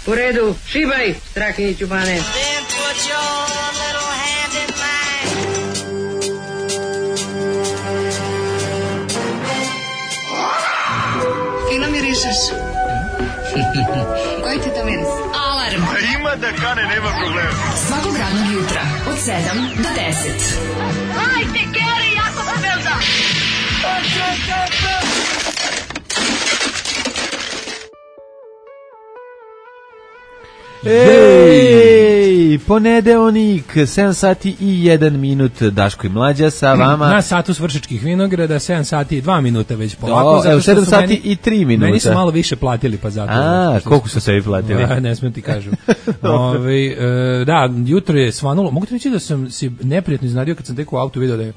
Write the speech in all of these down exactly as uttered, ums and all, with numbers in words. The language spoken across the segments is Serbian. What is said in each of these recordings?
U redu, šibaj, Strahinjiću bane. Fino mirišeš. Koji ti to miris? Alarm. A ima da kane, nema problema. Svakog radnog jutra, od sedam do deset. Hajde, Geri, jako se velda. Ej, ponedeonik, sedam sati i jedan minut, Daško i Mlađa sa vama. Na satu s Vršačkih vinograda, sedam sati i dva minuta već polako. Do, evo, sedam sati meni, i tri minuta. Meni su malo više platili, pa zato. A, koliko su sebi platili? A, ne smijem ti kažem. Ove, e, da, jutro je svanulo. Mogu ti reći da sam si neprijatno iznadio kad sam tek u autu vidio da je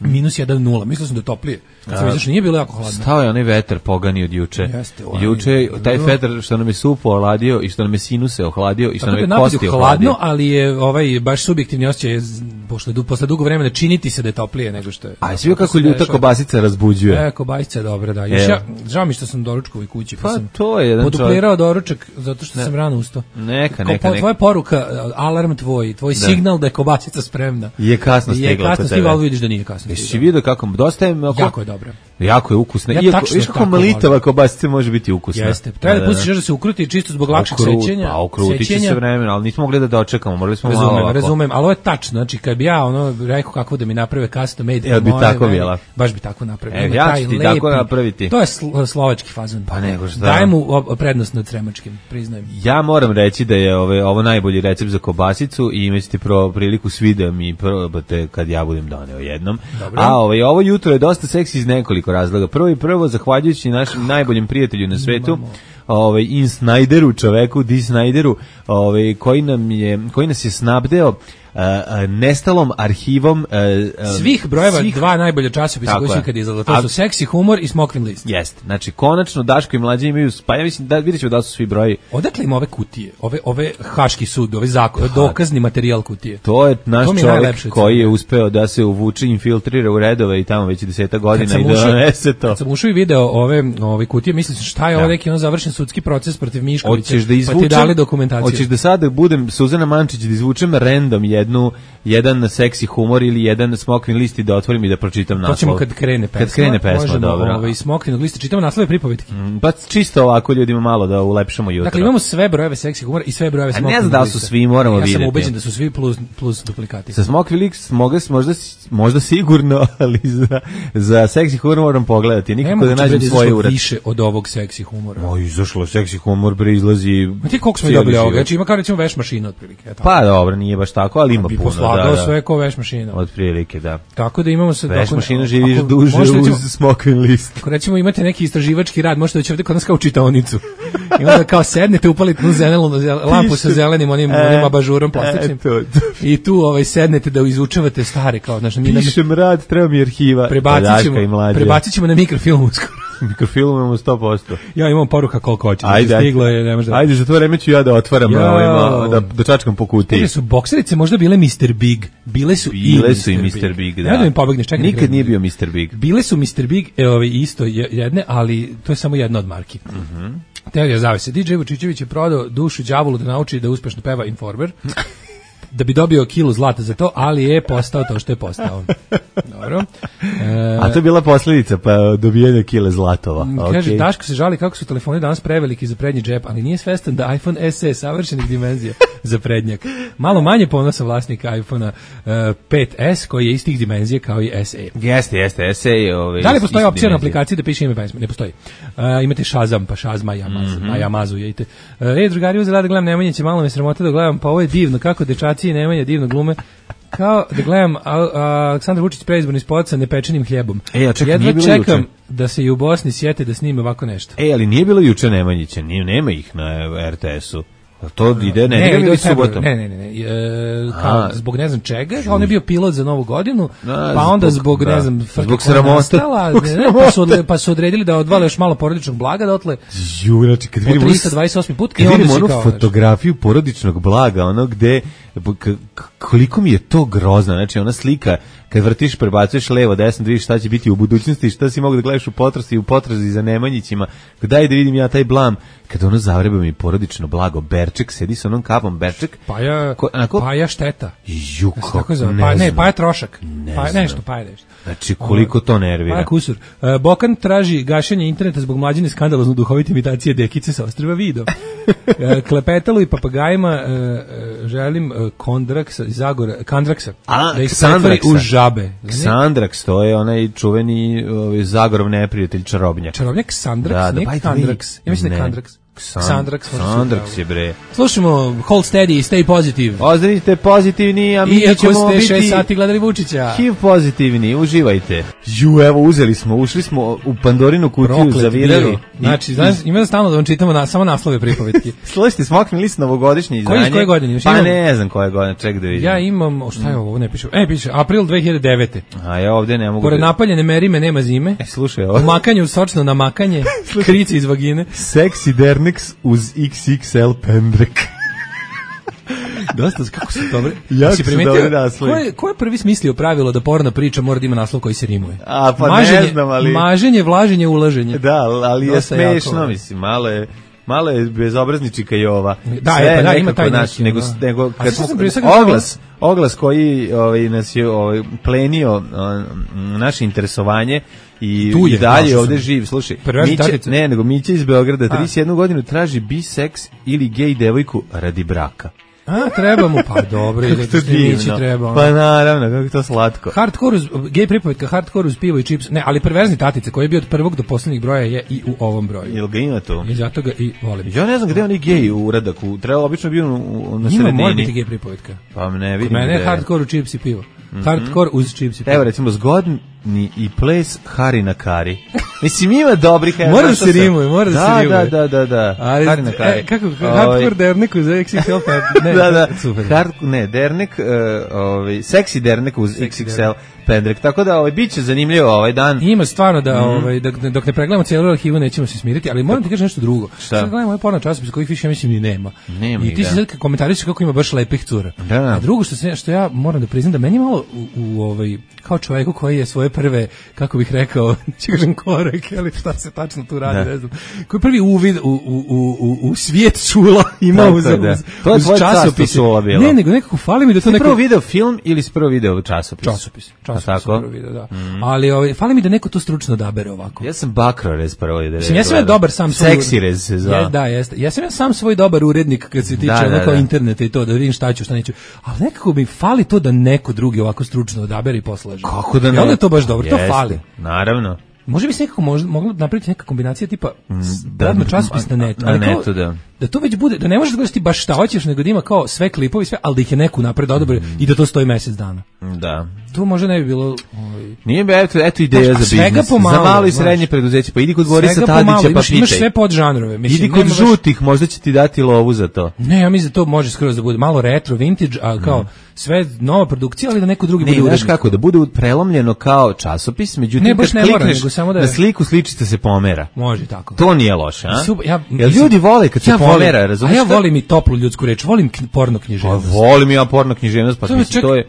minus jedan nula. Mislio sam da je toplije. Kad sam vidio što nije bilo jako hladno. Stao je onaj vetar pogani od juče. Jeste, ovaj, juče, taj vetar što nam je supo ohladio i što nam je sinuse ohladio i što nam je kosti ohladio. Hladno, ali je ovaj baš subjektivni osjećaj, pošto je posle dugo vremena činiti se da je toplije nego što je. A svi kako ljuta kobasica razbuđuje. E, kobasica je dobra, da. Još ja, žao mi što sam doručkovoj kući, pa, pa sam to je jedan poduplirao doručak zato što ne. sam rano ustao. Neka, neka, neka. Tvoja poruka, alarm tvoj, tvoj da. signal da je kobasica spremna. Je kasno stigla. Je kasno stigla, ali vidiš da nije kasno. Jesi vidio kako dosta je oko... Jako je dobra. Jako je ukusna. Ja, iako, viš kako malitava kobasica može biti ukusna. Jeste. Treba da pustiš još da se ukruti čisto zbog lakšeg sećenja. Pa ukruti će se vremena, ali nismo mogli da dočekamo, morali smo razumem, malo ovako. Razumem, ali ovo je tačno. Znači, kad bi ja ono rekao kako da mi naprave custom made, ja bi tako bila. Baš bi tako napravio. E, ja ću ti lepi, tako napraviti. To je sl slovački fazon. Pa nego šta. Daj mu prednost nad sremačkim, priznajem. Ja moram reći da je ove, ovo najbolji recept za kobasicu i imaćete pro priliku svi da mi probate kad ja budem doneo jednom. Dobro. A ovaj, ovo jutro je dosta seksi iz nekoliko razloga. Prvo i prvo, zahvaljujući našem najboljem prijatelju na svetu, ovaj in Snyderu, čoveku Di Snyderu, ovaj koji nam je koji nas je snabdeo Uh, uh, nestalom arhivom uh, uh, svih brojeva svih... dva najbolje časopisa koji su ikad izašli. To su Seksi humor i Smokvin list. Jeste. Znači konačno Daško i Mlađa imaju, pa ja mislim da videćemo da su svi brojevi. Odakle im ove kutije? Ove ove haški sud, ove zakon, dokazni materijal kutije. To je naš to čovjek koji je uspeo da se uvuče, infiltrira u redove i tamo već desetak godina i da donese to. Kad sam ušao i video ove ove kutije, mislim šta je ovo neki on završen sudski proces protiv Miškovića. Da izvučem, pa ti dali dokumentaciju. Hoćeš da sada budem Suzana Mančić da izvučem random jednu jedan seksi humor ili jedan Smokvin list i da otvorim i da pročitam naslov. To ćemo kad krene pesma. Kad krene pesma, možemo, dobro. Ovaj Smokvinog lista čitamo naslove pripovetki. Mm, pa čisto ovako ljudima malo da ulepšamo jutro. Dakle imamo sve brojeve seksi humora i sve brojeve Smokvinog lista. Ne znam da su svi, moramo ja vidjeti. Ja sam ubeđen da su svi plus plus duplikati. Sa Smokvin list možda možda možda sigurno, ali za za seksi humor moram pogledati. Nikako da nađem svoj ured. Više od ovog seksi humora. Oj, izašlo seksi humor bre izlazi. Ma ti koliko smo dobili ovoga? Znači ima kao recimo veš mašina otprilike. Pa dobro, nije baš tako, ali ima puno. Da, da. Sve ko veš mašina. Od prilike, da. Tako da imamo sad veš mašina živiš duže uz recimo, Smokvin list. Ako recimo imate neki istraživački rad, možete doći ovde kod nas kao čitaonicu. I onda kao sednete, upalite nu zelenu lampu sa zelenim onim, e, onim abažurom plastičnim. E, I tu ovaj sednete da izučavate stare kao znaš, mi pišem rad, treba mi arhiva. Prebacićemo, prebacićemo na mikrofilm uskoro. Mikrofilm imamo sto posto. Ja imam poruka koliko hoće. Ajde, stiglo je, ne može da. Ajde, za to vreme ću ja da otvaram ja. ovima, da da čačkam po kutiji. Bile su bokserice možda bile mister Big. Bile su bile i su i mister Big, da. Ja da mi pobegneš, čekaj. Nikad nije bio mister Big. Bile su mister Big, e, ove isto jedne, ali to je samo jedna od marki. Mhm. Mm Teorija zavese. D J Vučićević je prodao dušu đavolu da nauči da uspešno peva Informer. Da bi dobio kilu zlata za to, ali je postao to što je postao. Dobro. E, A to je bila posljedica pa dobijanja kile zlatova. Kaže, okay. Daško se žali kako su telefoni danas preveliki za prednji džep, ali nije svestan da iPhone S E savršenih dimenzija za prednjak. Malo manje ponosa vlasnika iPhonea uh, pet S koji je istih dimenzija kao i S E. Jeste, jeste, S E je ovaj. Da li postoji opcija na aplikaciji da piše ime pesme? Ne postoji. Uh, imate Shazam, pa Shazma, Yamazu, mm -hmm. Yamazu, jedite. Uh, ej, drugari, uzela da gledam Nemanja će malo me sramota da gledam, pa ovo je divno, kako dečaci i Nemanja divno glume. Kao da gledam a, a, Aleksandar Vučić preizborni spot sa nepečenim hljebom. E, ja čekam, jedva čekam juče da se i u Bosni sjete da snime ovako nešto. E, ali nije bilo juče Nemanjića, nije, nema ih na R T S-u. To ide ne, ne, ide subotom. Ne, ne, ne, ne. E, kao, zbog ne znam čega, on je bio pilot za Novu godinu, a, pa onda zbog, zbog ne znam, zbog sramote, pa su, pa su odredili da odvale još malo porodičnog blaga, da otle ju, znači, kad vidimo trista dvadeset osmi put kad vidimo onu fotografiju porodičnog blaga, ono gde k- k- koliko mi je to grozno, znači ona slika kad vrtiš, prebacuješ levo, desno, da vidiš šta će biti u budućnosti, šta si mogu da gledaš u potrazi, u potrazi za Nemanjićima, daj da vidim ja taj blam, kada ono zavreba mi porodično blago, Berček, sedi sa onom kapom, Berček. Paja, ko, onako, paja šteta. Ju, kako, ne, pa, ne, paja trošak. Ne paja, nešto, paja nešto. Znači, koliko to nervira. Paja kusur. Uh, Bokan traži gašenje interneta zbog mlađine skandalozno duhovite imitacije Dekice sa ostrva Vido. uh, Klepetalu i papagajima uh, želim uh, Kondraksa, Zagora, Kandraksa, A, da ih pretvori u žabe. Ksandraks, to je onaj čuveni ovaj, Zagorov neprijatelj čarobnjak. Čarobnjak Ksandraks, da, da, ne Kandraks. Ja mislim da je Kandraks. Ksandraks, Ksandraks je bre. Slušamo Hold Steady i Stay Positive. Ostanite pozitivni, a mi Iako ćemo biti... Iako ste šest sati gledali Vučića. H I V pozitivni, uživajte. Ju, evo, uzeli smo, ušli smo u Pandorinu kutiju, Proklet zavirali. Bio. Znači, znaš, ima da stalno da vam čitamo na, samo naslove pripovetki. Slušajte, Smokvin list novogodišnje izdanje. Koji, koje godine? Pa ne znam koje godine, ček da vidim. Ja imam, o, šta je ovo, ne piše. E, piše, april dve hiljade devete. A ja ovde ne mogu... Pored da... napaljene merime nema zime. E, slušaj ovo. Umakanje sočno namakanje, krici iz vagine. Sexy Dernex uz iks iks el pendrek. Dosta, kako su dobre. Jako si su primetio, dobri naslovi. Ko je, ko je prvi smislio pravilo da porna priča mora da ima naslov koji se rimuje? A, pa maženje, ne znam, ali... Maženje, vlaženje, ulaženje. Da, ali je Dosta smešno, jako. mislim, malo je... Malo je bezobrazničika i ova. Da, Sve je, pa da, ima nekako taj naš, neki, nego, da. nego A kad što smo, sam prije svega oglas, oglas koji ovaj, nas je ovaj, plenio um, naše interesovanje i, Tu je, i dalje našao ovde sam. živ. Slušaj, Preveži Miće, tatice. ne, nego Miće iz Beograda, A. trideset jednu godinu traži biseks ili gej devojku radi braka. A, treba mu, pa dobro, Kako to divno. treba. Pa naravno, kako to slatko. Hardcore uz, gej pripovetka, hardcore uz pivo i čips, ne, ali perverzni tatice koji je bio od prvog do poslednjeg broja je i u ovom broju. Jel ga ima tu? I zato ga i volim. Ja ne znam gde je onaj gej uradak, u, treba obično bio u, u, na Ima, mora sredini. biti gej pripovetka. Pa ne vidim Kod mene gde je je. hardcore u čips i pivo. Hardcore uz čips i pivo. Evo recimo zgodni i ples Hari na Kari. Mislim ima dobrih. Mora da se rimuje, mora da se rimuje. Da, da, da, da. Ali, Hari na Kari. e, kako, hardcore dernek uz iks iks el, pa ne, da, da. super. Hard, ne, dernek, uh, ovaj, seksi dernek uz Seksi iks iks el pendrek. Tako da ovaj, bit će zanimljivo ovaj dan. Ima stvarno da, Mhm. ovaj, dok, dok ne pregledamo cijelu arhivu nećemo se smiriti, ali moram ti kažem nešto drugo. Šta? Sad gledamo ovaj porno časopis kojih više ja mislim ni nema. Nema I ih, ti si da. sad komentariš kako ima baš lepih cura. Da. A drugo što, se, što ja moram da priznam da meni malo u, u ovaj, kao čovjeku koji je svoje prve, kako bih rekao, neću kažem korek, ali šta se tačno tu radi, Da. ne znam. Koji je prvi uvid u, u, u, u, u svijet čula imao Tako uz, je, da. uz, To je uz tvoje carstvo časopise. čula bilo. Ne, nego nekako fali mi da to Si neko... prvo video film ili si prvo video časopis? Časopis. Časopis A tako? prvo video, da. Mm. Ali ovaj, fali mi da neko to stručno odabere ovako. Ja sam Bakrorez prvo ide. Mislim, ja sam ja dobar sam svoj... Seksi rez se zva. Je, da, jeste. Ja sam ja sam svoj dobar urednik kad se tiče Da, da, ono kao da. interneta i to, da vidim šta ću, šta neću. Ali nekako mi fali to da neko drugi ovako stručno odabere i poslaže. Kako da I ne? onda je to baš dobro, to Jeste, fali. Naravno. Može bi se nekako možda, moglo napraviti neka kombinacija tipa da, radno časopis na netu. na ali kao, netu, da. Da to već bude, da ne možeš da gledaš ti baš šta hoćeš, nego da ima kao sve klipovi, sve, ali da ih je neku napred odobrio i da to stoji mesec dana. Da. To možda ne bi bilo... Ovaj, Nije bi, eto, eto ideja Znaš, a za svega biznis. pomalo, Za malo i znaš. srednje preduzeće. Pa idi kod Borisa svega pomalo, Tadića pa imaš, imaš pitaj. sve podžanrove. Mislim, Idi kod nema baš- žutih, možda će ti dati lovu za to. Ne, ja mislim da to može skroz da bude malo retro, vintage, a kao sve nova produkcija, ali da neko drugi Ne, bude znaš urednik. kako, da bude prelomljeno kao časopis, međutim, Ne, baš kad ne mora, klikneš nego samo da je- na sliku, sličica se pomera. Može tako. To nije loše, a? Super, ja, Jel mislim, ljudi vole kad se ja volim, pomera, razumiješ? A ja volim i toplu ljudsku reč, volim kn, porno Pa književnost. volim ja porno književnost, pa To je mislim, čak- to je...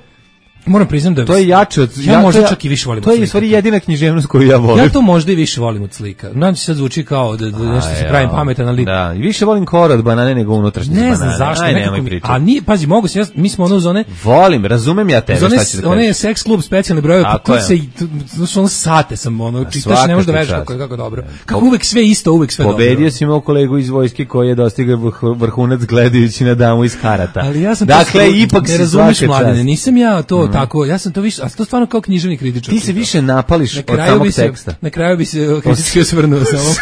Moram priznam da To je jače od... ja možda to je- čak i više volim To od je u slika. stvari jedina književnost koju ja volim. Ja to možda i više volim od slika. Znam se sad zvuči kao da, da nešto se A, pravim ja. pametan, ali Da, i više volim kora od banane nego unutrašnje ne banane. znam zašto. Aj, nekako nemoj mi, pričati. a nije, pazi, mogu se, ja, mi smo ono uz one, Volim, razumem ja tebe, uz one, šta ću da one kažem. seks klub specijalne brojeve, pa Tako tu je. se, i- tu, tu, ono sate sam, ono, čitaš, svaka ne možeš da ti veš čast. kako je, kako dobro. Kako uvek sve isto, uvek sve dobro. Pobedio si moj kolegu iz vojske koji je dostigao vrh- vrhunac gledajući na damu iz karata. Ali ja sam to dakle, stvarno- ipak ne si razumeš, svaka Mladene, čast. nisam ja to tako, ja sam to više, a to stvarno kao književni kritičar. Ti se više napališ na od kraju samog bi se, teksta. na kraju bi se kritički osvrnuo samo.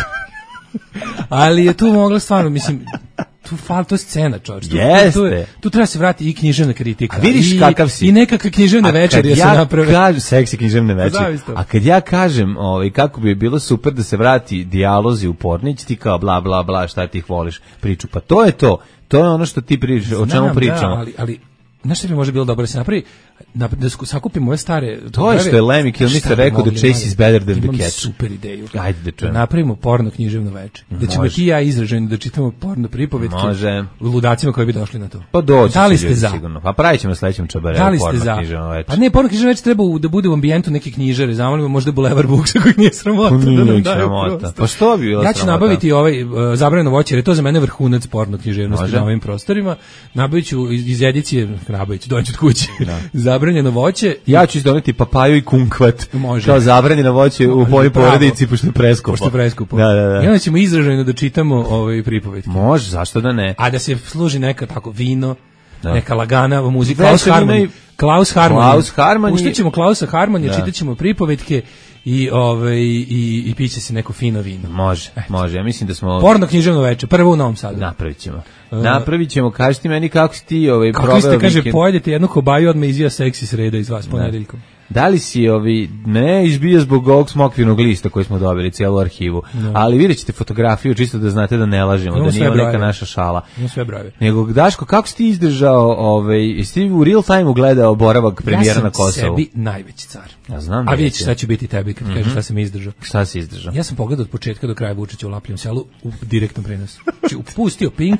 Ali je tu mogla stvarno, mislim, tu fal to je scena, čovječ. Tu, tu, tu, Jeste. je- tu treba se vratiti i književna kritika. A vidiš i, kakav si. I nekakve književne A kad večeri se ja naprave. kažem, seksi književne večeri. Zavisno. A kad ja kažem, ovaj, kako bi bilo super da se vrati dijalozi u Pornić, ti kao bla bla bla, šta ti ih voliš priču. Pa to je to. To je ono što ti pričaš, o čemu Znam, pričamo. Da, ali, ali Znaš što bi možda bilo dobro da se napravi, da, da sakupimo ove stare... To je što je Lemmy Kilmister rekao da Chase is better than the cat. Imam super ideju. Ajde da čujem. Da napravimo porno književno veče. Da ćemo ti i ja izraženi da čitamo porno pripovetke. Može. Ludacima koji bi došli na to. Pa doći da li će ste ljudi za? Sigurno. Pa pravit ćemo sledećem čabarevu da li ste porno za? književno veče. Pa ne, porno književno veče treba da bude u ambijentu neke knjižare. Zamolimo možda Bulevar Buksa koji nije sramota. Pa da nije sramota. Pa što bi bilo ja ću sramota? nabaviti ovaj uh, zabranjeno voće, jer je to za mene vrhunac porno književnosti na ovim prostorima. Nabavit ću iz, iz edicije, nabavit ću, doći od kuće. Zabranjeno voće. Ja ću doneti papaju i kunkvat. Može. Kao zabranjeno voće u mojoj porodici, pošto je preskupo. Pošto je preskupo. Da, da, da. I onda ćemo izraženo da čitamo ovaj pripovetke. Može, zašto da ne? A da se služi neka tako vino, da. neka lagana muzika. Klaus Harmon. Klaus Harmon. Klaus Harmon. Puštaćemo Klausa Harmonija, čitaćemo pripovetke i ovaj i i piće se neko fino vino. Može, Eto. može. Ja mislim da smo porno književno veče, prvo u Novom Sadu. Napravićemo. Uh, Napravićemo. Kaži ti meni kako si ti ovaj kako proveo. Kako ste kaže pojedete jednu kobaju, odmah izvija seksi sreda iz vas ponedeljkom. Da li si ovi ne izbio zbog ovog smokvinog lista koji smo dobili cijelu arhivu, no. ali vidjet ćete fotografiju čisto da znate da ne lažemo, no, da nije neka naša šala. No, sve brave. Nego Daško, kako si ti izdržao, ovaj, jesi ti u real time gledao boravak premijera ja na Kosovu? Ja sam sebi najveći car. Ja znam da A vidjet ćeš šta će biti tebi kad mm -hmm. kažeš šta sam izdržao. Šta si izdržao? Ja sam pogledao od početka do kraja Vučića u Lapljem selu u direktnom prenosu. Znači, upustio Pink,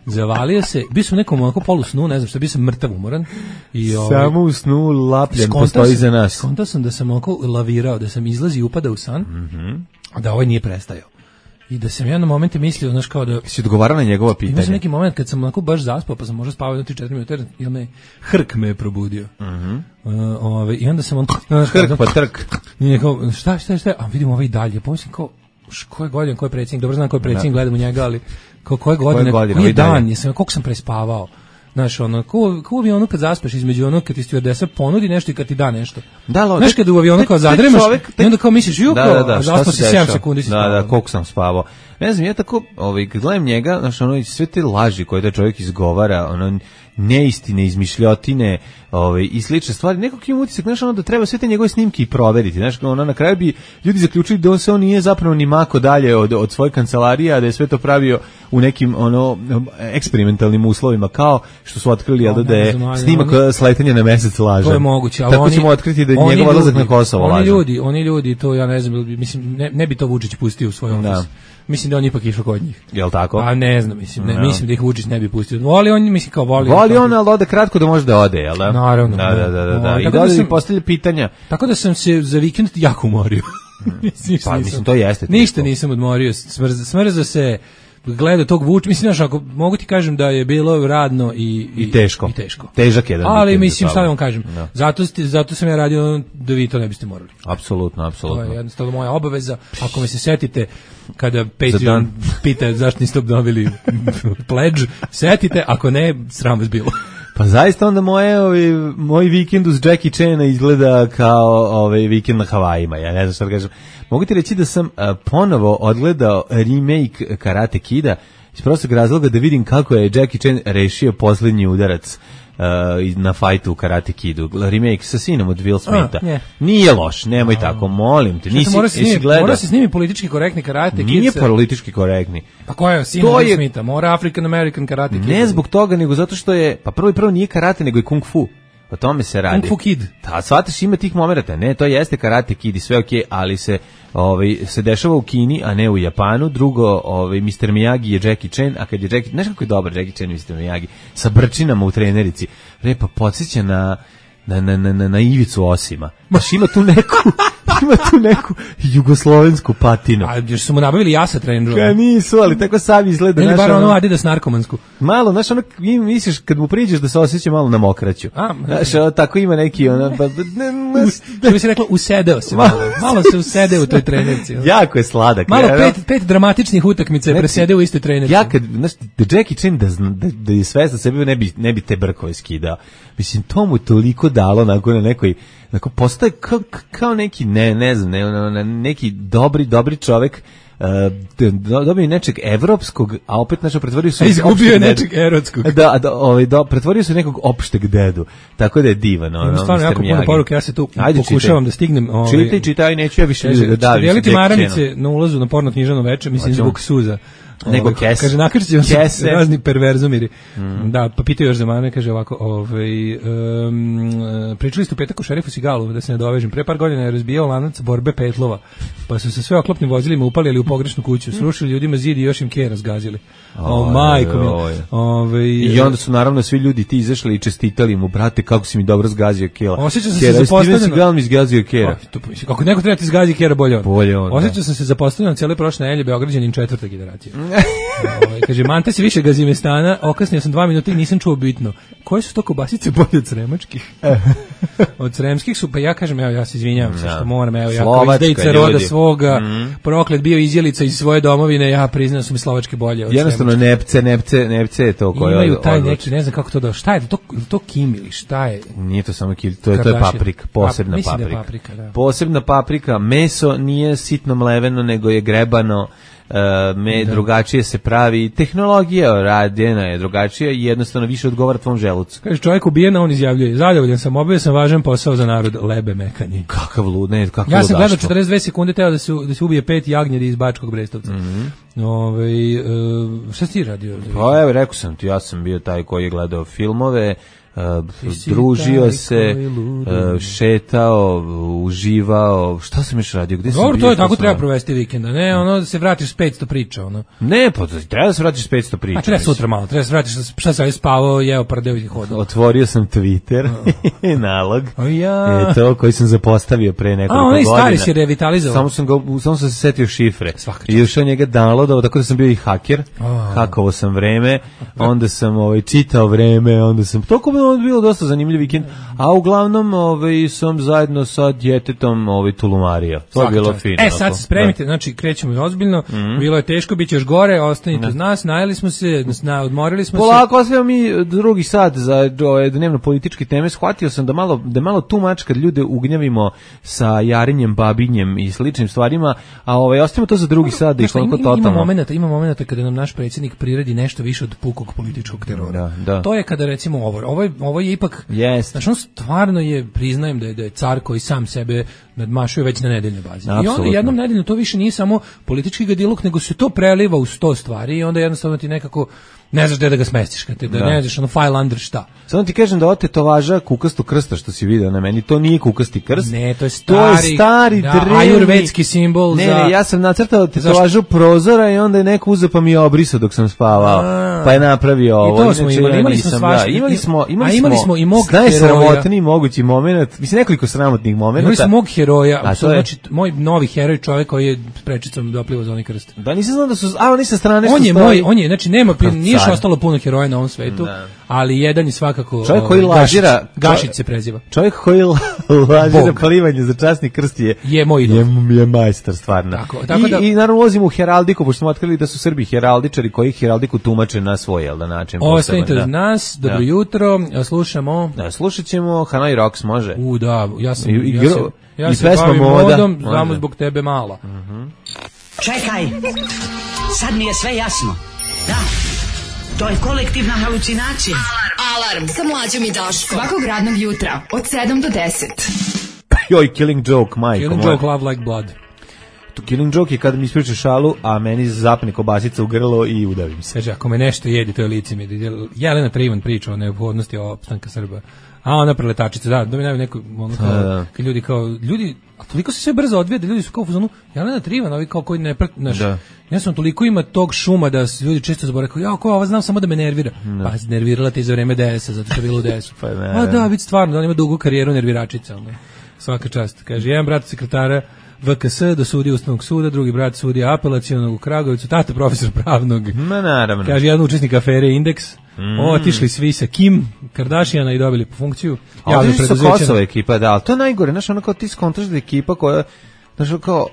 zavalio se, bio sam u nekom onako polu snu, ne znam šta, bio sam mrtav umoran. I, ovaj, samo u snu Lapljen postoji za nas. Skontao sam da sam onako lavirao, da sam izlazi i upadao u san, mm -hmm. a da ovaj nije prestajao. I da sam ja na momente mislio, znaš, kao da... Si odgovarao na njegova pitanja? Imao sam neki moment kad sam onako baš zaspao, pa sam možda spavao jedno tri četiri minuta, jer me hrk me je probudio. Mm -hmm. uh, ove, I onda sam on... Hrk pa trk. I nekao, šta, šta, šta, a vidim ovaj dalje, pomislim kao, ko je godin, ko je predsjednik, dobro znam ko je predsjednik, gledam u njega, ali kao koje godine, koji je dan, jesam, koliko sam prespavao. Znaš, ono, ko, ko u avionu kad zaspeš između ono kad ti stewardesa ponudi nešto i kad ti da nešto. Da, lo, znaš, kad u avionu kao zadremaš i onda kao misliš, ju, da, da, da, zaspao si sedam sekundi si da, da, koliko sam spavao. Ne znam, ja tako, ovaj, kad gledam njega, znaš, ono, sve te laži koje taj čovjek izgovara, ono, neistine, izmišljotine, ovaj, i slične stvari, nekako im utisak, znaš, ono, da treba sve te njegove snimke i proveriti, znaš, ono, na kraju bi ljudi zaključili da on se on nije zapravo ni mako dalje od, od svoje kancelarije, a da je sve to pravio u nekim, ono, eksperimentalnim uslovima, kao što su otkrili, no, da je znam, snimak oni, sletanja na mesec lažan. To je moguće, ali tako oni, ćemo otkriti da je njegov odlazak na Kosovo lažan. Oni ljudi, oni ljudi, to ja ne znam, mislim, ne, ne bi to Vučić pustio u svoj ofis. Da. Mislim da on ipak išao kod njih. Jel tako? A ne znam, mislim, ne, no. mislim da ih Vučić ne bi pustio. Voli on, mislim kao voli. Voli on, ali ode kratko da može da ode, jel da? Naravno. Da, da, da, da. da. I da, da sam postavlja pitanja. Tako da sam se za vikend jako umorio. mislim, pa, mislim, to jeste. Ništa teško. Nisam odmorio. Smrza, smrza se gleda tog Vučića, mislim, znaš, ako mogu ti kažem da je bilo radno i, i, i teško. I teško. Težak jedan. Ali mislim, šta da vam kažem, no. zato, sti, zato sam ja radio da vi to ne biste morali. Apsolutno, apsolutno. To je jednostavno moja obaveza. Ako me se setite, kada Patreon pita zašto niste obnovili pledge, setite, ako ne, sram vas bilo. Pa zaista onda moje, ovaj, moj vikend uz Jackie Chana izgleda kao ovaj, vikend na Havajima, ja ne znam šta da kažem. Mogu ti reći da sam a, ponovo odgledao remake Karate Kida iz prostog razloga da vidim kako je Jackie Chan rešio posljednji udarac uh, na fajtu u Karate Kidu. Remake sa sinom od Will Smitha. A, nije loš, nemoj a, tako, molim te. Nisi, mora, se snimi, mora se snimi politički korektni Karate Kid. Nije politički korektni. Pa ko je sin od Will Smitha? Mora African American Karate Kid. Ne zbog toga, nego zato što je, pa prvo i prvo nije karate, nego je kung fu. O tome se radi. Kung Fu Kid. Da, shvataš, ima tih momenata. Ne, to jeste Karate Kid i sve okej, okay, ali se ovaj se dešava u Kini, a ne u Japanu. Drugo, ovaj mister Miyagi je Jackie Chan, a kad je Jackie, znaš kako je dobar Jackie Chan i mister Miyagi sa brčinama u trenerici. Repa podsjeća na na na na na, na Ivicu Osima. Baš ima tu neku ima tu neku jugoslovensku patinu. A još su mu nabavili jasa treneru. Ja nisu, ali tako sam izgleda. Ili bar ono Adidas narkomansku. Malo, znaš, ono, misliš kad mu priđeš da se osjeća malo na mokraću. A, znaš, ono, tako ima neki, ono, ba, što bi se reklo, usedeo se malo. Malo se usedeo u toj trenerci. Ono. Jako je sladak. Malo ja, pet, pet dramatičnih utakmica je presedeo u istoj trenerci. Ja kad, znaš, da Jackie Chan da, da, da je svestan sebe, ne bi, ne bi te brkove skidao. Mislim, to mu toliko dalo nakon na nekoj, nakon postaje kao, kao neki, ne, ne znam, ne, neki dobri, dobri čovek, Uh, dobio nečeg evropskog, a opet nešto pretvorio se... A izgubio je nečeg erotskog. Da, da, ovaj, da, pretvorio se nekog opšteg dedu. Tako da je divan. Ono, stvarno jako puno poruke, ja se tu Ajde, pokušavam čitaj. Da stignem. Ovaj, čitaj, čitaj, neću ja više ljudi da davim. Dijeliti maramice na ulazu na porno knjižano veče, mislim zbog suza. Nego Ovaj, kes. Kaže, nakršit će vam se Kese. razni perverzumiri. Mm. Da, pa pitaju još za mene, kaže ovako, ovaj, um, pričali ste u petak o šerifu Sigalu, da se ne dovežem. Pre par godina je razbijao lanac borbe petlova, pa su se sve oklopnim vozilima upalili u pogrešnu kuću, srušili ljudima zid i još im kera zgazili. O, majko mi. Ovaj, I onda su naravno svi ljudi ti izašli i čestitali mu, brate, kako si mi dobro zgazio kera. Osjećam se Kera, se zapostavljeno. Steven Seagal mi zgazio kera. Kako neko treba ti zgazi kera, bolje on. Bolje on. Osjećam sam se zapostavljeno cijele prošle nedelje Beograđanin četvrte generacije. Ovaj, kaže, mante se više Gazimestana, okasnio sam dva minuta i nisam čuo bitno. Koje su to kobasice bolje od sremačkih? Od sremskih su, pa ja kažem, evo, ja se izvinjavam se što moram, evo, ja kao izdejica roda svoga, mm. proklet bio izjelica iz svoje domovine, ja priznam da su mi slovačke bolje od jednostavno nepce, nepce, nepce je to koje imaju taj neki, ne znam kako to da, šta je to, to kim ili šta je? Nije to samo kim, to je, to je paprika, posebna pa, paprika. Da paprika da. Posebna paprika, meso nije sitno mleveno, nego je grebano. Uh, me da. drugačije se pravi, tehnologija radjena je drugačija i jednostavno više odgovara tvom želucu. Kaže, čovjek ubijen, on izjavljuje, zadovoljan sam, obavio sam važan posao za narod, lebe mekanje. Kakav lud, ne, kakav ja sam ludaštvo. gledao četrdeset dve sekunde teo da se, da se ubije pet jagnjeri iz Bačkog Brestovca. Mm-hmm. Ove, uh, šta si ti radio? Pa evo, rekao sam ti, ja sam bio taj koji je gledao filmove, Uh, družio se, uh, šetao, uživao, šta sam još radio, gde sam bio? Dobro, to je tako, treba provesti vikenda, ne, ono da se vratiš s petsto priča, ono. Ne, pa treba da se vratiš s petsto priča. A treba sutra malo, treba da se vratiš, šta sam spavao, jeo pardeo i hodao. Otvorio sam Twitter, nalog, o ja. e, to koji sam zapostavio pre nekoliko godina. A, onaj stari si revitalizovao. Samo sam, ga, samo sam se setio šifre. Svaka i ušao njega downloadao, tako da sam bio i haker, oh. hakovo sam vreme, onda sam ovaj, čitao vreme, onda sam, toliko bilo dosta zanimljiv vikend, a uglavnom ovaj, sam zajedno sa djetetom ovaj, tulumario. To je bilo fino. E, sad se spremite, da. Znači krećemo ozbiljno, mm-hmm. bilo je teško, bit će još gore, ostanite uz nas, najeli smo se, na, odmorili smo Polako, se. Polako, ostavimo mi drugi sat za ove, dnevno političke teme, shvatio sam da malo, da malo tu mač kad ljude ugnjavimo sa jarinjem, babinjem i sličnim stvarima, a ovaj, ostavimo to za drugi sat da ih koliko totalno. Ima momenata, ima momenata kada nam naš predsjednik priredi nešto više od pukog političkog terora. Da, da. To je kada recimo ovo, ovo je, ovo je ipak, yes. Znači on stvarno je, priznajem da je, da je car koji sam sebe nadmašuje već na nedeljnoj bazi. Absolutno. I onda jednom nedeljno to više nije samo politički gadiluk, nego se to preliva u sto stvari i onda jednostavno ti nekako ne znaš gde da ga smestiš, kad te, da, da ne znaš ono file under šta. Samo ti kažem da ovo tetovaža kukastu krsta što si video na meni, to nije kukasti krst. Ne, to je stari, to je stari da, drevni ajurvedski simbol. Ne, za... ne, ja sam nacrtao tetovažu prozora i onda je neko uzeo pa mi je obrisao dok sam spavao. A, pa je napravio ovo. I to smo imali, imali smo svašta. Da, imali smo, imali a imali smo i mog najsramotniji mogući moment, mislim nekoliko sramotnih momenata. Imali smo mog heroja, a to je... znači moj novi heroj, čovjek koji je prečicom doplivao za onaj krst. Da, nisam znao da su, a oni sa strane on što je stoji. moj, on je, znači nema, nije što ostalo puno heroja na ovom svetu, ne. Ali jedan je svakako čovjek koji lažira, Gašić, Gašić se preziva. Čovjek koji lažira plivanje za časni krst je je moj idol. Je, je majstor stvarno. Tako, tako I, da, i naravno ulazimo u heraldiku, pošto smo otkrili da su Srbi heraldičari koji heraldiku tumače na svoj jel da način. Ostanite uz nas, dobro da. Jutro, slušamo. Da, slušat ćemo Hanoi Rocks, može. U da, ja sam, I, i, ja, sam, ja i se bavim modom, može. znamo zbog tebe mala. Uh-huh. Čekaj, sad mi je sve jasno. Da, to je kolektivna halucinacija. Alarm, Alarm sa mlađom i Daškom. Svakog radnog jutra od sedam do deset. Joj, Killing Joke, majko. Killing Joke, Love Like Blood. To Killing Joke je kada mi ispriča šalu, a meni zapne kobasica u grlo i udavim se. Kaže, ako me nešto jedi, to je lice mi. Jelena Trivan priča o neophodnosti opstanka Srba. A ona preletačica, da, da mi najve neko, ono kao, kad ljudi kao, ljudi, a toliko se sve brzo odvija da ljudi su kao u fazonu, Jelena Trivan, ovi kao koji ne prat, znaš, ja sam toliko ima tog šuma da se ljudi često zaboravaju, kao, ja, ko, ova znam samo da me nervira. Da. Pa, nervirala te za vreme D S-a, zato što je bilo u D S-u. Pa, a da, vidi stvarno, da on ima dugu karijeru nerviračica, ono. Svaka čast. Kaže, jedan brat sekretara V K S do sudije Ustavnog suda, drugi brat sudija apelacionog u Kragovicu, tata profesor pravnog. Ma naravno. Kaže, jedan učesnik afere Indeks. Mm. Otišli svi sa Kim Kardashiana i dobili po funkciju. A ovdje su Kosova ekipa, da, ali to je najgore, znaš, ono kao ti skontraš da ekipa koja, znaš, kao,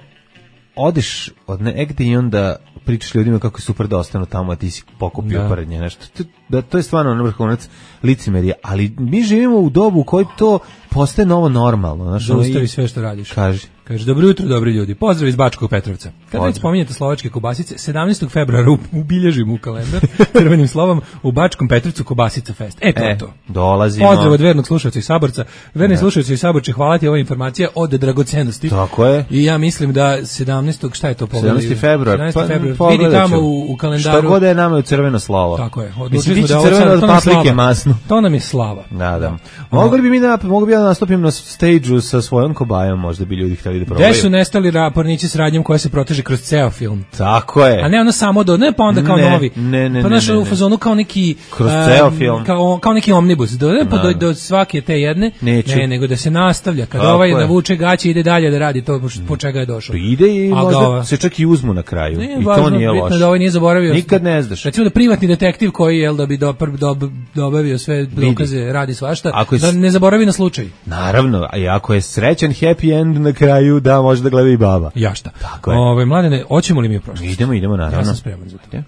odeš od negde i onda pričaš ljudima kako je super da ostanu tamo, a ti si pokupio pored nje, nešto. To, da, to je stvarno na vrhunac licemerija, ali mi živimo u dobu u kojoj to postaje novo normalno. Znaš, zaustavi sve što radiš. Kaži. Kaže, dobro jutro, dobri ljudi. Pozdrav iz Bačkog Petrovca. Kad već spominjete slovačke kobasice, sedamnaestog februara ubilježim u kalendar crvenim slovom u Bačkom Petrovcu Kobasica Fest. E, to je e, to. Dolazimo. Pozdrav od vernog slušalca i saborca. Verni slušalci i saborci, hvala ti, ova informacija od dragocenosti. Tako je. I ja mislim da sedamnaestog šta je to pogledali? sedamnaesti februar. sedamnaesti februar. Pa, vidi tamo u, u kalendaru. Šta god je nama u crveno slovo. Tako je. Mislim, Odlučili smo biće da crveno od to nam je paprike slava. masno. To nam je slava. Da, da. Mogli bi mi da, mogu bi ja da nastupim na stage-u sa svojom kobajom, možda bi ljudi htjeli da probaju. Gde su nestali rapornici s radnjom koja se proteže kroz ceo film? Tako je. A ne ono samo do, ne pa onda kao ne, novi. Ne, ne, pa ne. naš ne, u fazonu kao neki kroz um, ceo film. Kao, kao neki omnibus. Do, ne, pa do, do svake te jedne. Neću. Ne, nego da se nastavlja. Kada Tako ovaj je. navuče gaće ide dalje da radi to po čega je došao. Ide i A možda ga- se čak i uzmu na kraju. Ne, I važno, to nije bitno loše. je da ovaj nije zaboravio. Nikad ne znaš. Recimo da privatni detektiv koji je da bi dopr, dob, dobavio sve dokaze, radi svašta, Ako je da s- ne zaboravi na slučaj. Naravno, a i ako je srećan happy end na kraju, da može da gleda i baba. Ja šta? Tako je. Ove, mladene, hoćemo li mi u prošlost? Idemo, idemo, naravno. Ja sam spreman za to. Ajde.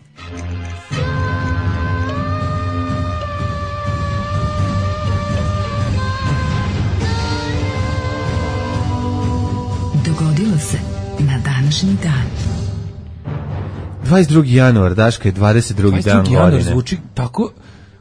Dogodilo se na današnji dan. dvadeset drugi januar, Daška je dvadeset drugi dan dvadeset drugi januar godine. zvuči tako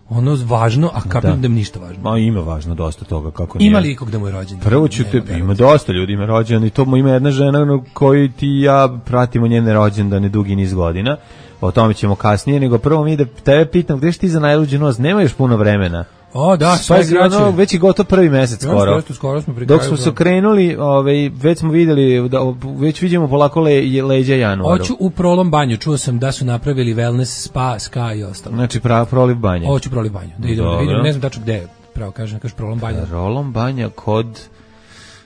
ono važno, a kapiram Da. da mi ništa važno. Ma ima važno dosta toga kako nije. Ima li ikog da mu je rođen? Prvo ću te, Nema, ima dosta ljudi ima rođendan i to mu ima jedna žena na koju ti i ja pratimo njene rođendane dugi niz godina. O tome ćemo kasnije, nego prvo mi da tebe pitam gde si ti za najluđi nos, nema još puno vremena. O, da, sve Pazi, kraće. ono, već je gotov prvi mesec Ja, skoro. skoro, skoro smo pri Dok kraju, smo da. se krenuli, ovaj, već smo vidjeli, da, već vidimo polako le, leđa januaru. Hoću u Prolom banju, čuo sam da su napravili wellness, spa, ska i ostalo. Znači, pra, proliv banje. Hoću Prolom banju, da idemo, da Dobro. vidimo, ne znam tačno gde je, pravo kažem, kažeš Prolom banju. Rolom banja kod,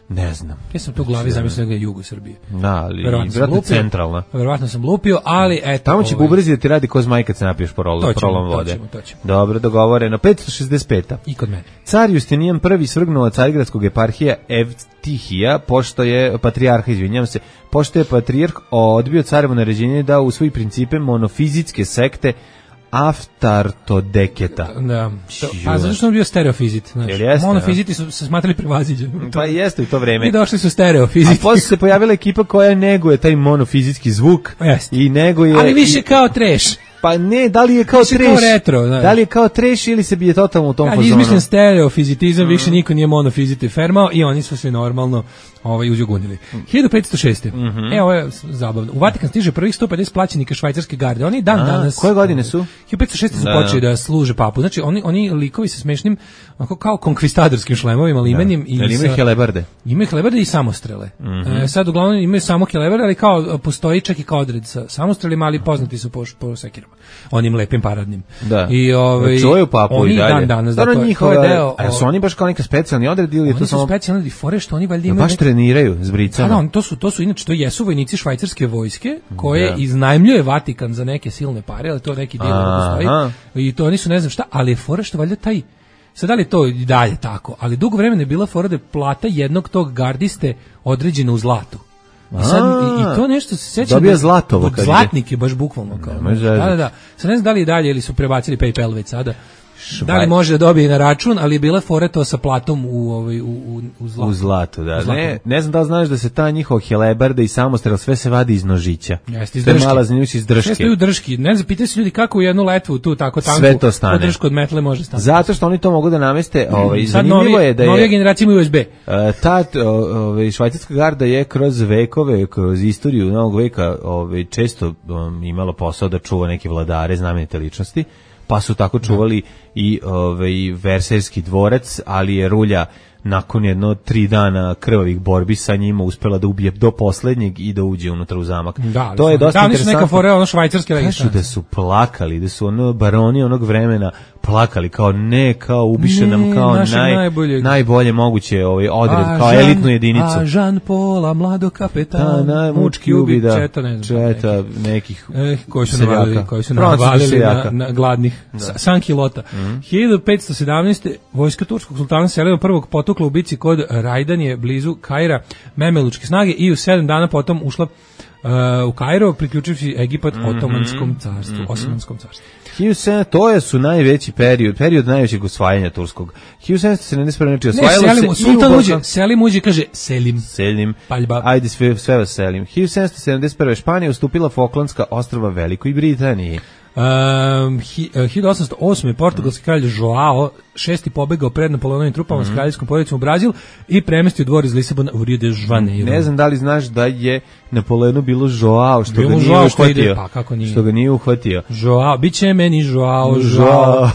ne znam. Ja sam tu u glavi zamislio da je jugu Srbije. Da, ali Verovatno sam vjerojatno lupio. centralna. Verovatno sam lupio, ali eto. Tamo će ovaj, bubrezi da ti radi ko zmaj kad se napiješ prolom, To ćemo, prolom to vode. ćemo, to ćemo. Dobro, dogovoreno. petsto šezdeset peta. I kod mene. Car Justinijan prvi svrgnuo carigradskog eparhija Evtihija, pošto je patrijarha, izvinjam se, pošto je patrijarh odbio carevo naređenje da u svoji principe monofizitske sekte Aftartodeketa. Da. To, Čiju. a zato što on bio stereofizit, znači. Jel jeste, Monofiziti su se smatrali prevaziđeni. Pa jeste u to vreme. I došli su A stereofiziti. posle se pojavila ekipa koja neguje taj monofizitski zvuk Jeste. i neguje... Ali više i- kao treš. Pa ne, da li je kao Više treš? kao retro, znaš. Da li je kao treš ili se bije totalno u tom Kad fazonu? izmišljen stereofizitizam, više niko nije monofiziti fermao i oni su se normalno ovaj, uzjugunili. hiljadu petsto šeste. E, ovo je zabavno. U Vatikan stiže prvih sto pedeset plaćenika švajcarske garde. Oni dan A, danas... koje godine su? hiljadu petsto šeste su Da, počeli da služe papu. Znači, oni, oni likovi sa smešnim, onako kao konkvistadorskim šlemovima, limenim. I Jel imaju sa- helebarde? Imaju helebarde i samostrele. E, sad uglavnom imaju samo helebarde, ali kao postoji čak i kao odred sa samostrelima, ali poznati su po, po sekirama. Onim lepim paradnim. Da. I ovaj čuvaju papu oni i dalje. dan danas da Stvarno to, je- njihova, to je deo. a su oni baš kao neka specijalni odred ili je to Oni su samo... specijalni fore što oni valjda Jel imaju baš nek- treniraju s Da, bricama? da, oni to su to su inače to jesu vojnici švajcarske vojske koje Da. iznajmljuje Vatikan za neke silne pare, ali to neki dio Aha. postoji. I to oni su ne znam šta, ali je fora što valjda taj sad da li je to i dalje tako, ali dugo vremena je bila fora da je plata jednog tog gardiste određena u zlatu. I, sad, i, i to nešto se sećam. Dobija da- zlatovo dok kad ide. zlatnik je baš bukvalno kao. Nemoj Da, zezati. da, da. Sad ne znam da li je dalje ili su prebacili PayPal već sada. Švaj- Da li može da dobije na račun, ali je bila fora to sa platom u ovaj u u u zlatu. U zlatu, da. U zlatu. Ne, ne znam da li znaš da se ta njihova helebarda i samostrel sve se vadi iz nožića. Jeste, iz To je drške. mala zanimljivost iz drške. Sve stoji u drški. Ne znam, pitaju se ljudi kako u jednu letvu tu tako tanku. Sve to stane. Podršku od metle može stane. Zato što oni to mogu da nameste, ovaj, Sad zanimljivo novi, je da je... novija generacija ima U S B. E, ta t- o- ovaj švajcarska garda je kroz vekove, kroz istoriju novog veka, ovaj često um, imala posao da čuva neke vladare, znamenite ličnosti, pa su tako čuvali i ovaj Versajski dvorac, ali je rulja nakon jedno tri dana krvavih borbi sa njima uspela da ubije do poslednjeg i da uđe unutra u zamak. Da, to je dosta da, oni su neka interesantno. fora ono švajcarske Kažu registracije. da su plakali, da su ono baroni onog vremena plakali kao ne, kao ubiše nam Ne, kao našeg naj, najboljeg. najbolje moguće ovaj odred, A kao Jean- elitnu jedinicu. A Jean Paula, mlado kapetana, na, mučki ubi, da, četa, ne znam. četa nekih Eh, koji su seljaka. navalili, koji su Francuskih navalili seljaka. na, na gladnih da. Sankilota. Mhm. hiljadu petsto sedamnaeste. vojska turskog sultana Selima prvog potukla u bici kod Rajdanije blizu Kaira Memelučke snage i u sedam dana potom ušla u Kairo, priključivši Egipat Otomanskom carstvu, mm-hmm. Osmanskom carstvu. To je su najveći period, period najvećeg osvajanja turskog. hiljadu sedamsto sedamdeset prve znači osvajalo ne, Selim, se Sultan uđe, Selim uđe kaže Selim. Selim. Paljba. Ajde sve, sve vas Selim. hiljadu sedamsto sedamdeset prve Španija ustupila Falklandska ostrva Velikoj Britaniji. Um, hi, uh, hiljadu osamsto osme portugalski kralj Joao šesti pobegao pred Napoleonovim trupama mm. s kraljevskom porodicom u Brazil i premestio dvor iz Lisabona u Rio de Janeiro. Ne znam da li znaš da je Napoleonu bilo Joao što bilo ga nije Joao uhvatio. Što, ide, pa, kako nije? Što ga nije uhvatio. Joao, biće meni Joao, Joao.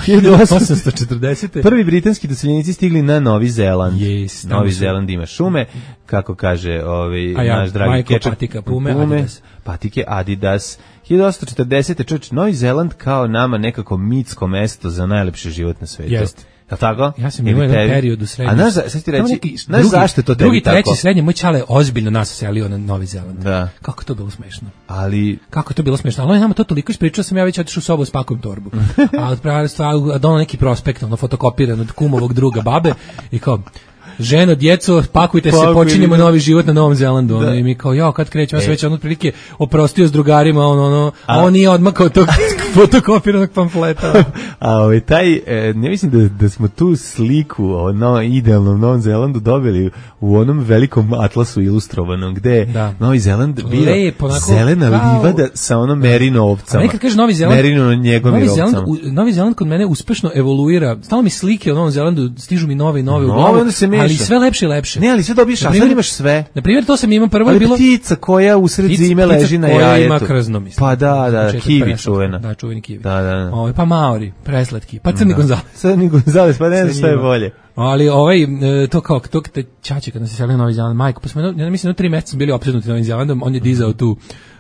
hiljadu osamsto četrdesete Prvi britanski doseljenici stigli na Novi Zeland. Yes, Novi Zeland ima šume, kako kaže ovaj ja, naš dragi Majko, Kečak. patika, pume, pume, Adidas. Patike, Adidas. hiljadu osamsto četrdesete Čovječ, Novi Zeland kao nama nekako mitsko mesto za najlepši život na svetu. Jeste. Je li tako? Ja sam imao jedan period u srednjem. A znaš, sad ti reći, znaš zašto je to tebi drugi, tako? Drugi, treći, srednje, moj čale ozbiljno nas selio na Novi Zeland. Da. Kako to bilo smešno. Ali... Kako to bilo smešno. Ali on je nama to toliko ispričao, sam ja već otišao u sobu, spakujem torbu. A od pravi stvar, donao neki prospekt, ono fotokopiran od kumovog druga babe i kao... Ženo, djeco, pakujte se, počinjemo novi život na Novom Zelandu. Ono, i mi kao, jo, kad krećemo, ja sam već ono otprilike oprostio s drugarima, ono, ono, a on nije odmakao tog fotokopiranog pamfleta. A ovaj, taj, e, ne mislim da, da smo tu sliku o no, idealnom Novom Zelandu dobili u onom velikom atlasu ilustrovanom, gde da. Novi Zeland bio Lep, onako, zelena kao... livada sa onom merino ovcama. A nekad kaže Novi Zeland, merino njegovim Novi Zeland, ovcama. u, Novi Zeland kod mene uspešno evoluira. Stalno mi slike o Novom Zelandu, stižu mi nove i nove no, u glavu, ali sve lepše i lepše. Ne, ali sve dobiješ, a sad imaš sve. Na primjer, to sam imao prvo ali bilo... ptica koja usred ptica, zime leži na jajetu. Koja ima krzno, mislim. Pa da, da, kiwi čuvena. Da, čuveni kiwi. Da, da, da. Ovo, pa Maori, preslatki, pa Crni Gonzales. Crni Gonzales, pa ne znam šta je bolje. Ali ovaj, to kao, to te čače kad nas je selio Novi Zeland, majko, pa smo, ja mislim, no tri meseca bili opsednuti Novim Zelandom, on je dizao tu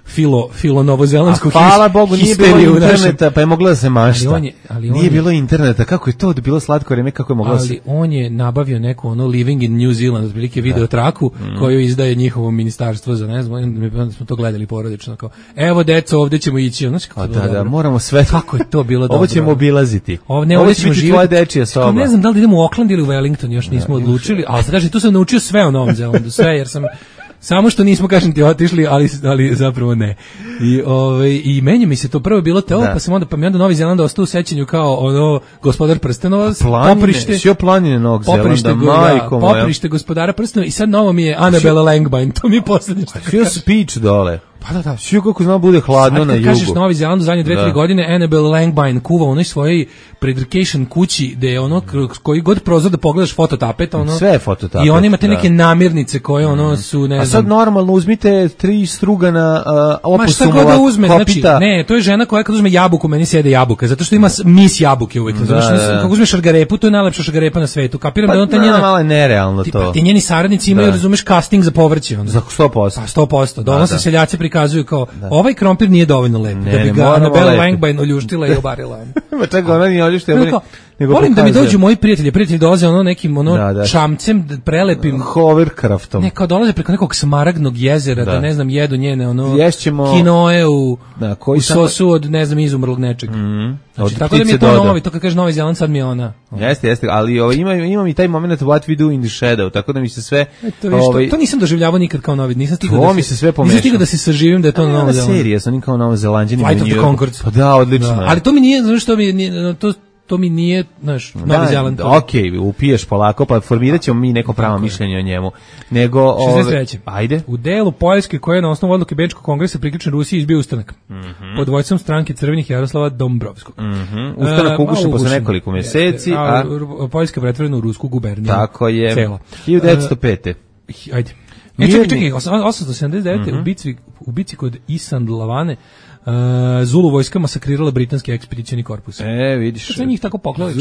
filo, filo novozelandsku histeriju. Hvala Bogu, nije bilo interneta, pa je mogla da se mašta. Ali on je, ali on nije je, bilo interneta, kako je to bilo slatko vreme, kako je mogla ali se... on je nabavio neku ono Living in New Zealand, otprilike video traku, mm. koju izdaje njihovo ministarstvo za ne znam, onda smo to gledali porodično, kao, evo deco, ovdje ćemo ići. Znači, kako da, da, moramo sve... Kako je to bilo dobro. Ovo ćemo obilaziti. Ovo, ne, ovo će biti tvoja dečija soba. Ne znam da li idemo u Auckland ili u Wellington, još nismo da, odlučili, ali sad, tu sam naučio sve o Novom Zelandu, sve, jer sam... Samo što nismo, kažem ti, otišli, ali, ali zapravo ne. I, ovaj, i meni mi se to prvo bilo teo, pa sam onda, pa mi onda Novi Zeland ostao u sećanju kao ono Gospodar prstenova, poprište. Sio planine Novog Zelanda, majko moja. Poprište Gospodara prstenova i sad novo mi je Annabella Langbein, to mi je posljednje što sio speech dole. Pa da, da. Sio kako zna bude hladno sad, na jugu. Kažeš Novi Zeland u zadnje dve, tri godine, Annabella Langbein kuva u onoj svojoj predrcation kući, gde je ono, koji god prozor da pogledaš fototapeta, ono. Sve je fototapet. I oni imate neke namirnice koje ono su, ne znam. A sad normalno uzmite tri strugana uh, opusumova da uzme, kopita. Znači, ne, to je žena koja kad uzme jabuku, meni sjede jabuka, zato što ima mis jabuke uvek. Da, zato što da, da. Kako uzmeš šargarepu, to je najlepša šargarepa na svetu. Kapiram pa, da on ta njena... malo je nerealno ti, to. Pa, ti njeni saradnici imaju, da. Razumeš, casting za povrće. Onda. Za sto posto. Pa sto posto. Da, ono se seljaci prikazuju kao, da. Ovaj krompir nije dovoljno lep, ne, da bi ga Annabella Langbein oljuštila i obarila. Ma čekaj, ona nije oljuštila, nego volim da mi dođu moji prijatelji, prijatelji dolaze ono nekim ono da, da. čamcem prelepim hovercraftom. Ne, kao dolaze preko nekog smaragdnog jezera, da, da ne znam, jedu njene ono Ješćemo... kinoe u, da, koji u sosu od ne znam izumrlog nečeg. Mm. Znači, tako da mi je to novi, to kad kaže Novi Zeland, sad mi je ona. Jeste, jeste, ali ovaj, ima, ima i taj moment what we do in the shadow, tako da mi se sve... E, to, viš, ovaj, to, to nisam doživljavao nikad kao novi, nisam stigao to da mi se sve pomešao. Nisam stigao da se saživim da je to na Novom Zelandu. Serija, sam kao Novo Zelanđani. Flight of the Conchords. Pa da, odlično. Da. Ali to mi nije, znaš što mi nije, to... to mi nije, znaš, Novi Zeland. Okej, okay, upiješ polako, pa formirat ćemo mi neko pravo mišljenje o njemu. Nego, šezdeset treće Ajde. U delu Poljske koje je na osnovu odluke Bečkog kongresa priključen Rusiji izbio ustanak. Mm -hmm. Pod vojstvom stranke Crvenih Jaroslava Dombrovskog. Mm -hmm. Ustanak uh, ugušen posle nekoliko mjeseci. A, a Poljska pretvorena u rusku guberniju. Tako je. Cela. hiljadu devetsto pete Uh, ajde. E, čekaj, čekaj, osamsto sedamdeset devete Mm -hmm. u, bici, u bici kod Isandlavane Uh, Zulu vojska masakrirala britanski ekspedicijni korpus. E, vidiš. To se njih tako poklali.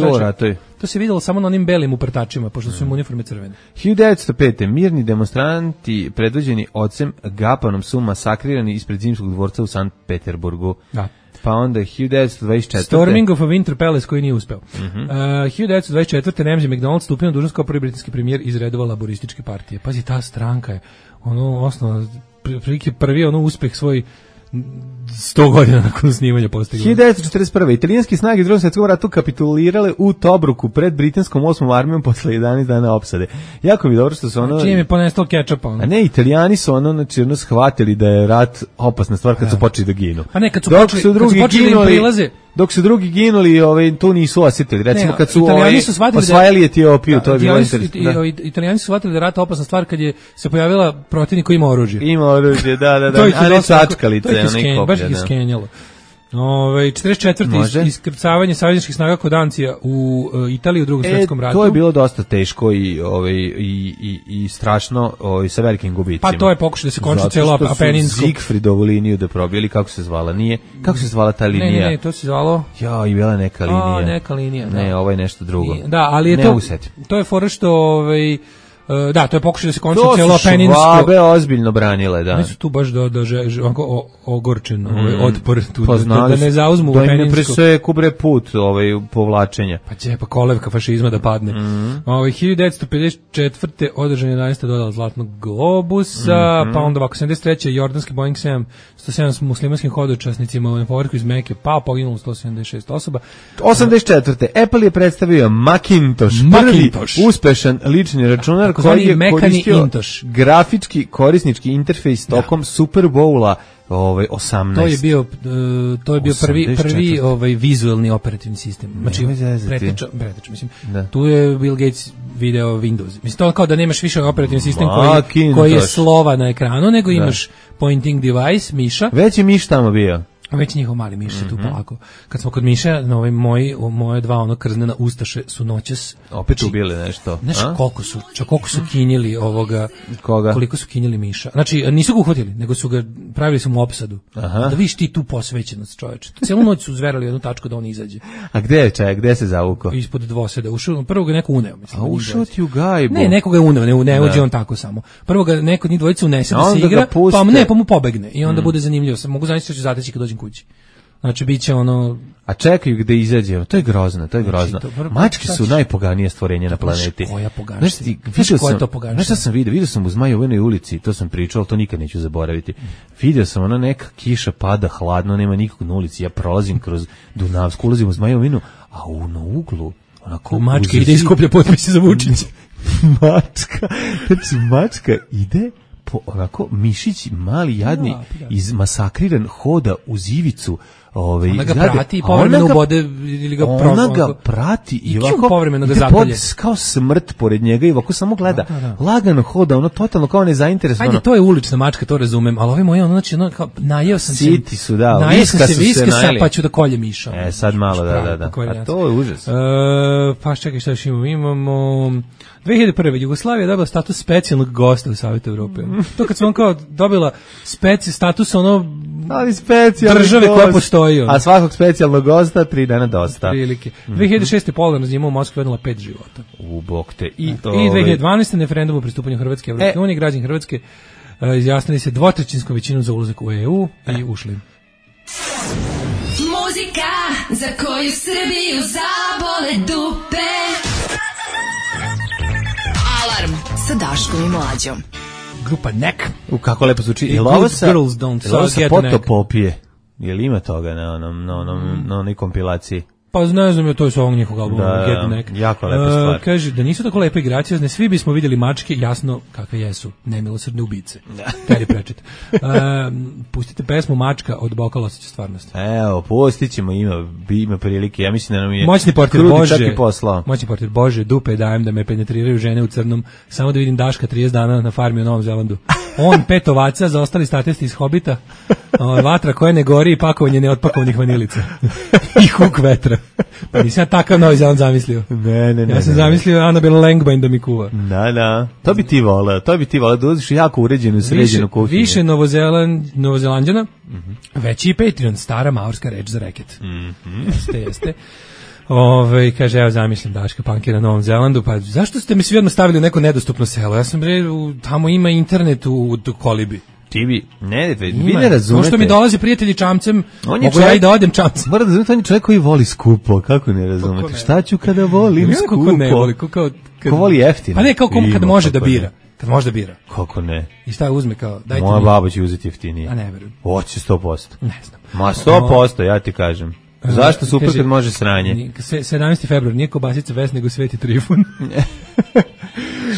To se videlo samo na onim belim uprtačima, pošto su im uniforme crvene. hiljadu devetsto pete mirni demonstranti predvođeni ocem Gapanom su masakrirani ispred Zimskog dvorca u Sankt Peterburgu. Da. Pa onda hiljadu devetsto dvadeset četvrte Storming of a Winter Palace koji nije uspeo. Mm -hmm. uh, hiljadu devetsto dvadeset četvrte Ramsay MacDonald stupio na dužnost kao prvi britanski premijer iz redova laborističke partije. Pazi, ta stranka je ono osnovno prilike prvi ono uspeh svoj sto godina nakon snimanja postigli. hiljadu devetsto četrdeset prve. Italijanske snage u Drugom svjetskom ratu kapitulirale u Tobruku pred britanskom osmom armijom posle jedanaest dana opsade. Jako mi dobro što su ono... Čim je ponestalo kečapa. Ono. A ne, Italijani su ono, znači, ono shvatili da je rat opasna stvar kad su počeli da ginu. Pa ne, kad su dok počeli, su drugi kad su počeli ginuli, im prilaze... Dok su drugi ginuli, ovaj, to nisu osjetili. Recimo, ne, kad su Italijani ovaj, su shvatili osvajali da, Etiopiju, da, to je bilo interesantno. Da. Italijani su shvatili da je rat opasna stvar kad je se pojavila protivnik koji ima oružje. Ima oružje, da, da, da. To ih a ne sačkalice. sačkalice. Baš ih iskenjalo. Ove, četrdeset četvrte iskrcavanje savezničkih snaga kod Ancija u uh, Italiji u Drugom e, svjetskom ratu. To je bilo dosta teško i ovaj i i i strašno, ovaj sa velikim gubicima. Pa to je pokušaj da se konča celo Apeninsko. Zigfridovu liniju da probili, kako se zvala, nije? Kako se zvala ta linija? Ne, ne, ne, to se zvalo. Ja, i bila neka linija. A, neka linija, da. Ne, ovo je nešto drugo. I, da, ali je ne to uset. To je fora što ovaj da, to je pokušaj da se konča celo Apeninsko. To su Švabe ozbiljno branile, da. Oni su tu baš do, do, do, do ogorčen, ovaj, mm. otpor tu, pa da, da ne zauzmu da Apeninsko. Da im ne preseku bre put ovaj, povlačenja. Pa će pa kolevka fašizma da padne. Mm. Ovaj, hiljadu devetsto pedeset četvrte održan je jedanaesta dodala Zlatnog globusa, mm-hmm. pa onda ovako sedamdeset treće jordanski Boeing sedam sto sedam s muslimanskim hodočasnicima u povorku iz Mekke, pa poginulo sto sedamdeset šest osoba. osamdeset četvrte Apple je predstavio Macintosh, Macintosh. prvi uspešan lični računar koji je koristio grafički korisnički interfejs tokom Super Bowla ovaj osamnaest. To je bio uh, to je bio prvi prvi ovaj vizuelni operativni sistem. Znači preteča, preteča, mislim. Da. Tu je Bill Gates video Windows. Mislim to kao da nemaš više operativni sistem koji, koji je slova na ekranu, nego da. Imaš pointing device, miša. Već je miš tamo bio. Već njihov mali miš se tu mm-hmm. polako. Kad smo kod miša, na ovaj moji, moje dva ono krznena ustaše su noćas opet znači, ubili nešto. Znaš koliko su, čak koliko su kinjili ovoga, koga? Koliko su kinjili miša. Znači, nisu ga uhvatili, nego su ga, pravili su mu opsadu. Aha. Da vidiš ti tu posvećenost, čoveče. Cijelu noć su zverali jednu tačku da on izađe. A gde je čaj, gde se zavukao? Ispod dvoseda. Ušao, prvo ga neko uneo. Mislim, a ušao ti u gajbu? Ne, neko ga je uneo, ne, ne uđe on tako samo. Prvo ga neko od njih dvojice unese da se igra, pa ne, pa mu pobegne. I onda mm. bude zanimljivo. Mogu zamisliti da će zateći kad dođem kući. Znači, bit će ono... A čekaju gde izađe, to je grozno, to je grozno. Znači, mačke su najpoganije stvorenje na planeti. Koja poganija? Znaš, ti, vidio sam, znaš šta sam vidio? Vidio sam u Zmajovinoj ulici, to sam pričao, ali to nikad neću zaboraviti. Vidio sam, ona neka kiša pada, hladno, nema nikog na ulici, ja prolazim kroz Dunavsku, ulazim u Zmajovinu, a u na uglu, onako... Mačka ide iskuplja potpise za Vučića. Mačka, znači mačka ide... Po, onako, mišić mali, jadni, ja, ja. izmasakriran, hoda uz ivicu. Ove, ona ga zgrade, prati i povremeno ubode ili ga ona pro, ga prati i, i ovako povremeno ga zakolje. Kao smrt pored njega i ovako samo gleda. Da, da, da. Lagano hoda, ono totalno kao nezainteresovano. Ajde, to je ulična mačka, to razumem, ali ovi moji, ono, znači, ono, kao, najeo sam se... Siti su, da, najeo sam se viske, sad pa ću da kolje miša. E, sad malo, da, da, da. A to je užas. E, pa čekaj, šta još imamo? Imamo... dve hiljade prve. Jugoslavija je dobila status specijalnog gosta u Savetu Evrope. To kad smo on kao dobila speci, status ono ali specijalni države gost. koja postoji. Ono. A svakog specijalnog gosta tri dana dosta. Prilike. Mm-hmm. dve hiljade šeste. Polarna zima u Moskvi odnela pet života. U bok te. I, I dve hiljade dvanaeste. na referendumu o pristupanju Hrvatske Evropske e. unije, građani Hrvatske uh, izjasnili se dvotrećinskom većinom za ulazak u E U e. i ušli. Muzika za koju Srbiju zabole dupe. Alarm sa Daškom i Mlađom. Grupa Nek. U kako lepo zvuči. I ovo sa Girls Don't Suck sa Potopopije. Je li ima toga na onom na onom na onoj kompilaciji? Pa ne znam, to je sa ovog njihovog albuma da, Get Neck. Jako lepa stvar. Uh, kaže da nisu tako lepe i graciozne, svi bismo vidjeli mačke, jasno kakve jesu, nemilosrdne ubice. Terry Pratchett. Uh, pustite pesmu Mačka od Bokala osjeća stvarnosti. Evo, pustit ćemo, ima, ima prilike. Ja mislim da nam je Moćni portir Bože, Moćni portir Bože, dupe dajem da me penetriraju žene u crnom, samo da vidim Daška trideset dana na farmi u Novom Zelandu. On pet ovaca, za ostali statisti iz Hobita, vatra koja ne gori i pakovanje neotpakovanih vanilica. I huk vetra. Pa nisam ja takav Novi Zeland zamislio. Ne, ne, ne. Ja sam ne, zamislio ne. Annabelle Langbein da mi kuva. Da, da. To bi ti voleo, to bi ti voleo. Da uziš jako uređenu, sređenu kuhinju. Više Novozeland, Novozelanđana, mm-hmm. veći i Patreon, stara maorska reč za reket. Mm-hmm. Jeste, jeste. Ove, kaže, evo zamislim Daška Pankira na Novom Zelandu, pa zašto ste mi svi odmah stavili u neko nedostupno selo? Ja sam bre, tamo ima internet u, u Kolibi. Ti bi, ne, vi ne razumete. Pošto mi dolaze prijatelji čamcem, mogu ja i da odem čamcem. Mora da razumete, on je čovjek koji voli skupo, kako ne razumete? Šta ću kada volim skupo? Ko ne voli, ko kao... Ko voli jeftino. Pa ne, kao kom kad može da bira. Kad možda bira. Kako ne? I šta uzme kao, dajte Moja mi. baba će uzeti jeftinije. A ne verujem. Hoće sto posto. Ne znam. Ma sto posto, ja ti kažem. Zašto super Kaže, kad može sranje? ni- se- sedamnaesti februar, nije kobasica Ves, nego Sveti Trifun.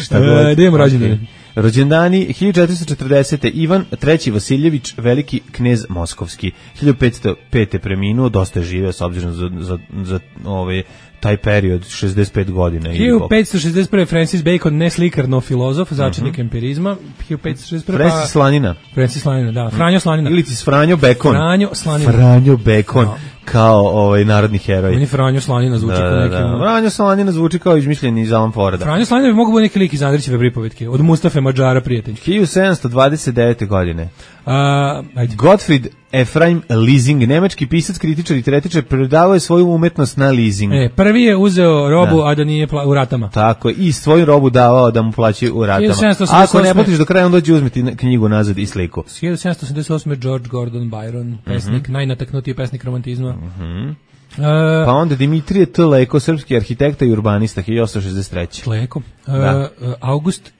Šta god. E, da imamo rođendane. Rođendani hiljadu četiristo četrdesete. Ivan treći Vasiljević, veliki knez moskovski. hiljadu petsto pete preminuo, dosta je živeo s obzirom za, za, za ove, taj period, šezdeset pet godina. hiljadu petsto šezdeset prve. Francis Bacon, ne slikar, no filozof, začetnik empirizma. hiljadu petsto šezdeset prve. Francis Slanina. Francis Slanina, da. Franjo Slanina. Ili ti s Franjo Bacon. Franjo Slanina. Franjo Bacon, Da. kao ovaj narodni heroj. Meni Franjo Slanina zvuči Da, kao da, neki... da. Franjo Slanina zvuči kao izmišljeni iz Alan Forda. Franjo Slanina bi mogu biti neki lik iz Andrićeve pripovetke, od Mustafe Mađara, prijatelj. hiljadu sedamsto dvadeset devete. godine. A, ajde. Gottfried Ephraim Leasing, nemački pisac, kritičar i teoretičar, predavao je svoju umetnost na leasing. E, prvi je uzeo robu, Da. a da nije pla- u ratama. Tako je, i svoju robu davao da mu plaćaju u ratama. hiljadu sedamsto osamdeset osme. Ako ne platiš do kraja, on dođe uzmeti na- knjigu nazad i sliku. hiljadu sedamsto osamdeset osme. George Gordon Byron, pesnik, najnataknutiji pesnik romantizma. E, Pa onda Dimitrije T. Leko, srpski arhitekta i urbanista, hiljadu osamsto šezdeset treće. Leko. E, Da. e, August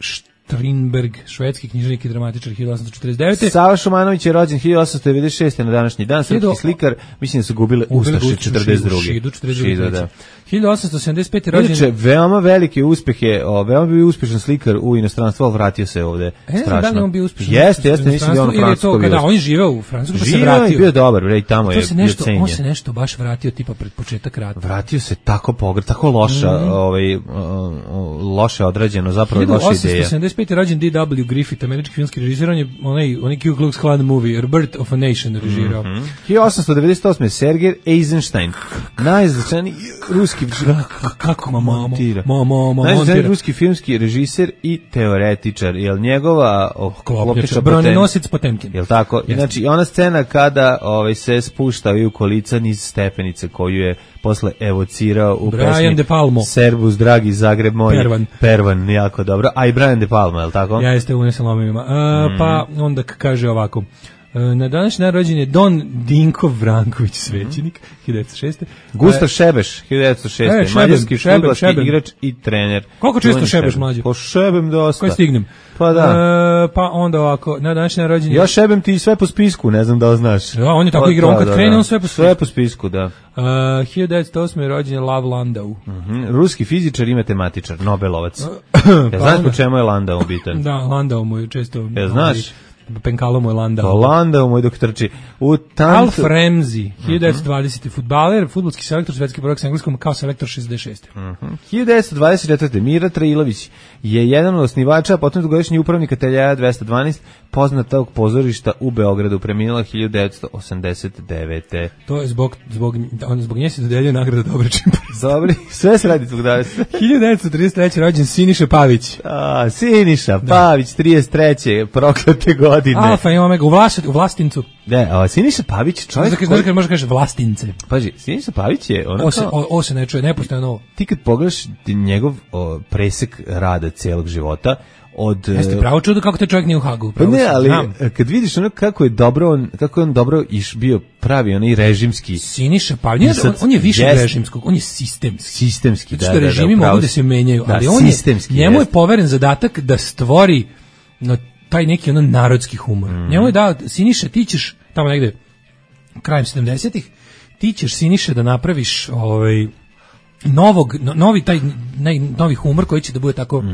Strindberg, švedski književnik i dramatičar, hiljadu osamsto četrdeset devete. Sava Šumanović je rođen hiljadu osamsto devedeset šeste. na današnji dan, srpski Hiljadu- slikar, mislim da su gubile Ubili Ustaše Ustaše, četrdeset druge. Šidu, četrdeset druge. Šidu, da. hiljadu osamsto sedamdeset pete. rođen. Inače, veoma velike uspehe, o, veoma bio uspešan slikar u inostranstvu, ali vratio se ovde. E, ne znam strašno. da li je on bio uspešan. Jeste, jeste, mislim da je on u Ili je to Francuskoj bio. kada on je živeo u Francuskoj pa se Živio je i vratio. bio dobar, bre, i tamo je To se bio nešto, cenjen. on se nešto baš vratio tipa pred početak rata. Vratio se tako pogr, tako loša, Mhm. ovaj, o, o, loše odrađeno, zapravo je hiljadu loša osamsto ideja. sedamdeset pete. rođen D W Griffith, američki filmski režiser, on je onaj, onaj Ku Klux Klan movie, Birth of a Nation režirao. Mhm. hiljadu osamsto devedeset osme. Sergej Eisenstein, najznačajniji ruski Kako ma mamo, montira. mamo, mamo, Najznačajniji montira. ruski filmski režiser i teoretičar, jel njegova oh, Klopnjača, bronenosic Potemkin. Jel tako? Jeste. Znači, ona scena kada ovaj, se spuštaju kolica niz stepenice koju je posle evocirao u Brian pesmi De Palmo. Servus, dragi Zagreb moj. Pervan. Pervan, jako dobro. A i Brian De Palmo, jel tako? Ja jeste unesem lomivima. Uh, Mhm. Pa onda k- kaže ovako. Uh, na današnji dan rođen je Don Dinko Vranković, svećenik, hiljadu devetsto šeste. Gustav Šebeš, hiljadu devetsto šeste. E, Šeben, mađarski Šeben, fudbalski Šeben. igrač i trener. Koliko često Čuveni šebeš, Šeben. mlađe? Po šebem dosta. Koji stignem? Pa da. Uh, pa onda ovako, na današnji dan rođen je... Ja šebem ti sve po spisku, ne znam da li znaš. Da, on je tako Pa, igrao, on da, kad da, krene, da. on sve po spisku. Sve po spisku, da. Uh, hiljadu devetsto osme. rođen je Lav Landau. Mhm. Ruski fizičar i matematičar, Nobelovac. Ja Pa znaš onda- po čemu je Landau bitan? Da, Landau mu je često... Jel znaš? ovaj, Penkalo mu je Landau. Pa Landau moj dok trči. U tantu... Alf Ramsey, hiljadu devetsto dvadesete. fudbaler, fudbalski selektor, svetski prvak sa engleskom kao selektor šezdeset šeste. hiljadu devetsto dvadeset četvrte. Mira Trailović je jedan od osnivača, potom dugogodišnji upravnik ateljeja dvesta dvanaest, poznatog pozorišta u Beogradu, preminula hiljadu devetsto osamdeset devete. To je zbog, zbog, on, zbog nje se dodeljuje nagrada Dobre čimper. Dobri, sve se radi zbog danas. hiljadu devetsto trideset treće. rođen Siniša Pavić. A, Siniša Pavić, trideset treće. proklete godine. Alfa i Omega, u, Vlas, u Vlastincu. Ne, a Siniša Pavić, čovjek Znači, koji... može kaže Vlastince. Paži, Siniša Pavić je ono O se, kao... o, o se ne čuje, nepostojno ovo. Ti kad pogledaš njegov o, presek rada celog života, od... Jeste pravo čudo kako te čovjek nije u Hagu. Pa pravo ne, si, ali znam. kad vidiš ono kako je dobro, on, kako je on dobro iš bio pravi, onaj režimski, Siniša Pavić, on, on je više Jest. od režimskog, on je sistemski. sistemski, Zato da, što da, režimi da, upravo mogu da si. se menjaju, Da, ali on je, sistemski, njemu je jest. poveren zadatak da stvori no, taj neki ono narodski humor. Mhm. Njemu je dao, Siniša, ti ćeš, tamo negde, krajem sedamdesetih, ti ćeš, Siniša, da napraviš ovaj, novog, no, novi, taj, naj, novi humor koji će da bude tako,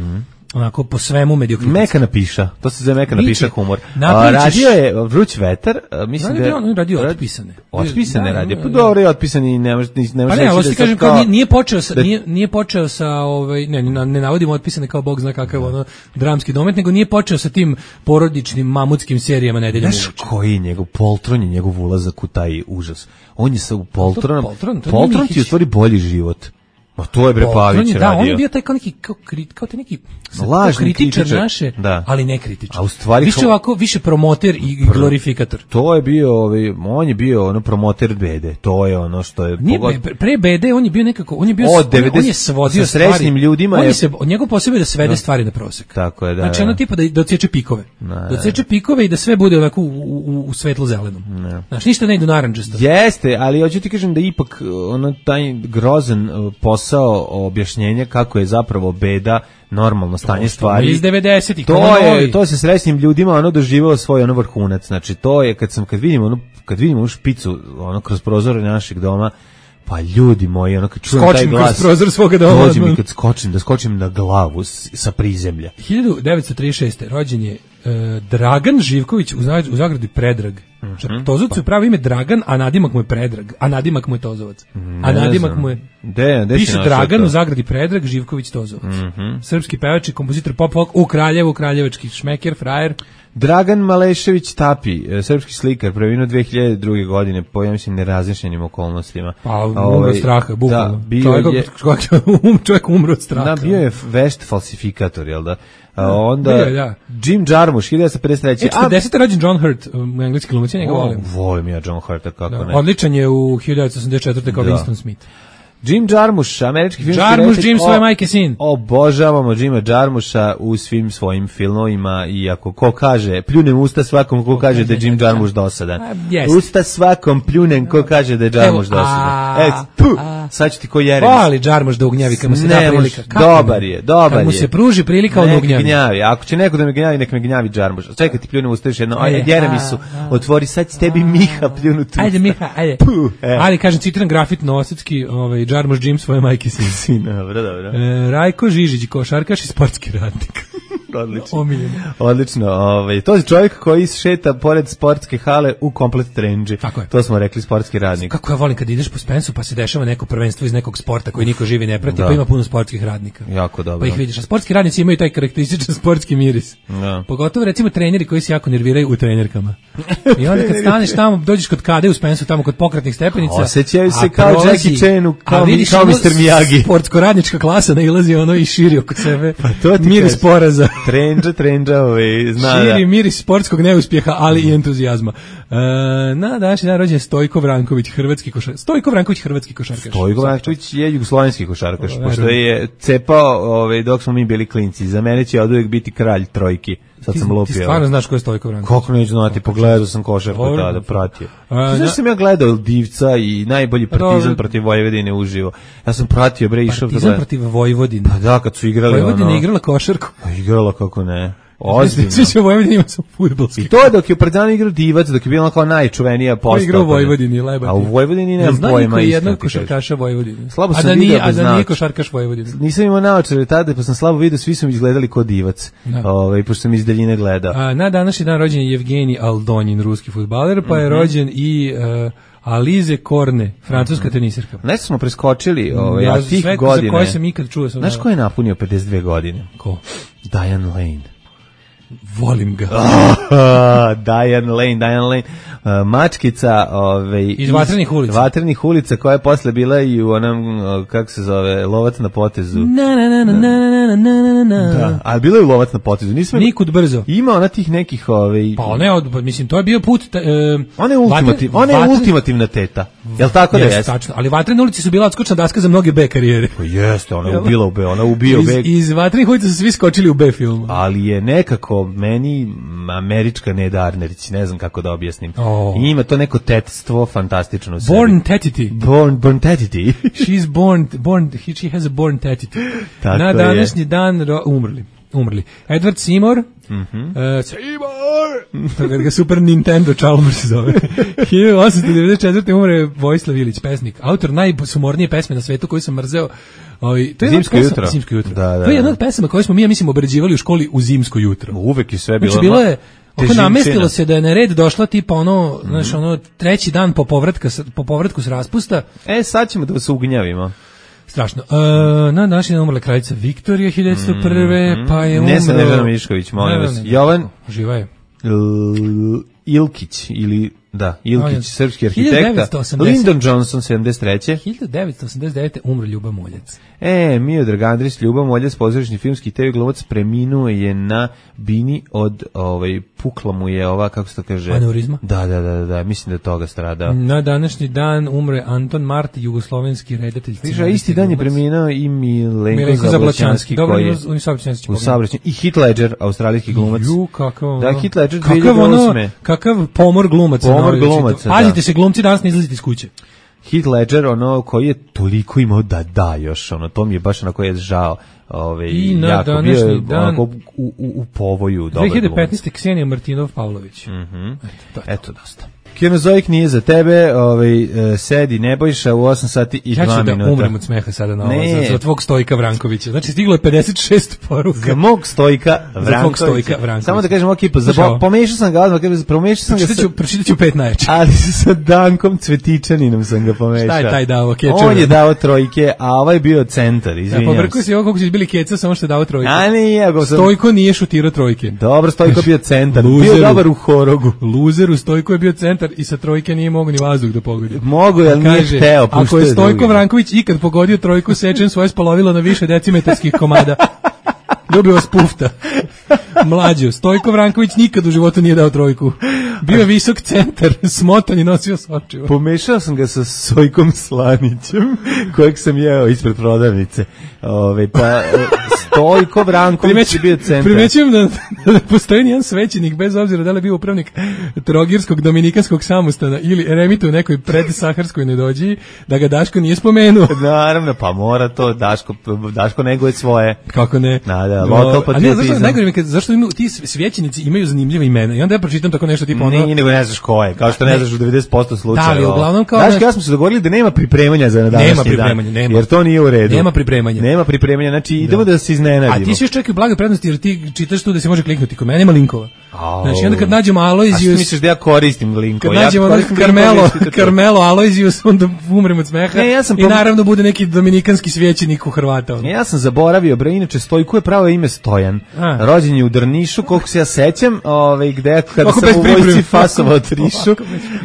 onako, po svemu mediokritetski. Mekana piša, to se zove mekana Biće. piša humor. A, Napravit ćeš- radio je Vruć vetar, a, mislim Radio da je on, on je radio otpisane. Otpisane Da, radio. da, Pa da. dobro je otpisani, ne može ne može Pa ne, reći ali da ti sad kažem, kao- kao, nije, nije počeo sa, da- nije, nije počeo sa, ovaj, ne, ne, ne navodimo otpisane kao Bog zna kakav ono dramski domet, nego nije počeo sa tim porodičnim mamutskim serijama nedeljom Znaš uveče. koji je njegov poltron je njegov ulazak u taj užas. On je sa u poltronom. Poltron? To nije Poltron ti je u Mihić. stvari bolji život. Ma to je bre Poltron Pavić je, radio. da, on je bio taj kao neki, kao, kri, kao te neki sad, Lažni kao kritičar kritičar, naše, da. ali ne kritičar. A u stvari više kao- ovako, više promoter i, i glorifikator. To je bio, ovaj, on je bio ono promoter bede. To je ono što je Nije, pogod- be- pre B D on je bio nekako, on je bio, Od on, je- on devedeset je svodio sa srećnim stvari. ljudima on je- je se, njegov posebno je da svede stvari na prosek. Tako je, da. Znači da. ono tipa da, da odseče pikove. Da, Da odseče pikove i da sve bude ovako u, u, u svetlo zelenom. Znači ništa ne ide u narandžasto. Jeste, ali hoću ti kažem da ipak ono taj grozan uh, posao posao objašnjenja kako je zapravo beda normalno stanje stvari. Iz devedesetih. To je, to se srećnim ljudima ono doživelo svoj ono vrhunac. Znači to je kad sam kad vidim ono kad vidim onu špicu ono kroz prozore našeg doma, pa ljudi moji, ono kad čujem taj glas, kroz prozor svoga doma, dođe mi kad skočim, da skočim na glavu s, sa prizemlja. hiljadu devetsto trideset šeste. rođen je e, Dragan Živković u, Zag, u Zagradi Predrag. Mm-hmm. Tozovac je pravo ime Dragan, a nadimak mu je Predrag, a nadimak mu je Tozovac. Ne a nadimak znam. mu je... De, de Piše Dragan to? U Zagradi Predrag, Živković Tozovac. Mm-hmm. Srpski pevač i kompozitor pop rock u Kraljevu, kraljevački šmeker, frajer. Dragan Malešević Tapi, srpski slikar, preminuo dve hiljade druge. godine po, ja mislim, nerazličenim okolnostima. Pa, umro od straha, bukvalno. Da, bio čovjek, je, čovjek umro od straha. Da, bio je vešt falsifikator, jel da? A onda bio, da. Jim Jarmusch, hiljadu devetsto pedeset treće. E, četrdeset. rođen John Hurt, um, engleski glumac, ja njega volim. Volim ja John Hurta, kako da, ne. Odličan je u hiljadu devetsto osamdeset četvrte kao da. Winston Smith. Jim Jarmusch, američki filmski Jarmusch, reditelj. Jim svoje majke sin. Obožavamo Jima Jarmuscha u svim svojim filmovima i ako ko kaže, pljunem usta svakom ko kaže da je Jim Jarmusch dosadan. Yes. Usta svakom pljunem ko kaže da je Jarmusch dosadan. E, tu, sad ću ti ko Jeremić. Voli Jarmusch da ugnjavi kad mu se da prilika. Dobar je, dobar je. Kad mu se pruži prilika, on ugnjavi. gnjavi. Ako će neko da me gnjavi, nek me gnjavi Jarmusch. Čekaj ti pljunem usta još jedno. Ajde, Jeremiću, otvori sad s tebi Miha pljunu tu. Ajde Miha, ajde. Puh, e. Ali kažem, citiram grafit novosadski, ovaj, Jarmusch Jim svoje majke sin. Sin, dobro, dobro. E, Rajko Žižić, košarkaš i sportski radnik. Odlično. Omiljeno. Odlično. Ovaj, to je čovjek koji šeta pored sportske hale u komplet trendži. Tako je. To smo rekli, sportski radnik. Kako ja volim kad ideš po Spensu pa se dešava neko prvenstvo iz nekog sporta koji niko živi ne prati, da. Pa ima puno sportskih radnika. Jako dobro. Pa ih vidiš, a sportski radnici imaju taj karakterističan sportski miris. Da. Pogotovo recimo treneri koji se jako nerviraju u trenerkama. I onda kad staneš tamo, dođeš kod Kade u Spensu, tamo kod pokretnih stepenica. Osjećaju se kao Jackie Chan, kao, kao mister Miyagi. Sportsko radnička klasa nailazi ono i širi oko sebe. Pa to ti miris poraza. Trendža, trendža, ovaj, zna da. Širi miris sportskog neuspjeha, ali i entuzijazma. E, na današnji dan rođen Stojko Vranković, hrvatski košarkaš. Stojko Vranković, hrvatski košarkaš. Stojko Vranković je jugoslovenski košarkaš, pošto je cepao ovaj, dok smo mi bili klinci. Za mene će oduvijek biti kralj trojki. Sad sam lupio. Ti stvarno znaš ko je Stojko Vranković? Kako neću znati, pogledao sam košarku tada, pratio. A, znaš sam ja gledao Divca i najbolji Partizan protiv Vojvodine uživo. Ja sam pratio, bre, išao da Partizan protiv Vojvodine. Pa da, kad su igrali Vojvodina ono... igrala košarku. Pa igrala, kako ne. Ozbiljno. Svi će u Vojvodini ima sam fudbalski. I to je dok je Partizan igrao Divac, dok je bila kao najčuvenija postava. Igrao u Vojvodini, lebati. A u Vojvodini nemam ja pojma. Ja jednog košarkaša Vojvodine. Slabo sam a da vidio, nije, a da nije košarkaš Vojvodine. Nisam imao naočare tada, pa sam slabo vidio, svi su mi izgledali kao Divac. Ovaj, pošto sam iz daljine gledao. A, na današnji dan rođen je Evgenij Aldonjin, ruski fudbaler, pa je mm-hmm. rođen i... Uh, Alize Korne, francuska mm-hmm. tenisirka. Nešto smo preskočili ovaj, ja, a tih sve godine. Za koje sam ikad čuo. Sam znaš ko je napunio pedeset dve godine? Ko? Diane Lane. Volim ga. Oh, Diane Lane, Diane Lane. Uh, mačkica ovaj, iz Vatrenih ulica. Vatrenih ulica koja je posle bila i u onom, uh, kako se zove, Lovac na potezu. Na, na, na, na, na, na, na. Da, a bila je u Lovac na potezu. Nisam Nikud brzo. Ima ona tih nekih... Ovaj, pa ne, od, mislim, to je bio put... Uh, ona je, ultimativ, ona je vatre... ultimativna teta. Jel tako da jeste? Tačno, ali Vatrene ulici su bila odskočna daska za mnoge B karijere. Pa jeste, ona je ubila u B, ona ubio B. Iz, iz Vatrenih ulica su svi skočili u B filmu. Ali je nekako meni američka Neda Arnerić, ne znam kako da objasnim. Oh. I ima to neko tetstvo fantastično u sebi. Born tetity. Born, born tetity. She's born, born, she has a born tetity. Tako na današnji je. dan ro, umrli. Umrli. Edward Seymour. Mhm. Uh, Seymour. To ga Super Nintendo Chalmers zove. hiljadu osamsto devedeset četvrte umre Vojislav Ilić, pesnik. Autor najsumornije pesme na svetu koju sam mrzeo. Ovaj to je Zimsko pesma, jutro. Zimsko jutro. Da, da, to je jedna od pesama koje smo mi ja mislim obrađivali u školi u zimsko jutro. Uvek je sve bilo. Znači bilo je oko namestilo se da je na red došla tipa ono, mm. znaš, ono treći dan po povratka po povratku s raspusta. E sad ćemo da se ugnjavimo. Strašno. Uh, na današnji dan umrla kraljica Viktorija hiljadu devetsto prve, mm, pa je umro... Ne sam Nežana Mišković, molim vas. Jovan... Živa je. L- Ilkić, ili... Da, Ilkić, On, srpski arhitekta. Lyndon Johnson, sedamdeset treće hiljadu devetsto osamdeset devete umro Ljuba Moljac. E, Miodrag Andrić, Ljuba Moljac, pozorišni filmski te ve glumac, preminuo je na bini od, ovaj, pukla mu je ova, kako se to kaže? Aneurizma? Da, da, da, da, mislim da je toga strada. Na današnji dan umre Anton Mart, jugoslovenski redatelj. Viša, isti dan je preminuo i Milenko, Milenko Zablaćanski, koji je u saobraćaju. I Heath Ledger, australijski glumac. Ju, kakav, da, Heath Ledger kakav, ono, kakav pomor glumaca. Pomor glumaca, da. Pazite se, glumci danas ne izlazite iz kuće. Heath Ledger, ono, koji je toliko imao da da još, ono, to mi je baš onako je žao. Ove, I na jako današnji bio je dan u, u, u povoju. dve hiljade petnaeste. Ksenija Martinov-Pavlović. Mm-hmm. Eto, Eto, dosta. Kenozoik nije za tebe, ovaj, sedi Nebojša u osam sati i ja dva minuta. Ja ću da umrem od smeha sada na ovo, ne. za, za tvog Stojka Vrankovića. Znači, stiglo je pedeset šest poruka. Za mog Stojka Vrankovića. Za tvog Stojka Vrankovića. Samo da kažem, ok, pa zabo, pomešao sam ga odmah, pomešao sam pročitat ga ću, pročitat ću pet najjačih. Ali sa Dankom Cvetičaninom sam ga pomešao. Šta je taj dao? Kečer? On je dao trojke, a ovaj je bio centar, izvinjam se. Ja, pobrkao si ovo koliko si bili keca, samo što je dao trojke. A nije, go sam... Stojko nije šutirao trojke. Dobro, Stojko bio centar. Luzeru, bio dobar u horogu. Luzeru, Stojko je bio centar i sa trojke nije mogu ni vazduh da pogodi. Mogu, ali nije hteo. Ako je Stojko Vranković ikad pogodio trojku, sečem svoje spolovilo na više decimetarskih komada. Ljubio vas pufta. Mlađo, Stojko Vranković nikad u životu nije dao trojku. Bio je visok centar, smotan i nosio sočivo. Pomešao sam ga sa Sojkom Slanićem, kojeg sam jeo ispred prodavnice. Ove, pa Stojko Vranković je bio centar. Primećujem da, da ne postoji nijedan svećenik, bez obzira da li je bio upravnik Trogirskog dominikanskog samostana ili eremita u nekoj predsaharskoj nedođiji, da ga Daško nije spomenuo. Naravno, pa mora to, Daško, Daško neguje svoje. Kako ne? Da, da, lokal patriotizam. Zašto, najgore mi kad, zašto imaju, ti svećenici imaju zanimljive imena i onda ja pročitam tako nešto tipa ono... Nije, nego ne znaš ko je, kao što ne znaš u devedeset posto slučajeva. Da, ali uglavnom kao... Daško, ja smo se dogovorili da nema pripremanja za na današnji nema pripremanja, dan, nema. jer to nije u redu. Nema pripremanja. Nema pripremanja, znači idemo da, da se iznenadimo. A ti si još čekaj blage prednosti jer ti čitaš tu da se može kliknuti, kod mene nema linkova. Oh. Znači onda kad nađemo Aloysius... A što misliš da ja koristim linkove? Kad nađemo ja Carmelo, Carmelo Aloysius, onda umrem od smeha ne, ja sam i pom... naravno bude neki dominikanski svećenik u Hrvata. Ne, ja sam zaboravio, bre, inače Stojko je pravo ime Stojan. A. Rođen je u Drnišu, koliko se ja sećam, ovaj, gde kada sam u vojsci fasovao Trišu,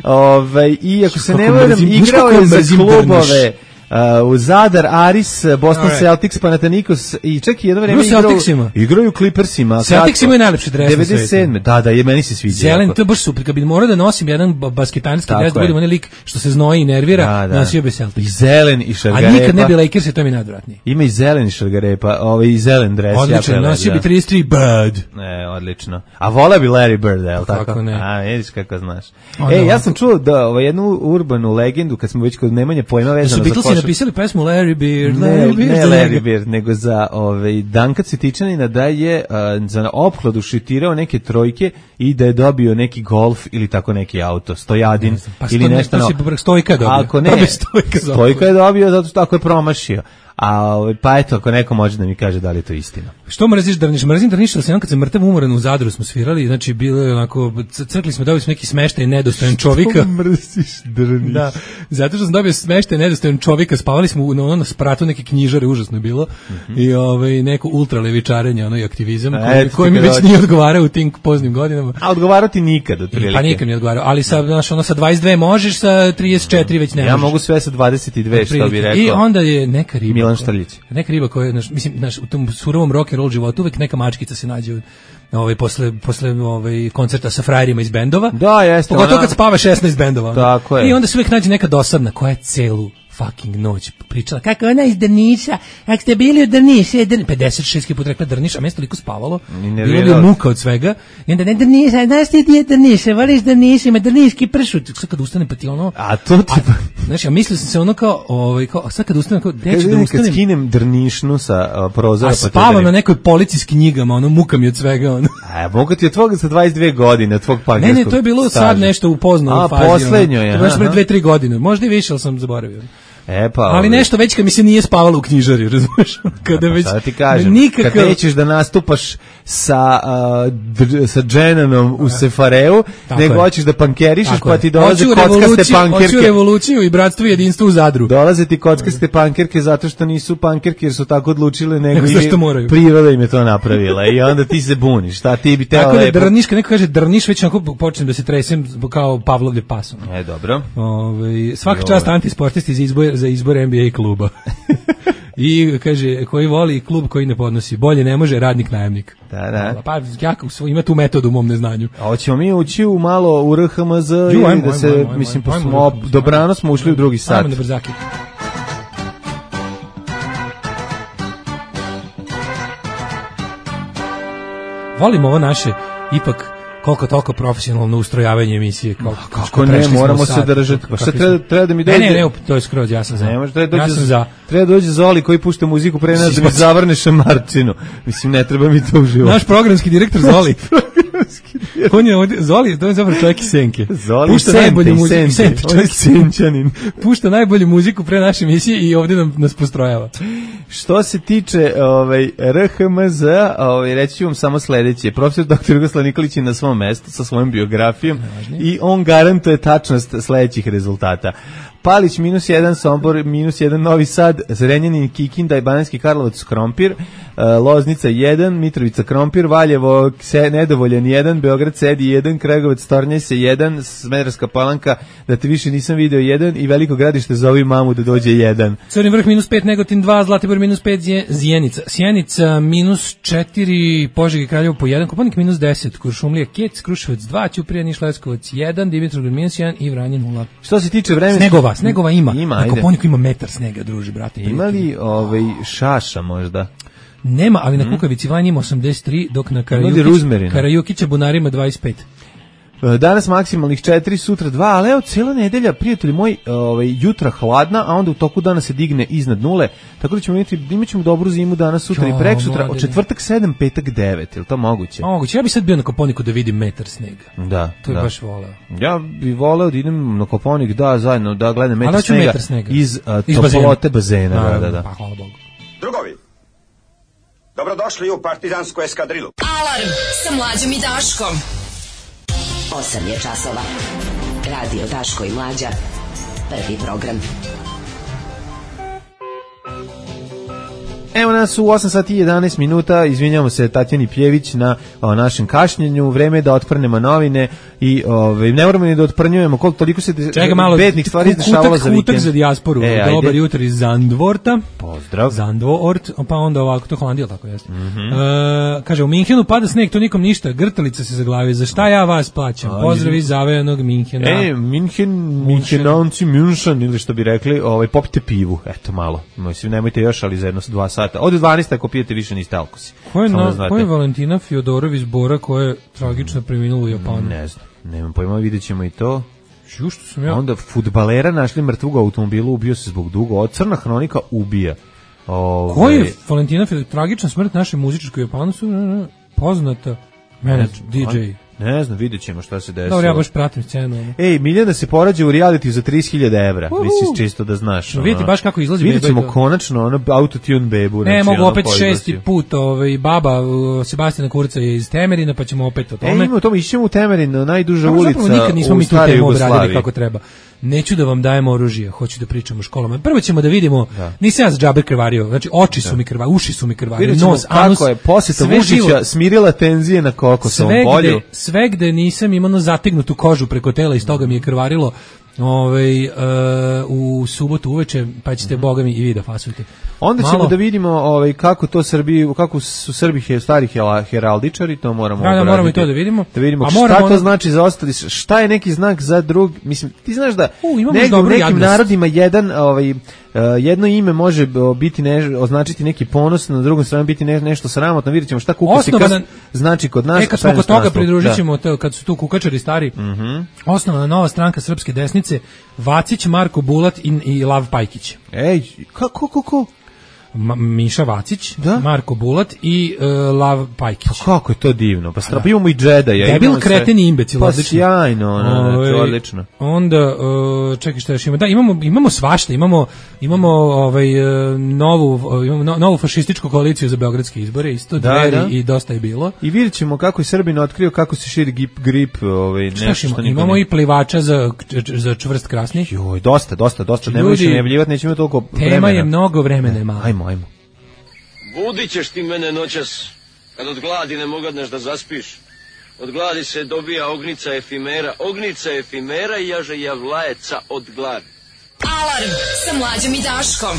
ovaj, i ako se ne varam, igrao je za klubove... Uh, u Zadar, Aris, Boston right. Celtics, Panathinaikos i čak i jedno vreme igrao, igraju u Clippersima. Celtics imaju najlepši dres devedeset sedme Da, da, je meni se sviđa. Zelen, to je baš super. Kad bi morao da nosim jedan basketanski dres, da budem onaj lik što se znoji i nervira, da, da. Nosio bi Celtics. I zelen i šargarepa. A nikad ne bi Lakers, to mi je najodvratnije. Ima i zelen i šargarepa, ovaj i zelen dres. Odlično, nosio bi trideset tri Bird. Ne, odlično. A vola bi Larry Bird, je li tako? Kako ne? A, vidiš kako znaš. Ej, ja sam čuo da ovaj, jednu urbanu legendu, kad smo već kod nemanje pojma vezano za košarku. Napisali pesmu Larry Bird, ne, Larry Bird, ne Larry Bird, nego za ovaj Danka Cvetičanina da je uh, za opkladu šitirao neke trojke i da je dobio neki golf ili tako neki auto, Stojadin pa ili nešto. Pa Stojka dobio. Ako ne, Stojka, Stojka je dobio zato što tako je promašio. A pa eto, ako neko može da mi kaže da li je to istina. Što mrziš Drniš? Mrzim Drniš, ali sam kad sam mrtav umoran u Zadru smo svirali, znači bilo je onako, crkli smo, dobili smo neki smeštaj nedostojan čovjeka. Što mrziš Drniš? Da, zato što sam dobio smeštaj nedostojan čovjeka, spavali smo na ono na spratu neke knjižare, užasno je bilo, mm-hmm. i ovaj, neko ultralevičarenje, ono i aktivizam, koji, koji mi već nije odgovarao u tim poznim godinama. A odgovarao ti nikad, otprilike? Pa nikad mi je odgovarao, ali sa, znaš, ono sa dvadeset dve možeš, sa trideset četiri već ne možeš. Ja mogu sve sa dvadeset dve, što bi rekao. I onda je neka riba. Milan Štrljić. Neka riba koja, naš, mislim, naš, u tom surovom rock and roll životu uvek neka mačkica se nađe ovaj, posle, posle ovaj, koncerta sa frajerima iz bendova. Da, jeste. Pogotovo kad spava šesnaest bendova. Tako je. I onda se uvek nađe neka dosadna koja je celu fucking noć pričala kako ona iz Drniša, ako ste bili u Drnišu, pedeset šest put rekla Drniš, a mjesto liko spavalo, bilo bi muka od svega, i onda ne Drniša, znaš ti ti je Drniša, voliš Drniš, ima drniški pršut, sad kad ustane pa ti ono, a to ti pa, znaš, ja mislio sam se ono kao, ovaj, kao, sad kad ustane, kao, gde ću da ustanem, kad skinem Drnišnu sa uh, prozora, a spavam na nekoj polici s knjigama, ono, muka mi od svega, ono. A, mogu ti od tvoga sa dvadeset dve godine, tvog pankerskog. Ne, ne, to je bilo staža. Sad nešto u poznoj fazi. A, poslednjo je. To je baš pre dve tri godine, možda i više, ali sam zaboravio. E pa, ali nešto već kad mi se nije spavalo u knjižari, razumeš? Kada već sada ti kažem, nikakav... kad nećeš da nastupaš sa uh, dr, sa Dženanom u Sefareu, tako nego je. Hoćeš da pankerišeš, tako pa ti dolaze kockaste pankerke. Hoću revoluciju i bratstvo i jedinstvo u Zadru. Dolaze ti kockaste pankerke zato što nisu pankerke jer su tako odlučile, nego i priroda im je to napravila i onda ti se buniš. Šta ti bi teo tako lepo? Tako da Drniš, kad neko kaže Drniš, već onako počnem da se tresem kao Pavlovljev pasom. E, dobro. Ove, svaka čast antisportisti za izbor, za izbor N B A kluba. I kaže, koji voli klub koji ne podnosi, bolje ne može radnik najamnik. Da, da. Pa ja ima tu metodu u mom neznanju. A hoćemo mi ući u malo u R H M Z i da se, ajmo, ajmo, mislim, ajmo, smo, ajmo, dobrano smo ušli u drugi sat. Ajmo na brzaki. Volim ovo naše, ipak, koliko toliko profesionalno ustrojavanje emisije. Koliko, kako ne, moramo se držati. Pa šta treba, treba da mi dođe? Ne, ne, ne, to je skroz, ja sam za. Ne može, treba ja dođe, sam za. Treba dođe Zoli koji pušta muziku pre nas da mi zavrne šamarčinu. Mislim, ne treba mi to u životu. Naš programski direktor Zoli. On je ovdje, Zoli, to je zapravo čovjek iz Senke. Zoli pušta Sente, najbolju muziku, Sente, on je Senčanin. Pušta najbolju muziku pre naše emisije i ovdje nam, nas postrojava. Što se tiče ovaj, R H M Z, ovaj, reći ću vam samo sledeće. Profesor doktor Jugoslav Nikolić je na svom mestu sa svojom biografijom i on garantuje tačnost sledećih rezultata. Palić minus jedan, Sombor minus jedan, Novi Sad, Zrenjanin, Kikinda i Bananski Karlovac Krompir, Loznica jedan, Mitrovica Krompir, Valjevo se, Nedovoljan jedan, Beograd Sedi jedan, Kragujevac Tornjese jedan, Smederevska Palanka, da te više nisam video jedan i Veliko Gradište zovi mamu da dođe jedan. Crni Vrh minus pet, Negotin dva, Zlatibor minus pet, Zijenica, Sjenica minus četiri, Požega i Kraljevo po jedan, Kopaonik minus deset, Kuršumlija, Kec, Kruševac dva, Ćuprija, Niš, Leskovac jedan, Dimitrovgrad minus jedan i Vranje nula. Što se tiče vremenskih... Snegova, snegova ima. Ima, na Kopaoniku ima metar snega, druži, brate. Ima li ovaj, šaša možda? Nema, ali na Kukavici Vanje ima osamdeset tri, dok na Karajukić, Karajukića Bunarima dvadeset pet. Danas maksimalnih četiri, sutra dva, ali evo cijela nedelja, prijatelji moji, ovaj, jutra hladna, a onda u toku dana se digne iznad nule, tako da ćemo imati, imat ćemo dobru zimu danas, sutra jo, i prek sutra, od četvrtak sedam, petak devet, je li to moguće? Moguće, ja bi sad bio na Kopaoniku da vidim metar snega. Da, to je da. baš voleo. Ja bi voleo da idem na Kopaonik, da, zajedno, da gledam metar snega, metar snega iz, uh, iz toplote bazena. bazena. Da, da, da. Pa, hvala Bogu. Drugovi, dobrodošli u partizansku eskadrilu. Alarm sa Mlađom i Daškom. osam je časova. Radio Daško i Mlađa. Prvi program. Evo nas u osam sati i jedanaest minuta, izvinjamo se Tatjani Pjević na o, našem kašnjenju, vreme je da otprnemo novine i ove, ne moramo ni da otprnjujemo, koliko toliko se Čega malo, bednih stvari izdešavalo za vikend. Kutak za dijasporu, e, dobar jutro iz Zandvorta. Pozdrav. Zandvoort, pa onda ovako, to Holandija, tako jeste. Mm -hmm. e, kaže, u Minhenu pada sneg, to nikom ništa, grtalica se zaglavio, za šta ja vas plaćam? Pozdrav iz zavejanog Minhena. E, Minhen, Minhenanci, München, ili što bi rekli, ovaj, popite pivu, eto malo, mislim, nemojte još, ali za jedno dva sata. Od dvanaest ako pijete više niste alkosi. Ko je, na, ko je Valentina Fjodorov iz Bora koja je tragično preminula u Japanu? Ne znam, nemam pojma, vidjet ćemo i to. Ju, što sam ja? Onda fudbalera našli mrtvog u automobilu, ubio se zbog dugo. Od Crna hronika ubija. Ove... Ko je Valentina Fjodorov? Tragična smrt naše muzičke u Japanu su poznata menadž, D J. Ne znam, vidjet ćemo šta se desilo. Dobro, ja baš pratim scenu. Ej, Miljana se porađa u realitiju za trideset hiljada evra. Uh-huh. Misliš čisto da znaš. No, vidite baš kako izlazi beba. Vidjet ćemo konačno ono autotune bebu. Ne, znači, mogu ono opet šesti put. Ovaj, baba uh, Sebastijana Kurca je iz Temerina, pa ćemo opet o tome. E, imamo o tome, išćemo u Temerin, najduža no, ulica nikad nismo u mi tu staroj temu Jugoslaviji. obradili kako treba. Neću da vam dajem oružje, hoću da pričam o školama. Prvo ćemo da vidimo, da. Nisam ja za džabe krvario, znači oči su da. mi krvarili, uši su mi krvarili, nos, anus. Kako je posjeta Vučića smirila tenzije na kokosovom polju. Sve gde nisam imao zategnutu kožu preko tela i iz toga mi je krvarilo. Ovaj uh, u subotu uveče, pa ćete mm-hmm. boga mi i vi da fasujete. Onda Malo. ćemo da vidimo ovaj kako to Srbi, kako su Srbi he, stari heraldičari, to moramo da, da, moramo i to da vidimo. Da vidimo šta to ono... znači za ostali, šta je neki znak za drug, mislim, ti znaš da u, negdje, u nekim narodima jedan ovaj Uh, jedno ime može biti ne, označiti neki ponos, na drugom stranu biti ne, nešto sramotno. Vidjet ćemo šta kukasikas znači kod nas. E, kad smo kod toga pridružit ćemo, da. kad su tu kukačari stari, mm-hmm. osnovna nova stranka Srpske desnice, Vacić, Marko Bulat i, i Lav Pajkić. Ej, kako, kako? Ma, Miša Vacić, da? Marko Bulat i uh, Lav Pajkić. Pa kako je to divno? Pa strap, imamo i Džedaja. Debil, kreten i imbecil. Pa sjajno, no, no, odlično. Onda, uh, čekaj šta još ima. Da, imamo, imamo svašta, imamo, imamo ovaj, novu, imamo no, novu fašističku koaliciju za beogradske izbore, isto da, Dveri da. i Dosta je bilo. I vidjet ćemo kako je Srbin otkrio kako se širi grip, grip ovaj, nešto što imamo ne... i plivača za, za čvrst krasni. Joj, dosta, dosta, dosta. Ljudi, nemoj se najavljivati, nećemo toliko tema vremena. Je mnogo vremena malo. Ajmo, ajmo. Budit ćeš ti mene noćas, kad od gladi ne mogadneš da zaspiš. Od gladi se dobija ognica efimera, ognica efimera i jaže javlajeca od gladi. Alarm sa Mlađom i Daškom.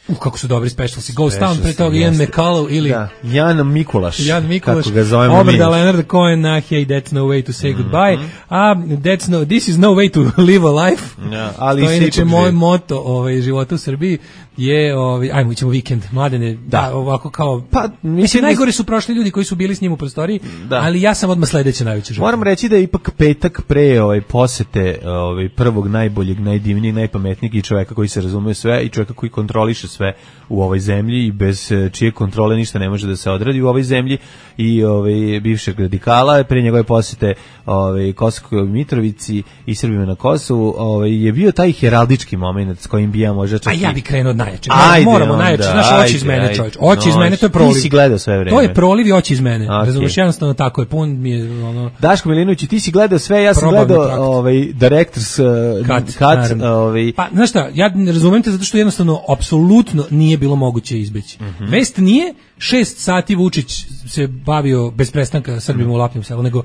Uh, kako su dobri specialsi. Ghost Town, pre toga Ian McCullough ili... Da, Jan Mikulaš, Jan Mikulaš, kako ga zovemo mi. Obrda Leonard Cohen na Hey, that's no way to say mm-hmm. goodbye. A that's no, this is no way to live a life. Ja, ali to je inače moj moto ovaj, života u Srbiji je, ovaj, ajmo, ićemo vikend, mladene, da, da ovako kao... Pa, mislim, najgore su prošli ljudi koji su bili s njim u prostoriji, da. Ali ja sam odmah sledeće najveće života. Moram reći da je ipak petak pre ovaj, posete ovaj, prvog najboljeg, najdivnijeg, najpametnijeg i čoveka koji se razume sve i čoveka koji kontroliše sve u ovoj zemlji i bez čije kontrole ništa ne može da se odradi u ovoj zemlji i ovaj bivšeg radikala pre njegove posete ovaj Kosovskoj Mitrovici i Srbima na Kosovu, ovaj je bio taj heraldički momenat s kojim bi ja možda čak. A ja bih krenuo od najjače. Moramo najjače, znaš, oči iz mene, čovjek. Oči iz mene, to je proliv. Ti si gledao sve vreme. To je proliv i oči iz mene. Okay. Razumeš, jednostavno tako je, pun mi je ono. Daško Milinović, ti si gledao sve, ja sam gledao ovaj directors uh, cut, cut ovaj. Pa znaš šta, ja ne razumem te zato što jednostavno apsolutno nije bilo moguće izbeći. Mm-hmm. Vest nije šest sati Vučić se bavio bez prestanka Srbima u Lapnjem selu, nego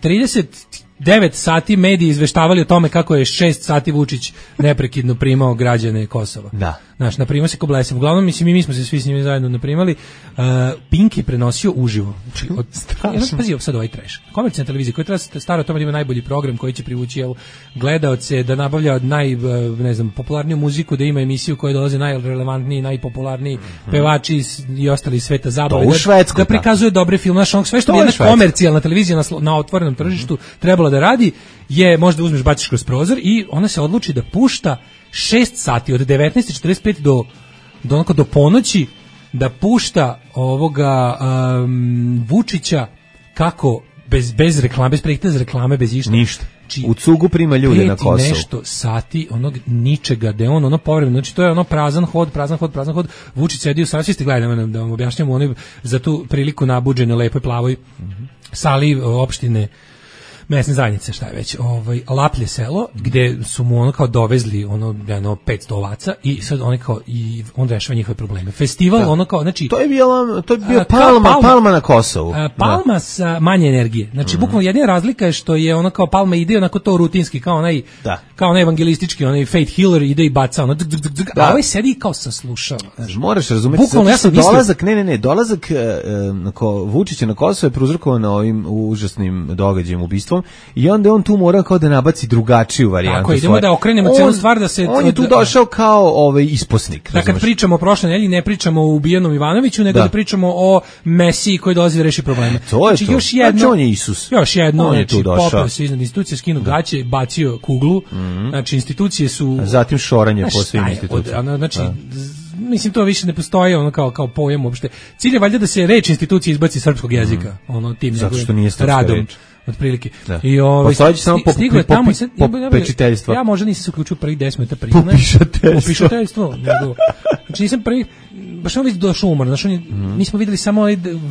trideset devet sati mediji izveštavali o tome kako je šest sati Vučić neprekidno primao građane Kosova. Da. Znaš, naprimao se ko blesav. Uglavnom, mislim, mi, mi smo se svi s njimi zajedno naprimali. Uh, Pink je prenosio uživo. Znači, od, strašno. Pazi, sad ovaj trash. Komercijalna televizija koja treba stara o tome da ima najbolji program koji će privući jel, gledaoce, da nabavlja naj, ne znam, popularniju muziku, da ima emisiju koja dolaze najrelevantniji, najpopularniji mm-hmm. pevači i ostali sveta zabave. U Švedskoj, da, da prikazuje dobre filme. Znaš, sve što bi jedna komercijalna televizija na, na otvorenom tržištu mm-hmm. trebala da radi, je možda uzmeš, baciš kroz prozor i ona se odluči da pušta šest sati od devetnaest četrdeset pet do do onako do ponoći da pušta ovoga um, Vučića kako bez bez reklame, bez prekida za reklame, bez išta. Ništa. Či, u cugu prima ljude na Kosovu. Nešto sati onog ničega, da on ono povremeno, znači to je ono prazan hod, prazan hod, prazan hod. Vučić sedi u sali, svi ste gledali, da vam objašnjam, onoj za tu priliku nabuđene, lepoj, plavoj mm-hmm. sali opštine mesne zajednice, šta je već, ovaj Laplje selo, gde su mu ono kao dovezli ono jedno petsto ovaca i sad oni kao i on rešava njihove probleme. Festival da. Ono kao, znači to je bio to je bio palma, palma, palma na Kosovu. A, palma da. Sa manje energije. Znači mm-hmm. bukvalno jedina razlika je što je ono kao palma ide onako to rutinski kao onaj da. Kao onaj evangelistički, onaj faith healer ide i baca ono, dg, dg, dg, da. A ovaj sedi kao saslušava. Znači, moraš razumeti bukvalno ja sam dolazak, ne ne ne, dolazak na ko Vučića na Kosovo je prouzrokovan ovim užasnim događajem, ubistvom. I onda on tu mora kao da nabaci drugačiju varijantu. Tako, idemo svoje. Da okrenemo celu stvar da se... On je tu došao kao ovaj isposnik. Da kad pričamo o prošloj nedelji, ne pričamo o ubijenom Ivanoviću, nego da, da pričamo o Mesiji koji dolazi da reši probleme. To je znači, to. Još jedno, znači on je Isus. Još jedno, on je tu došao. Popao se iznad institucije, skinu gaće, bacio kuglu. Mm-hmm. Znači institucije su... A zatim šoranje po svim institucijama. Znači... Da. Mislim to više ne postoji ono kao kao pojam uopšte. Cilj je valjda da se reč institucije izbaci iz srpskog jezika, mm. ono tim njegovim radom reč. Otprilike. Da. I ovaj samo po, po, tamo po, po pečiteljstvo. Ja možda nisam se uključio prvih deset minuta prije. Popišateljstvo. Znači nisam prvi baš on već došao umor, znači on je, mm. mi smo videli samo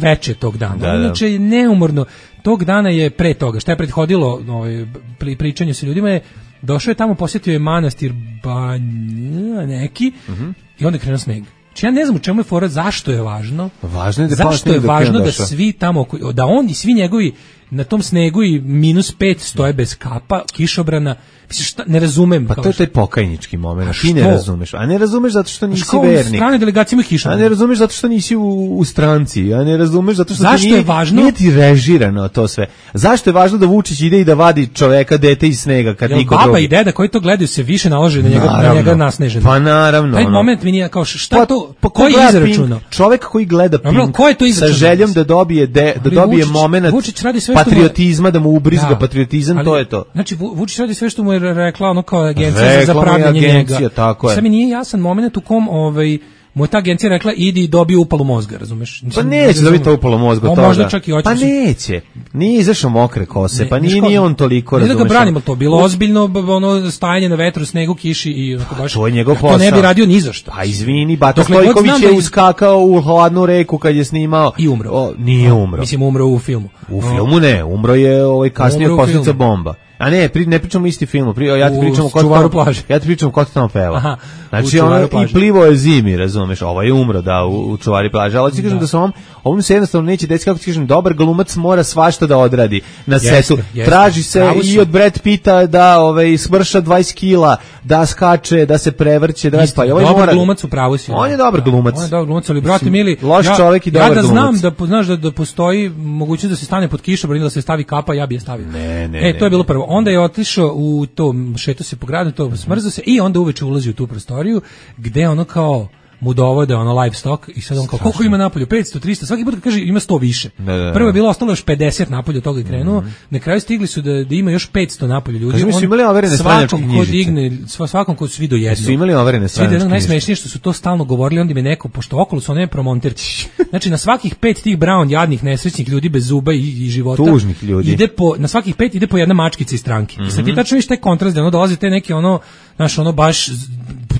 veče tog dana. Da, inače je neumorno. Tog dana je pre toga, šta je prethodilo ovaj pri pričanju sa ljudima je došao je tamo, posjetio je manastir Banja neki mm-hmm. i onda je krenuo sneg. Znači ja ne znam u čemu je fora, zašto je važno. Važno je da zašto je važno da svi tamo, da on i svi njegovi na tom snegu i minus pet stoje bez kapa, kišobrana. Mislim, šta, ne razumem. Pa to je taj pokajnički moment, ti ne razumeš. A ne razumeš zato što nisi vernik. Strane delegacije ima kišobrana. A ne razumeš zato što nisi u, u stranci. A ne razumeš zato što zašto nije, je važno? Nije ti režirano to sve. Zašto je važno da Vučić ide i da vadi čoveka, dete iz snega kad niko drugi? Baba i deda koji to gledaju se više nalože na njega, naravno, na njega nasneženo. Pa naravno. Taj moment mi nije kao šta pa, to, pa, koji je izračunao? Čovek koji gleda Pink no, ko je to sa željom da dobije de, da dobije Vučić, momenat Vučić radi sve patriotizma, da mu ubrizga da, patriotizam, ali, to je to. Znači Vučić radi sve što mu je rekla ono kao agencija za pravljenje njega. Tako je. Sad mi nije jasan moment u kom ovaj mu ta agencija rekla idi i dobije upalu mozga, razumeš? Pa neće dobiti upalu mozga toga. Možda čak i hoće. Pa neće. Nije izašao mokre kose, ne, pa nije, nije on toliko, razumeš. Ne da ga branimo, to bilo ozbiljno ono stajanje na vetru, snegu, kiši i onako baš. To je njegov posao. To ne bi radio ni za šta. Pa izvini, Bata Stojković je uskakao u hladnu reku kad je snimao i umro. O, nije umro. Mislim umro u filmu. U filmu ne, umro je ovaj kasnije posljedica bomba. A ne, pri, ne pričamo isti film, pri, ja ti pričam o Čuvaru plaže. Ja ti pričam o Ko tamo peva. Aha, znači ono i plivo je zimi, razumeš, ovaj je umro da u, u Čuvari plaže, ali ti kažem da, da se ovom, ovom se jednostavno neće desiti, kako ti kažem, dobar glumac mora svašta da odradi na jeste, setu. Jeste. Traži se Pravo i su. od Brad Pitta da ovaj, smrša dvadeset kila, da skače, da se prevrće, da Isto, pa ovaj dobar mora. glumac u pravu si. On je dobar glumac. On je dobar glumac, ali brate mili, loš ja, čovjek i dobar ja da glumac. znam da znaš da, da postoji mogućnost da se stane pod kišobran ili da se stavi kapa, ja bih je stavio. Ne, ne, e, to je bilo ne. prvo. Onda je otišao u to, šetao se po gradu, to smrzao se i onda uveče ulazi u tu prostoriju gde ono kao mu dovode ono livestock i sad on kao koliko ima napolju, petsto, tristo, svaki put kad kaže ima sto više. Da, da, da. Prvo je bilo ostalo još pedeset napolju, od toga je krenuo. Mm. Na kraju stigli su da, da ima još petsto napolju ljudi. Kaži mi, su imali overene stranačke knjižice? Ko digne, svakom ko svi do jednog. Su imali overene stranačke knjižice? Najsmešnije što su to stalno govorili, onda mi neko, pošto okolo su one promonterci. Znači na svakih pet tih Brown jadnih nesrećnih ljudi bez zuba i, i života. Tužnih ljudi. Ide po, na svakih pet ide po jedna mačkica iz stranke. Mm -hmm. I sad ti tačno viš taj kontrast, da ono dolazi te neki ono, znaš, ono baš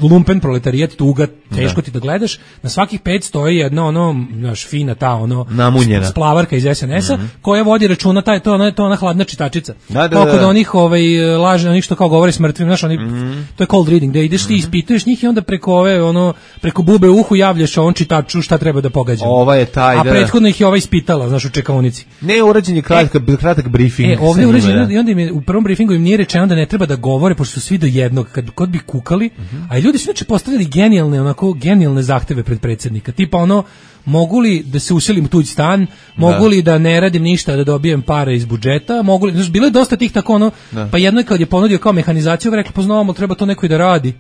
lumpen proletarijat, tuga, teško da. Ti da gledaš. Na svakih pet stoji jedna ono, znaš, fina ta ono namunjena splavarka iz es en es-a, mm -hmm. koja vodi računa, taj to ona to ona hladna čitačica. Da, da, Koliko da. da onih ovaj lažne, onih što kao govore s mrtvim, znaš, oni mm -hmm. to je cold reading, da ideš ti ispituješ njih i onda preko ove ono preko bube u uhu javljaš on čitaču šta treba da pogađa. Ova je taj A da. prethodno ih je ova ispitala, znaš, u čekaonici. Ne, urađen je kratak e, kratak briefing. E, ovdje urađen i onda im je u prvom briefingu im nije rečeno da ne treba da govore pošto su svi do jednog, kad kod bi kukali, mm -hmm. a ljudi su inače postavili genijalne, onako genijalne zahteve pred predsjednika. Tipa ono, mogu li da se uselim u tuđ stan, mogu da. li da ne radim ništa da dobijem pare iz budžeta, mogu li, znaš, bilo je dosta tih tako ono, da. Pa jedno je kad je ponudio kao mehanizaciju, rekli poznavamo, treba to neko i da radi.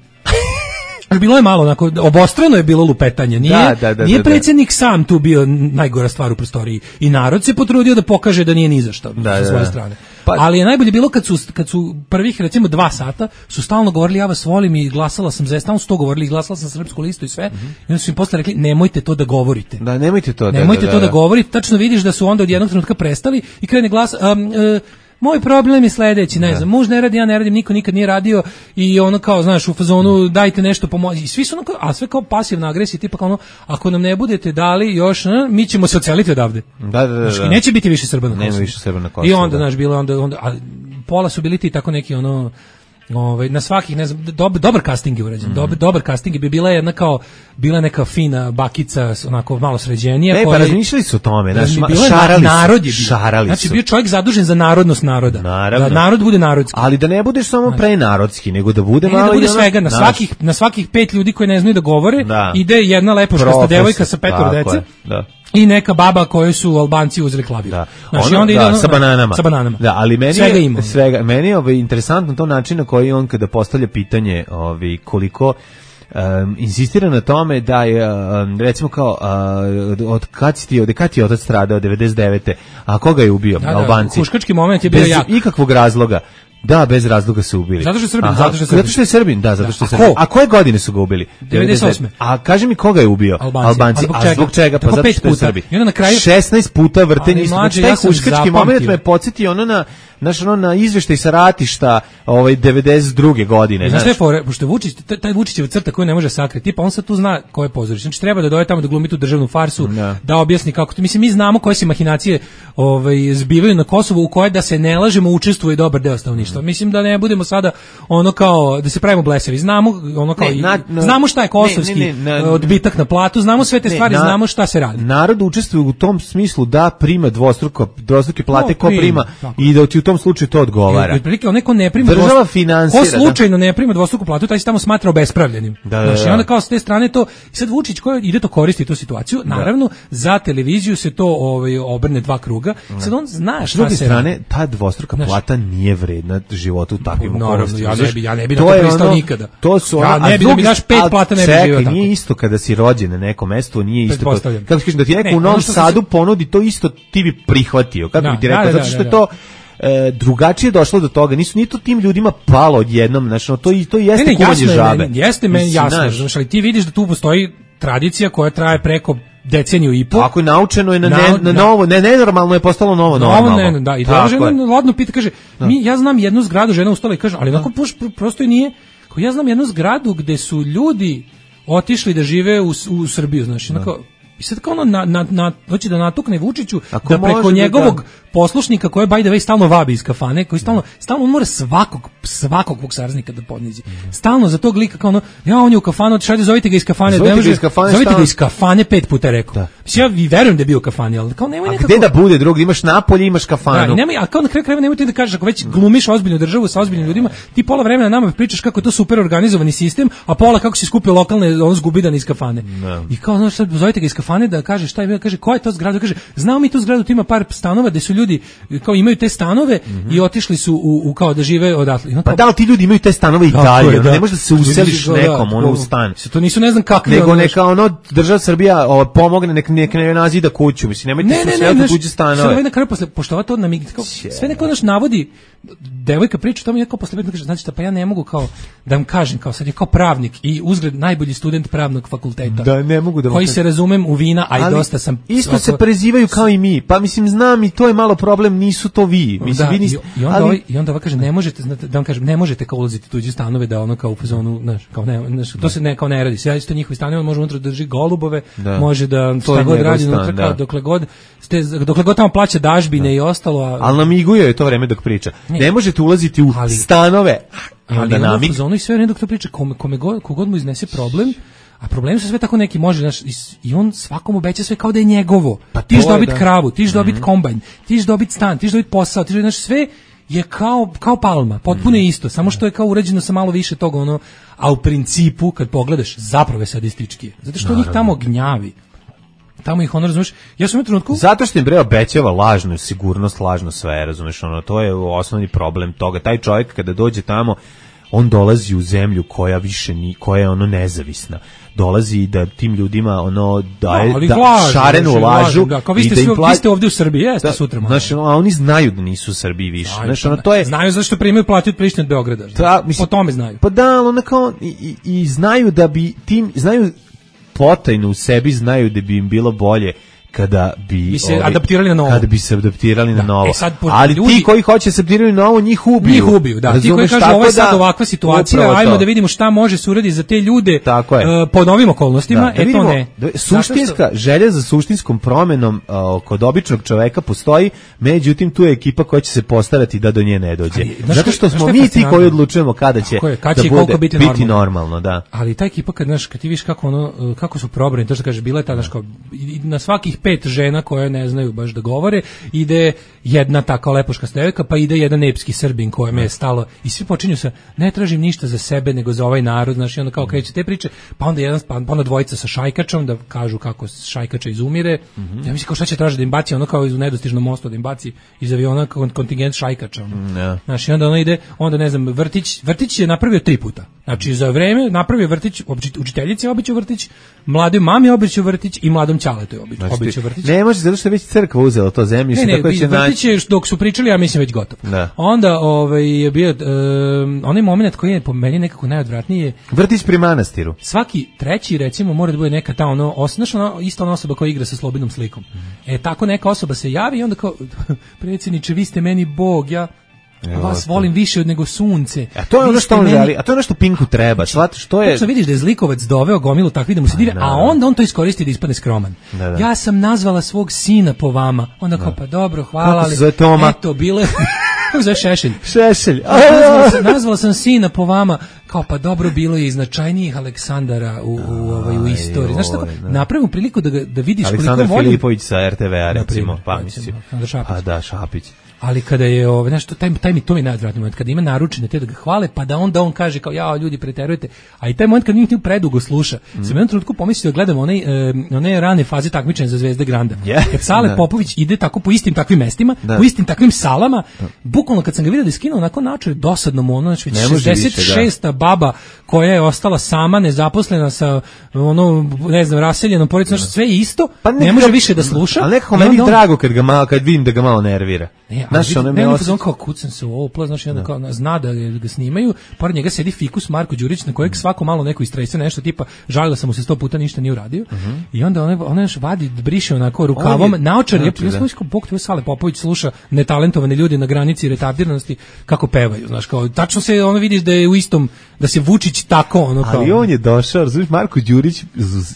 Bilo je malo onako, obostrano je bilo lupetanje. Nije, da, da, da, nije da, predsjednik da. sam tu bio najgora stvar u prostoriji. I narod se potrudio da pokaže da nije ni za što da, sa svoje da. strane. Pa, ali je najbolje bilo kad su, kad su prvih recimo dva sata su stalno govorili ja vas volim i glasala sam za, stalno su to govorili i glasala sam Srpsku listu i sve. Mm -hmm. I onda su im posle rekli nemojte to da govorite. Da, nemojte to. Nemojte da, da, to da, da govorite. Tačno vidiš da su onda od jednog trenutka prestali i krene glas um, uh, moj problem je sledeći, ne znam, muž ne radi, ja ne radim, niko nikad nije radio i ono kao, znaš, u fazonu dajte nešto pomoći. I svi su ono kao, a sve kao pasivna agresija, tipa kao ono, ako nam ne budete dali još, ne, mi ćemo se odseliti odavde. Da, da, da. Znaš, i neće biti više Srba na Kosovu. Nema više Srba na Kosovu. I onda, znaš, bilo onda, onda a pola su bili ti tako neki ono, ovaj na svakih ne znam dob, dobar casting je urađen. Mm. Dobar dobar casting bi bila jedna kao bila neka fina bakica onako malo sređenija koja. E, pa razmišljali su o tome, znači šarali narod je bio. Šarali znači su. bio čovjek zadužen za narodnost naroda. Naravno. Da narod bude narodski. Ali da ne budeš samo prenarodski, nego da bude ne, malo da bude i svega na naš. svakih na svakih pet ljudi koji ne znaju da govore, da. Ide jedna lepoškasta devojka sa petoro dece. Da. I neka baba koju su Albanci uzeli klavir. Da. Znači, ono, onda ide da, ono, sa bananama. Sa bananama. Da, ali meni svega je, ima. Svega, meni je ovaj, interesantno to način na koji on kada postavlja pitanje ovaj, koliko um, insistira na tome da je, um, recimo kao, uh, od kad si ti, od kad ti je otac stradao, devedeset devete a koga je ubio? Da, da, Albanci. Huškački moment je bio bez jak. ikakvog razloga. Da, bez razloga su ubili. Zato što je Srbin, Aha, zato što je Srbin. Zato što je Srbin, da, zato da. što je Srbin. A, a koje godine su ga ubili? devedeset osme A kaži mi koga je ubio? Albanci. Albanci. A zbog a čega? zbog čega? Pa tako zato što je puta. Srbin. I onda na kraju šesnaest puta vrtenje. Znači, taj ja huškački moment me podsjetio ono na Znaš, ono na izveštaj sa ratišta ovaj, devedeset druge godine. Znaš šta je fore, pošto Vučić, taj Vučićev crta koju ne može sakriti, pa on sad tu zna ko je pozorište. Znači treba da dođe tamo da glumi tu državnu farsu, no. da objasni kako to. Mislim, mi znamo koje se mahinacije ovaj, zbivaju na Kosovu, u koje da se ne lažemo učestvuje dobar deo stanovništva. Mislim da ne budemo sada ono kao, da se pravimo blesavi. Znamo, ono kao, ne, na, na, znamo šta je kosovski ne, ne, ne, odbitak na platu, znamo sve te ne, stvari, na, znamo šta se radi. Narod učestvuje u tom smislu da prima dvostruko, dvostruke plate, no, ko prima tako. I da ti u tom slučaju to odgovara. Otprilike on neko ne prima država finansira. Ko slučajno ne prima dvostruku platu, taj se tamo smatra obespravljenim. Da, da, da. Znači, onda kao s te strane to, i sad Vučić koji ide to koristi tu situaciju, naravno da. Za televiziju se to ovaj obrne dva kruga. Sad on zna šta s druge se strane, radi. Ta dvostruka Znaš, plata nije vredna životu u takvim okolnostima. Ja ne bi, ja ne bi na to pristao ono, nikada. To su ja ono, ne bi da mi daš pet plata, ne bi živio tako. Nije isto kada si rođen na nekom mestu, nije isto. Kako kažeš da ti neko ne, u Novom Sadu ponudi to isto, ti bi prihvatio. Kako da, bi ti rekao, da, zato što da, je to E, drugačije došlo do toga, nisu ni to tim ljudima palo odjednom, znači to i to jeste ne, ne, kuvanje žabe. Meni, jeste meni jasno, znači ali ti vidiš da tu postoji tradicija koja traje preko deceniju i po. Tako je naučeno je na, ne, na novo, ne nenormalno je postalo novo normalno. Novo, ne, da, i da žena ladno pita, kaže, da. mi ja znam jednu zgradu, žena ustala i kaže, ali onako prosto i nije, kao ja znam jednu zgradu gde su ljudi otišli da žive u, u Srbiju, znači, onako, i sad kao ono na, na, na, hoće da natukne Vučiću da preko njegovog poslušnika koje by the way stalno vabi iz kafane, koji stalno stalno mora svakog svakog svog saraznika da podnizi. Stalno za tog lika kao ono, ja on je u kafanu, šajde zovite ga iz kafane, zovite, ne može, ga, iz kafane zovite ga iz kafane pet puta rekao. Da. Mislim, ja vi verujem da je bio u kafani, ali kao nemoj nekako. A gde da bude drugdje, imaš napolje, imaš kafanu. Da, nemoj, a kao na kraju krajeva nemoj ti da kažeš, ako već glumiš ozbiljnu državu sa ozbiljnim ljudima, ti pola vremena nama pričaš kako je to super organizovani sistem, a pola kako si skupio lokalne on zgubidan iz kafane. No. I kao znaš, sad zovite ga iz kafane da kaže šta je, kaže koja je to zgrada, kaže znamo mi tu zgradu, tu ima par stanova gde su ljudi kao imaju te stanove mm-hmm. i otišli su u, u kao da žive odatle. Kao, pa da li ti ljudi imaju te stanove i dalje, da. Ne možeš da se useliš da, nekom, ono u stan. To nisu ne znam kakvi. Nego neka ono država Srbija o, pomogne, nek nek ne nazida kuću, mislim nemojte se sve tuđe stanove. Sve na kraju posle pošto to nam sve neko naš navodi devojka priča tamo jako posle kaže znači šta pa ja ne mogu kao da vam kažem kao sad je kao pravnik i uzgled najbolji student pravnog fakulteta. Da ne mogu da koji se razumem u vina, a i dosta sam isto se prezivaju kao i mi. Pa mislim znam i to je malo problem, nisu to vi. Mislim da, vi niste, i, i onda ali... ovaj, i onda kaže ne možete znate, da vam kažem ne možete kao ulaziti tuđe stanove da ono kao u fazonu znaš kao ne znaš, to se ne kao ne radi. Sve isto njihovi stanovi može unutra drži golubove, da. Može da šta god radi unutra kao dokle god ste dokle god tamo plaća dažbine da. I ostalo. A... Al namiguje je to vreme dok priča. Ne, ne možete ulaziti u ali, stanove. Ali onda u zonu i sve vreme dok to priča kome kome god kogod mu iznese problem. A problemi su sve tako neki, može, znaš, i on svakom obeća sve kao da je njegovo. Pa ti ćeš dobiti da. Kravu, ti ćeš dobiti mm-hmm. kombajn, ti ćeš dobiti stan, ti ćeš dobiti posao, ti ćeš dobiti, znaš, sve je kao, kao Palma, potpuno mm-hmm. isto, samo što je kao urađeno sa malo više toga, ono, a u principu, kad pogledaš, zapravo je sadistički. Zato što njih tamo gnjavi. Tamo ih ono, razumeš, ja sam u trenutku... Zato što im bre obećava lažnu sigurnost, lažno sve, razumeš, ono, to je osnovni problem toga. Taj čovjek kada dođe tamo, on dolazi u zemlju koja više ni, koja je ono nezavisna. Dolazi da tim ljudima ono daje no, da lažu, šarenu lažu da, kao vi ste, svi, pla... vi ste ovdje u Srbiji, jeste da, sutra. Znači, a oni znaju da nisu u Srbiji više. Znaju, znači, ono, to je... znaju zašto primaju plati od Prištine od Beograda. Da, mislim, po tome znaju. Pa da, ono kao, i, i, i znaju da bi tim, znaju potajno u sebi, znaju da bi im bilo bolje kada bi, bi se ovi, adaptirali na novo. Kada bi se adaptirali da. na novo. E sad, ali ljudi, ti koji hoće se adaptirati na novo, njih ubiju. Njih ubiju, da. Razumeš, ti koji kažu ovo je sad da, ovakva situacija, ajmo da vidimo šta može se uraditi za te ljude uh, po novim okolnostima, da, da vidimo, e to ne. Da, suštinska što... želja za suštinskom promenom uh, kod običnog čoveka postoji, međutim tu je ekipa koja će se postarati da do nje ne dođe. Ali, znaš, zato što smo mi ti koji odlučujemo kada će, je, kad da će bude biti, biti normalno. normalno, da. Ali ta ekipa kad znaš, kad ti vidiš kako ono kako su probrani, to što kaže bila je ta znaš, na svakih pet žena koje ne znaju baš da govore, ide jedna taka lepoška devojka, pa ide jedan epski Srbin kojem je stalo i svi počinju sa ne tražim ništa za sebe nego za ovaj narod, znači onda kao kreće te priče, pa onda jedan pa onda dvojica sa šajkačom da kažu kako šajkača izumire. Mm-hmm. Ja mislim kao šta će tražiti da im baci ono kao iz nedostižnog mosta da im baci iz aviona kontingent šajkača. Mm, yeah. Znači onda ona ide, onda ne znam, vrtić, vrtić je napravio tri puta. Znači za vreme napravio vrtić, učiteljici običao vrtić, mladoj mami običao vrtić i mladom ćaletu je običao znači, vrtić. Ne može zato što je već crkva uzela to zemljište, ne, ne, tako će vrtić je dok su pričali, ja mislim već gotov. Da. Onda ovaj je bio um, onaj momenat koji je po meni nekako najodvratniji. Vrtić pri manastiru. Svaki treći recimo mora da bude neka ta ono osnašna ista ona osoba koja igra sa slobodnom slikom. Mm. E tako neka osoba se javi i onda kao predsjedniče vi ste meni bog, ja A vas volim više od nego sunce. A to je ono što on meni... želi, a to je ono što Pinku treba. Shvataš, što je. Tačno vidiš da je zlikovac doveo gomilu takvi da mu se dive, a onda on to iskoristi da ispadne skroman. Da, da. Ja sam nazvala svog sina po vama. Onda kao pa dobro, hvala, ali eto bile kako zove Šešelj. Šešelj. Nazvala sam, nazvala sam sina po vama. Kao pa dobro bilo je i značajnijih Aleksandara u, u, ovaj, u istoriji. Znaš tako, napravimo priliku da, da vidiš Aleksandar koliko volim. Filipović sa er te ve-a recimo. Pa, pa mislim. Pa da, Šapić. Ali kada je ovaj znači taj taj mi to mi najodvratniji moment kada ima naručene te da ga hvale pa da onda on kaže kao ja ljudi preterujete, a i taj moment kad njih predugo sluša. Mm. Sam jednom trenutku pomislio da gledam onaj e, one rane faze takmičenja za Zvezde Granda. Yeah. Kad Sale da. Popović ide tako po istim takvim mestima, da. Po istim takvim salama, da. Bukvalno kad sam ga vidio da je skinuo onako načer dosadno mu ono znači šezdeset šesta baba koja je ostala sama nezaposlena sa ono ne znam raseljenom porodicom, znači sve je isto, pa ne može više da sluša. Ali nekako meni drago kad ga malo kad vidim da ga malo nervira. Ne, znaš, on ne osjeća... kao kucam se u opla, znači onda kao zna da ga snimaju, pored njega sedi fikus Marko Đurić na kojeg svako malo neko istrese nešto tipa žalila sam mu se sto puta ništa nije uradio. Uh-huh. I onda on on još vadi briše onako rukavom naočar je plus kao bog tvoj Sale Popović sluša netalentovane ljudi na granici retardiranosti kako pevaju, znaš kao tačno se ono vidiš da je u istom da se Vučić tako ono kao. Ali on je došao, razumiješ, Marko Đurić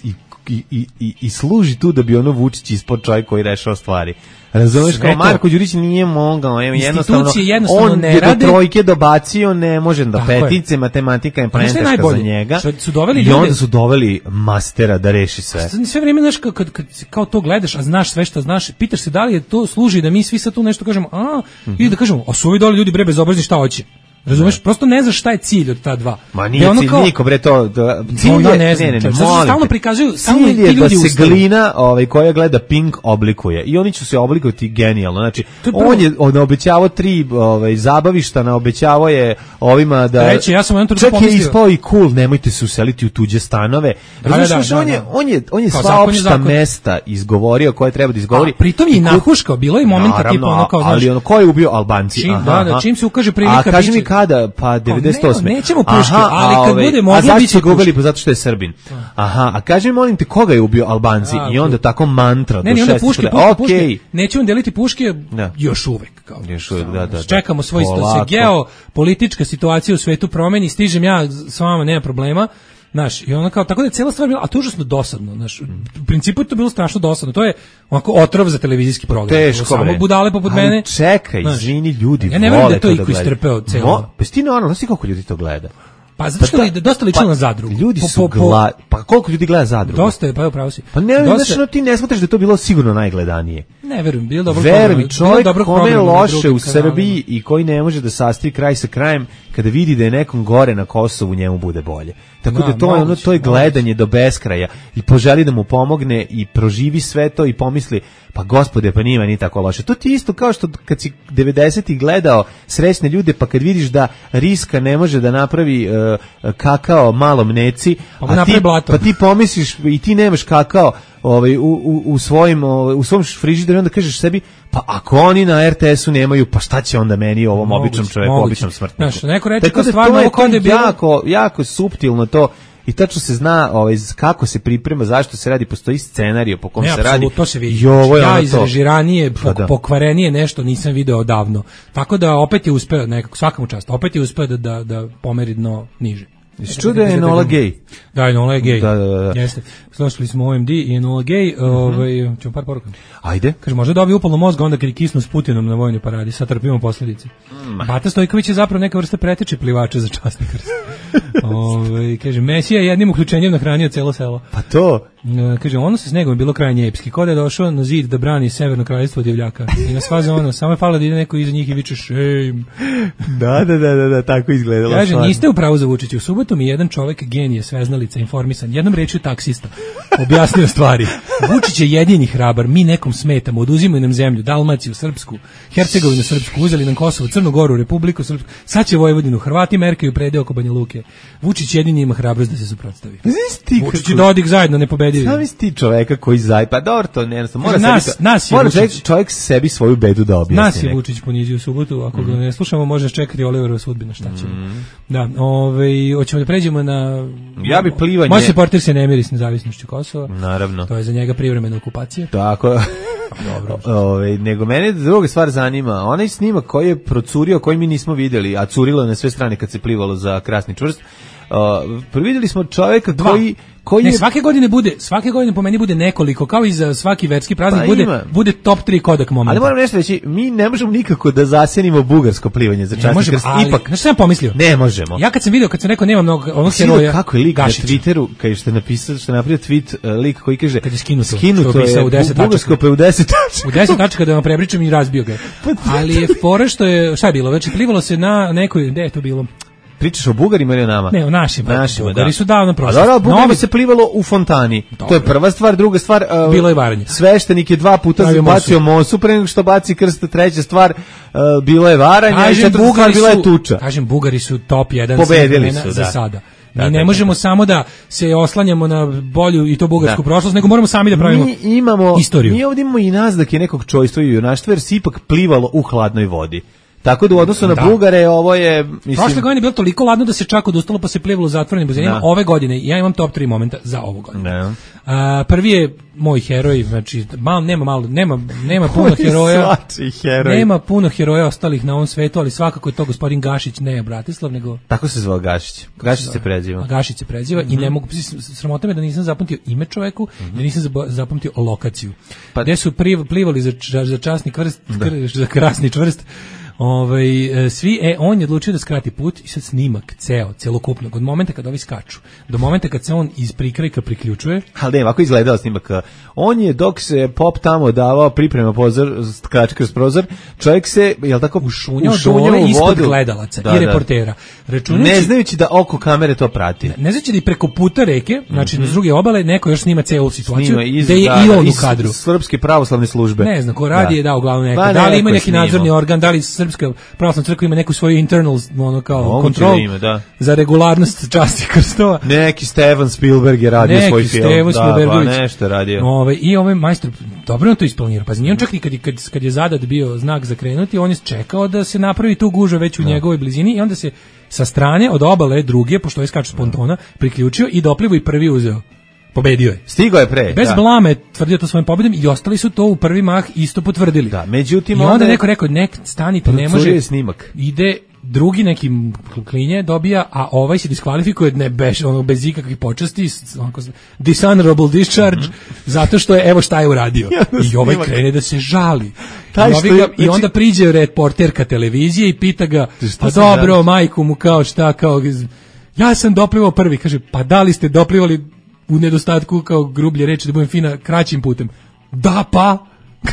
i i, i, i, i služi tu da bi ono Vučić ispod čovjek koji rešava stvari. Razumeš, kao Marko Đurić nije mogao, jednostavno, jednostavno on ne je rade. do trojke dobacio, ne može da petice, matematika je preteška za njega. Su doveli I ljude, onda su doveli mastera da reši sve. Sve vrijeme, znaš, kad, kad, kad kao to gledaš, a znaš sve što znaš, pitaš se da li je to služi da mi svi sad tu nešto kažemo, a, mm-hmm. i da kažemo, a su ovi dole ljudi bre bezobrazni, šta hoće? Razumeš, prosto ne znaš šta je cilj od ta dva. Ma nije cilj, kao, niko bre to... Da, cilj je, no, ne znam, ne, ne, ne, stalno prikazuju, stalno cilj je da se ustali. Glina ovaj, koja gleda Pink oblikuje. I oni će se oblikovati genijalno. Znači, je on je naobećavao tri ovaj, zabavišta, naobećavao je ovima da... Reći, ja sam čak je ispao i cool, nemojte se useliti u tuđe stanove. Da, da, da, da, on, je, on je, on je sva zakon opšta zakon. Mesta izgovorio koje treba da izgovori. A, pritom je i nahuškao, bilo je momenta tipa ono kao... Ali ono, ko je ubio Albanci? Čim, aha, da, da, čim se ukaže prilika... A kaži mi kada, pa devedeset osme. Ne, nećemo puške, aha, ali kad ove, bude moglo biti biće gubili pa zato što je Srbin. Aha, a kaži mi molim te koga je ubio Albanci a, i onda tako mantra ne, do šest. Ne, onda puške, puške, puške. Nećemo deliti puške da. Još uvek. Kao, još uvek, da, da. Čekamo svoj se geopolitička situacija u svetu promeni, stižem ja s vama, nema problema. Znaš, i ona kao, tako da je cijela stvar bila, a to je užasno dosadno, znaš, u principu je to bilo strašno dosadno, to je onako otrov za televizijski program. Teško, samo bre. Budale poput ali mene. Čekaj, znaš, izvini, ljudi ja ne vole da to to da iko istrpeo celo. Mo, pa ti normalno, znaš ti koliko ljudi to gleda? Pa zato što pa ta, dosta lično pa, na Zadrugu. Ljudi po, su po, gla, pa koliko ljudi gleda Zadrugu? Dosta je, pa upravo si. Pa ne, dosta, znaš, no, ti ne smatraš da je to bilo sigurno najgledanije. Ne verujem, bilo dobro. Verujem, čovjek kome je loše u Srbiji i koji ne može da sastavi kraj sa krajem, kada vidi da je nekom gore na Kosovu, njemu bude bolje. Tako da, da to je ono, to je gledanje do beskraja i poželi da mu pomogne i proživi sve to i pomisli, pa gospode, pa nima ni tako loše. To ti isto kao što kad si devedesetih gledao srećne ljude, pa kad vidiš da Riska ne može da napravi uh, kakao malom neci, pa, a ti, pa ti pomisliš i ti nemaš kakao ovaj, u, u, u, svojim, ovaj, u svom frižideru, onda kažeš sebi, pa ako oni na er te esu nemaju, pa šta će onda meni ovom moguće, običnom čoveku, moguće. Običnom smrtniku? Znaš, neko reče tako da stvarno to je, to je bilo... jako, jako suptilno to. I tačno se zna ovaj, kako se priprema, zašto se radi, postoji scenarij po kom ne, se radi. To se vidi. I ovo je ja ono izrežiranije, pok, da. pokvarenije nešto nisam video odavno. Tako da opet je uspeo, nekako, svakamu čast, opet je uspeo da, da, da pomeri dno niže. Jesi čuo da je Enola gej? Da, Enola je gej. Da, da, da. Jeste. Slušali smo O M D i Enola gej. Mm-hmm. Ovaj, ćemo par poruka. Ajde. Kaže, možda dobije upalno mozga onda kad je kisnu s Putinom na vojnoj paradi. Sad trpimo posljedice. Mm. Bata Stojković je zapravo neka vrsta preteče plivača za časni krst. Ovaj, kaže, Mesija je jednim uključenjem nahranio celo selo. Pa to. E, kaže, ono sa snegom je bilo krajnje epski. Ko da je došao na zid da brani severno kraljevstvo od divljaka. I na svaze ono, samo je falo da ide neko iza njih i viče shame. Da, da, da, da, da, tako izgledalo. Kaže, stvarno. Niste u pravu za Vučića. U subotu mi jedan čovjek genije, sveznalica, informisan, jednom rečju taksista, objasnio stvari. Vučić je jedini hrabar, mi nekom smetamo, oduzimaju nam zemlju, Dalmaciju, Srpsku, Hercegovinu, Srpsku, uzeli nam Kosovo, Crnu Goru, Republiku Srpsku, sad će Vojvodinu, Hrvati merkaju predeo oko Banja Luke. Vučić jedini ima hrabrost da se suprotstavi. Vučić i Dodik zajedno nepobedivi. Šta misli ti čoveka koji zaj, pa dobro, to ne, mora nas, sebi, nas mora čovjek, čovjek sebi svoju bedu da objasni. Nas je Vučić ponizio u subotu, ako mm. ga ne slušamo, može čekati Oliverova sudbina, šta ćemo. Mm. Da, ovaj, hoćemo da pređemo na... Ja bi plivanje... Moj supporter se ne miri s nezavisnošću Kosova. Naravno. To je za njega privremena okupacija. Tako. Dobro. Ove, nego mene druga stvar zanima. Onaj snimak koji je procurio, koji mi nismo vidjeli, a curilo je na sve strane kad se plivalo za Krasni čvrst. Uh, vidjeli smo čovjeka Dva. koji koji ne, je... svake godine bude, svake godine po meni bude nekoliko, kao i za svaki verski praznik pa bude bude top tri Kodak momenta. Ali moram nešto reći, mi ne možemo nikako da zasenimo bugarsko plivanje za časni krst. Ipak, znači sam pomislio. Ne možemo. Ja kad sam video, kad sam rekao nema mnogo onog heroja. Kako je lik Gašića. Na Twitteru, kad ste napisali, što je napravio tweet uh, lik koji kaže kad je skinuto, skinuto je, je u deset bugarsko pa u deset tačaka. U deset tačaka da vam prepričam i razbio ga. Ali je fora što je, šta je bilo, znači plivalo se na nekoj, gde je to bilo? Pričaš o Bugarima ili o nama? Ne, o našima. Našima, Bugari da. su davno prošli. A dobro, Bugari se plivalo u fontani. Dobro. To je prva stvar, druga stvar... Uh, bilo je varanje. Sveštenik je dva puta bacio mosu pre nego što baci krst, treća stvar, uh, bilo je varanje, kažem, i četvrta stvar, bila je tuča. Kažem, Bugari su top jedan pobedili su, za da. sada. Mi da, ne da, možemo da. samo da se oslanjamo na bolju i to bugarsku da. prošlost, nego moramo sami da pravimo mi imamo, istoriju. Mi ovdje imamo i naznake nekog čojstva i junaštva, jer se ipak plivalo u hladnoj vodi. Tako da u odnosu na Da. Bugare ovo je, mislim... Prošle godine je bilo toliko ladno da se čak odustalo pa se plivalo u zatvorenim bazenima. Da. Ove godine, ja imam top tri momenta za ovu godinu. Da. A, prvi je moj heroj, znači malo, nema malo, nema, nema puno Koji heroja. svačiji heroj? Nema puno heroja ostalih na ovom svetu, ali svakako je to gospodin Gašić, ne Bratislav, nego... Tako se zvao Gašić. Gašić se preziva. A Gašić se preziva Mhm. i ne mogu, sramota me da nisam zapamtio ime čoveku, da nisam zabo- zapamtio lokaciju. Pa- Gde su priv- plivali za, č- za časni krst, kr- za krasni čvrst, ovaj, e, svi, e, on je odlučio da skrati put i sad snimak, ceo, celokupnog, od momenta kad ovi skaču, do momenta kad se on iz prikrajka priključuje. Ali ne, ovako izgledao snimak. On je, dok se pop tamo davao priprema pozor, skač kroz prozor, čovjek se, jel tako, Ušunjao ušunjao dole u ispod vodu. gledalaca Da, i da. reportera. Računajući- Ne znajući da oko kamere to prati. Ne znači da i preko puta reke, znači mm s druge obale, neko još snima celu situaciju, Snima iz, da je da, i da, on u iz kadru. Srpske pravoslavne službe. Ne znam, ko radi je dao uglavnom neka. Pa Da li neko ima je neki snimao. nadzorni organ, da li Srpska pravoslavna crkva ima neku svoju internal, ono kao Moguće kontrol da ima, da. za regularnost časti krstova. Neki Steven Spielberg je radio Neki svoj film. Stevo Da, pa Spielbergović. nešto je radio. Ove, I ovaj majstor dobro on to isplanirao. Pa nije on čak i kad, je- kad, kad je zadat bio znak za krenuti, on je čekao da se napravi tu gužva već u njegovoj blizini i onda se sa strane od obale druge, pošto je skač s pontona, priključio i doplivo i prvi uzeo. Pobedio je. Stigao je pre. Bez da. blame je tvrdio to svojim pobedom i ostali su to u prvi mah isto potvrdili. Da, međutim, I onda onda je- neko rekao, nek stanite, ne Procurio može. je snimak. Ide drugi neki klinje dobija, a ovaj se diskvalifikuje ne beš, ono, bez ikakvih počasti, s- onako, dishonorable discharge, zato što je, evo šta je uradio. Jedan I ovaj snimak. krene da se žali. Taj I, što ovi je- ga- I znači- onda priđe reporterka televizije i pita ga, Šta pa se dobro, žališ? majku mu kao šta, kao, ja sam doplivao prvi, kaže, pa da li ste doplivali u nedostatku, kao grublje reči, da budem fina, kraćim putem? Da, pa...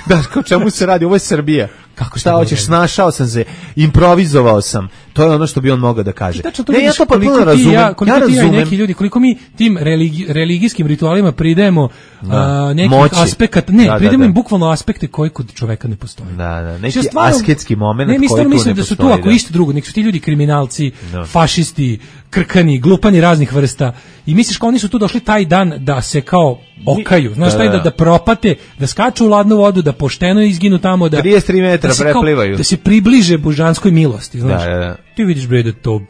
Da, kao čemu se radi? Ovo je Srbija. Kako šta šta hoćeš? ne? Snašao sam se, improvizovao sam. To je ono što bi on mogao da kaže. Tačno to Ne, ja vidiš to potpuno koliko ti razumem. Ja, koliko ja ti ja i razumem. neki ljudi, koliko mi tim religi, religijskim ritualima pridajemo a, nekih Moći. aspekata, ne, Da, da, pridajemo da. im bukvalno aspekte koji kod čoveka ne postoje. Da, da, neki Ja stvarno- asketski moment Ne, mi koji stvarno tu mislim ne da su tu, postoji, ako da. isto drugo, nek su ti ljudi kriminalci, Da. fašisti, krkani, glupani raznih vrsta i misliš kao oni su tu došli taj dan da se kao okaju, znaš Da, taj da. da, da propate, da skaču u ladnu vodu, da pošteno izginu tamo, da trideset tri metra da se kao- preplivaju. da se približe božanskoj milosti, znaš. Da, da, da. Ti vidiš bre da to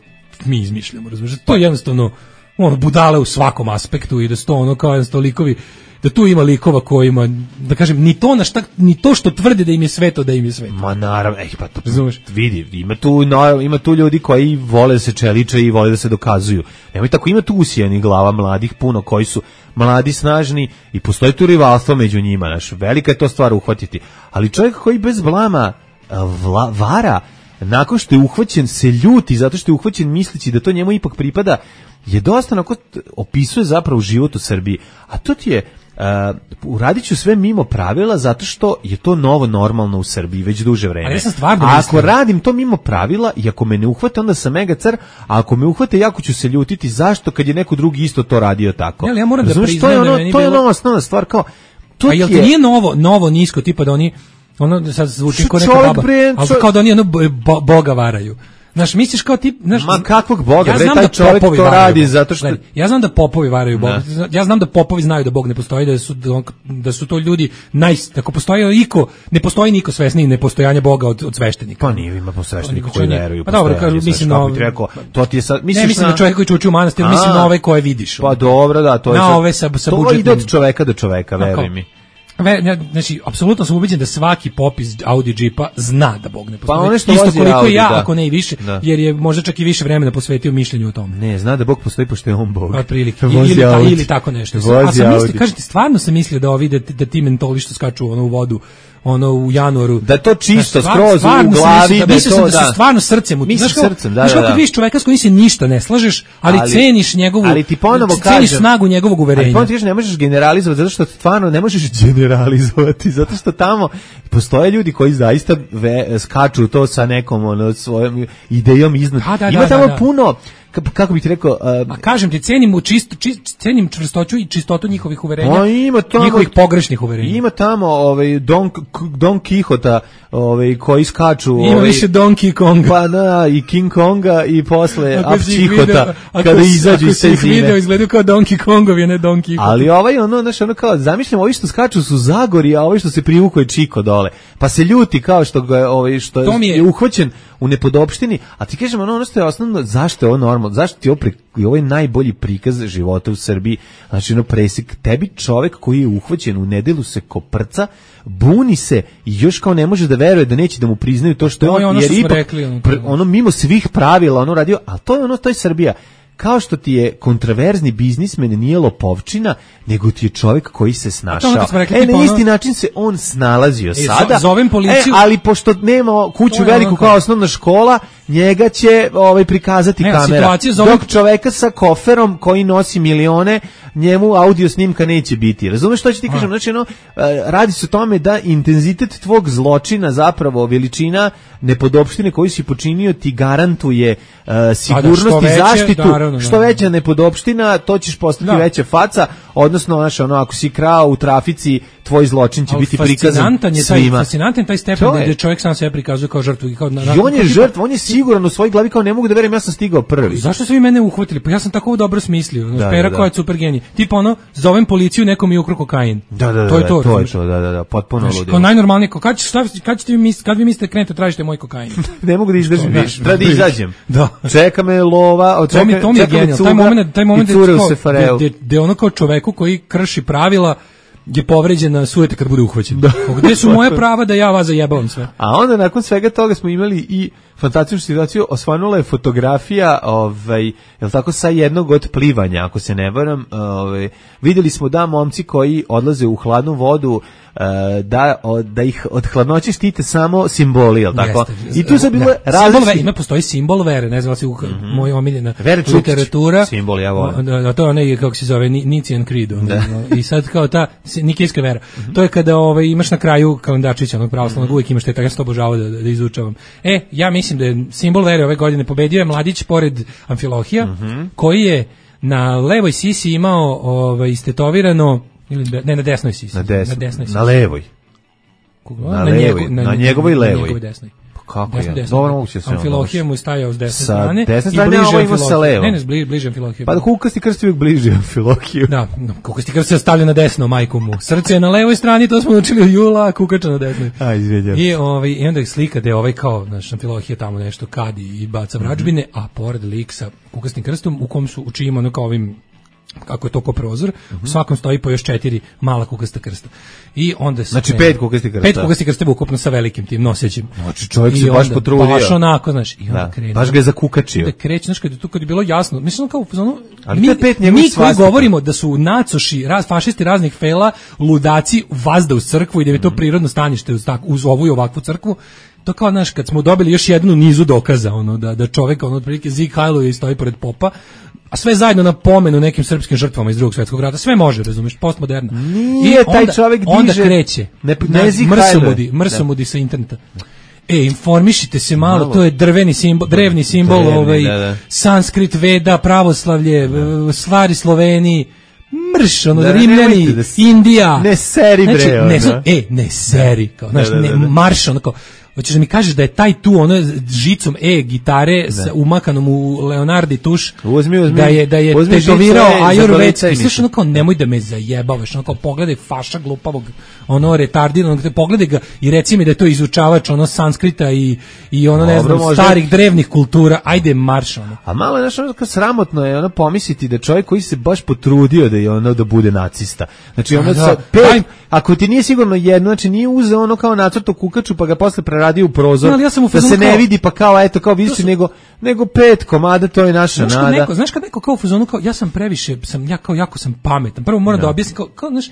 mi izmišljamo, razumiješ? To je jednostavno ono budale u svakom aspektu i da su to ono kao jednostavno likovi, da tu ima likova koji ima, da kažem, ni to na šta, ni to što tvrde da im je sveto, da im je sveto. Ma naravno, ej, pa to Razumeš? vidi, ima tu, no, ima tu ljudi koji vole da se čeliče i vole da se dokazuju. Nemoj tako, ima tu usijanih glava mladih puno koji su mladi, snažni i postoji tu rivalstvo među njima, znaš, velika je to stvar uhvatiti. Ali čovjek koji bez blama a, vla, vara, nakon što je uhvaćen, se ljuti zato što je uhvaćen misleći da to njemu ipak pripada, je dosta onako, opisuje zapravo život u Srbiji. A to ti je, Uh, uradit ću sve mimo pravila zato što je to novo normalno u Srbiji već duže vreme. Ali ja sam stvarno a ako mislio- radim to mimo pravila i ako me ne uhvate onda sam mega car, a ako me uhvate jako ću se ljutiti zašto kad je neko drugi isto to radio tako. Ne, ali ja moram da Razumeš, priznam to je da ono, meni to je bilo- ono osnovna stvar kao to A jel ti ti je- nije novo, novo nisko, tipa da oni, ono sad zvuči Što kao neka čovjek, baba, bre, ali čo- kao da oni ono bo- bo- Boga varaju. Znaš, misliš kao tip, znaš, Ma kakvog Boga, ja bre, znam taj da čovjek popovi to varaju radi Boga. zato što- Gledaj, ja znam da popovi varaju Boga. Ja znam da popovi znaju da Bog ne postoji, da su da su to ljudi naj ako postoji iko, ne postoji niko svesniji nepostojanja Boga od od sveštenika. Pa nije, ima sveštenika Oni koji oni- veruju. Pa dobro, postojanje, kažu, mislim znaš, kako na- bi ti rekao, to ti je sad, Ne, misliš mislim na na čovjek koji će ući u manastir, mislim A, na ove koje vidiš. Pa dobro, da, to je Na sad- ove sa- sa to budžetnim- ide od čoveka do čoveka, Tako. veruj mi. Ve, ne, znači, apsolutno sam ubeđen da svaki popis Audi Jeepa zna da Bog ne postoji. Pa one što isto vozi koliko Audi, i ja, da. ako ne i više, Da. jer je možda čak i više vremena posvetio mišljenju o tome. Ne, zna da Bog postoji pošto je on Bog. Otprilike. Vozi Ili, ta, Audi. ili tako nešto. Vozi A sam mislio, Audi. kažem ti, stvarno sam mislio da ovi, da, ti- da ti mentoli što skaču ono u vodu, ono u januaru. Da je to čisto, Znaš, skroz u stvarno sam glavi, mislio da je mislio to, sam da da. su stvarno srcem. u- Misliš znaš kao- srcem, da, znaš da, kako da. vidiš čoveka s kojim se ništa ne slažeš, ali, Ali- ceniš njegovu, ali ti ponovo ceniš kažem- snagu njegovog Ali uverenja. ponovno ti kažem, ne možeš generalizovati, zato što stvarno ne možeš generalizovati, zato što tamo postoje ljudi koji zaista ve, skaču to sa nekom ono, svojom idejom iznad. Da, da, Ima da, tamo da, da. puno, kako bih ti rekao, a kažem ti, cenim u čisto čist, cenim čvrstoću i čistotu njihovih uverenja. A ima tamo, njihovih pogrešnih uverenja. Ima tamo ovaj Don Don Quixota, ovaj koji skaču, ima ovaj, više Donkey Konga. Pa da, i King Konga i posle Apčihota kada izađu iz te zime. Video izgledaju kao Donkey Kongovi, a ne Don Quixote. Ali ovaj ono, znaš, ono kao zamišljam, ovi što skaču su Zagori, a ovi što se privuku je Čiko dole. Pa se ljuti kao što ga ovaj što je, je uhvaćen u nepodopštini, a ti kažem ono, ono što je osnovno, zašto je ovo normalno, zašto ti ovo, pri, ovo je najbolji prikaz života u Srbiji, znači ono presik, tebi čovek koji je uhvaćen u nedelu se koprca, buni se i još kao ne može da veruje da neće da mu priznaju to što je on, ono jer ipak, rekli, ono, pr, ono mimo svih pravila ono radio, ali to je ono, to je Srbija. Kao što ti je kontraverzni biznismen nije lopovčina, nego ti je čovjek koji se snašao. Rekli, e, na isti ono... način se on snalazio e, sada. Zovem policiju. E, ali pošto nema kuću veliku kao osnovna škola, njega će ovaj prikazati ne, kamera. Zovem... Dok čoveka sa koferom koji nosi milione, njemu audio snimka neće biti. Razumeš što ću ti kažem? Znači, ono, radi se o tome da intenzitet tvog zločina, zapravo veličina nepodopštine koju si počinio, ti garantuje uh, sigurnost i zaštitu. Da, što veća nepodopština, to ćeš postati da. veća faca, odnosno, znaš, ono, ako si krao u trafici, tvoj zločin će ali biti prikazan je svima. Taj, fascinantan je taj stepen gdje čovjek sam sebe prikazuje kao žrtvu. Kao na, I on je žrtva, on je siguran u svojoj glavi, kao ne mogu da verujem, ja sam stigao prvi. Zašto su vi mene uhvatili? Pa ja sam tako dobro smislio. Da, Pera da, koja je super genij. Tipa ono, zovem policiju, nekom je ukro kokain. Da, da, da, to je to. To je to, da, da, da, potpuno ludilo. Kao najnormalnije, kad ćete kad ćete vi mislite, kad vi mislite krenete tražite moj kokain? Ne mogu da izdržim više. Treba da izađem. Da. Čeka me lova, čeka me, to mi je genijal. Taj moment, taj moment gde ono kao čoveku koji krši pravila je povređena sujete kad bude uhvaćen. Da. Gde su moje prava da ja vas zajebavam sve? A onda nakon svega toga smo imali i fantastičnu situaciju, osvanula je fotografija, ovaj, jel tako, sa jednog od plivanja, ako se ne varam, ovaj, vidjeli smo da momci koji odlaze u hladnu vodu, da, da ih od hladnoće štite samo simboli, jel tako? Jeste, I tu se bilo različite... Ima postoji simbol vere, ne znam se u mm-hmm. moj omiljena literatura. Simbol, ja volim. Da, to je onaj, kako se zove, Nicene Creed. I sad kao ta nikejska vera. Mm-hmm. To je kada ovaj, imaš na kraju kalendarčića, onog pravoslavnog, mm-hmm. uvijek imaš te, tako ja sam to obožavao da, da izučavam. E, ja mislim da je simbol vere ove godine pobedio je mladić pored Amfilohija, mm-hmm. koji je na levoj sisi imao ovaj, istetovirano ili ne, na desnoj sisi. Na, des, na desnoj sisi. Na levoj. Koga? Na, na, levoj, na, na njegovoj levoj. Na njegovoj desnoj. Pa kako je? Dobro moguće se. Amfilohije mu je stajao s desne strane. Sa desne strane, a ovo ima sa levom. Ne, ne, bliže, bliže Amfilohije. Pa kukasti krst uvijek bliže Amfilohiju. Da, kukasti krst se stavlja na desno, majku mu. Srce je na levoj strani, to smo učili u jula, a kukača na desnoj. A, izvijeđam. I, ovaj, I onda je slika gde ovaj kao, znaš, Amfilohije tamo nešto kadi i baca vračbine, mm-hmm. a pored lik sa kukastim krstom u kom su učimo ono kao ovim kako je to ko prozor, mm-hmm. u svakom stoji po još četiri mala kukasta krsta. I onda se znači pet kukasti krsta. Pet kukasti krsta ukupno sa velikim tim nosećim. Znači čovjek se baš potrudio. Baš onako, znaš, i onda da, krene. Baš ga je zakukačio. Da kreće, znaš, kad je to kad je bilo jasno. Mislim kao ono, ali mi, pet mi koji govorimo da su nacoši, raz, fašisti raznih fela, ludaci vazda u crkvu i da je to mm-hmm. prirodno stanište uz, tak, uz ovu i ovakvu crkvu. To kao, znaš, kad smo dobili još jednu nizu dokaza, ono, da, da čovjek, ono, otprilike Zig Heiluje stoji pored popa, a sve zajedno na pomenu nekim srpskim žrtvama iz Drugog svjetskog rata, sve može, razumiješ, postmoderna. Nije, onda, taj čovjek diže... Onda kreće, ne, ne Zig mrsomudi, mrsomudi sa interneta. E, informišite se malo, malo. To je drveni simbol, drevni simbol, drevni, ovaj, da, da. Sanskrit, Veda, pravoslavlje, da. Stvari Sloveniji, mrš, ono, da, Rimljani, da, Indija. Ne seri, bre, znači, ne, ono. E, ne seri, kao, znaš, da, da, da, da. Ne, marš, ono, kao, hoćeš da mi kažeš da je taj tu ono žicom e gitare da. Sa umakanom u Leonardi tuš uzmi, uzmi, da je da je tetovirao ajurvedski. Slušaj, ono kao nemoj da me zajebavaš, ono kao pogledaj faša glupavog, ono retardiranog, pogledaj ga i reci mi da je to izučavač ono sanskrita i i ono ne znam možda... starih drevnih kultura. Ajde marš ono. A malo je nešto kao sramotno je ono pomisliti da čovjek koji se baš potrudio da je ono da bude nacista. Znači ono sa pet, ako ti nije sigurno jedno, znači nije uzeo ono kao nacrto kukaču pa ga posle radio u prozor, no, ja da se ne kao, vidi pa kao eto kao vidiš su... nego nego pet komada, to je naša znaš nada. Neko, znaš kad neko kao u fazonu kao ja sam previše sam ja kao jako sam pametan. Prvo moram no. da objasnim kao, kao znaš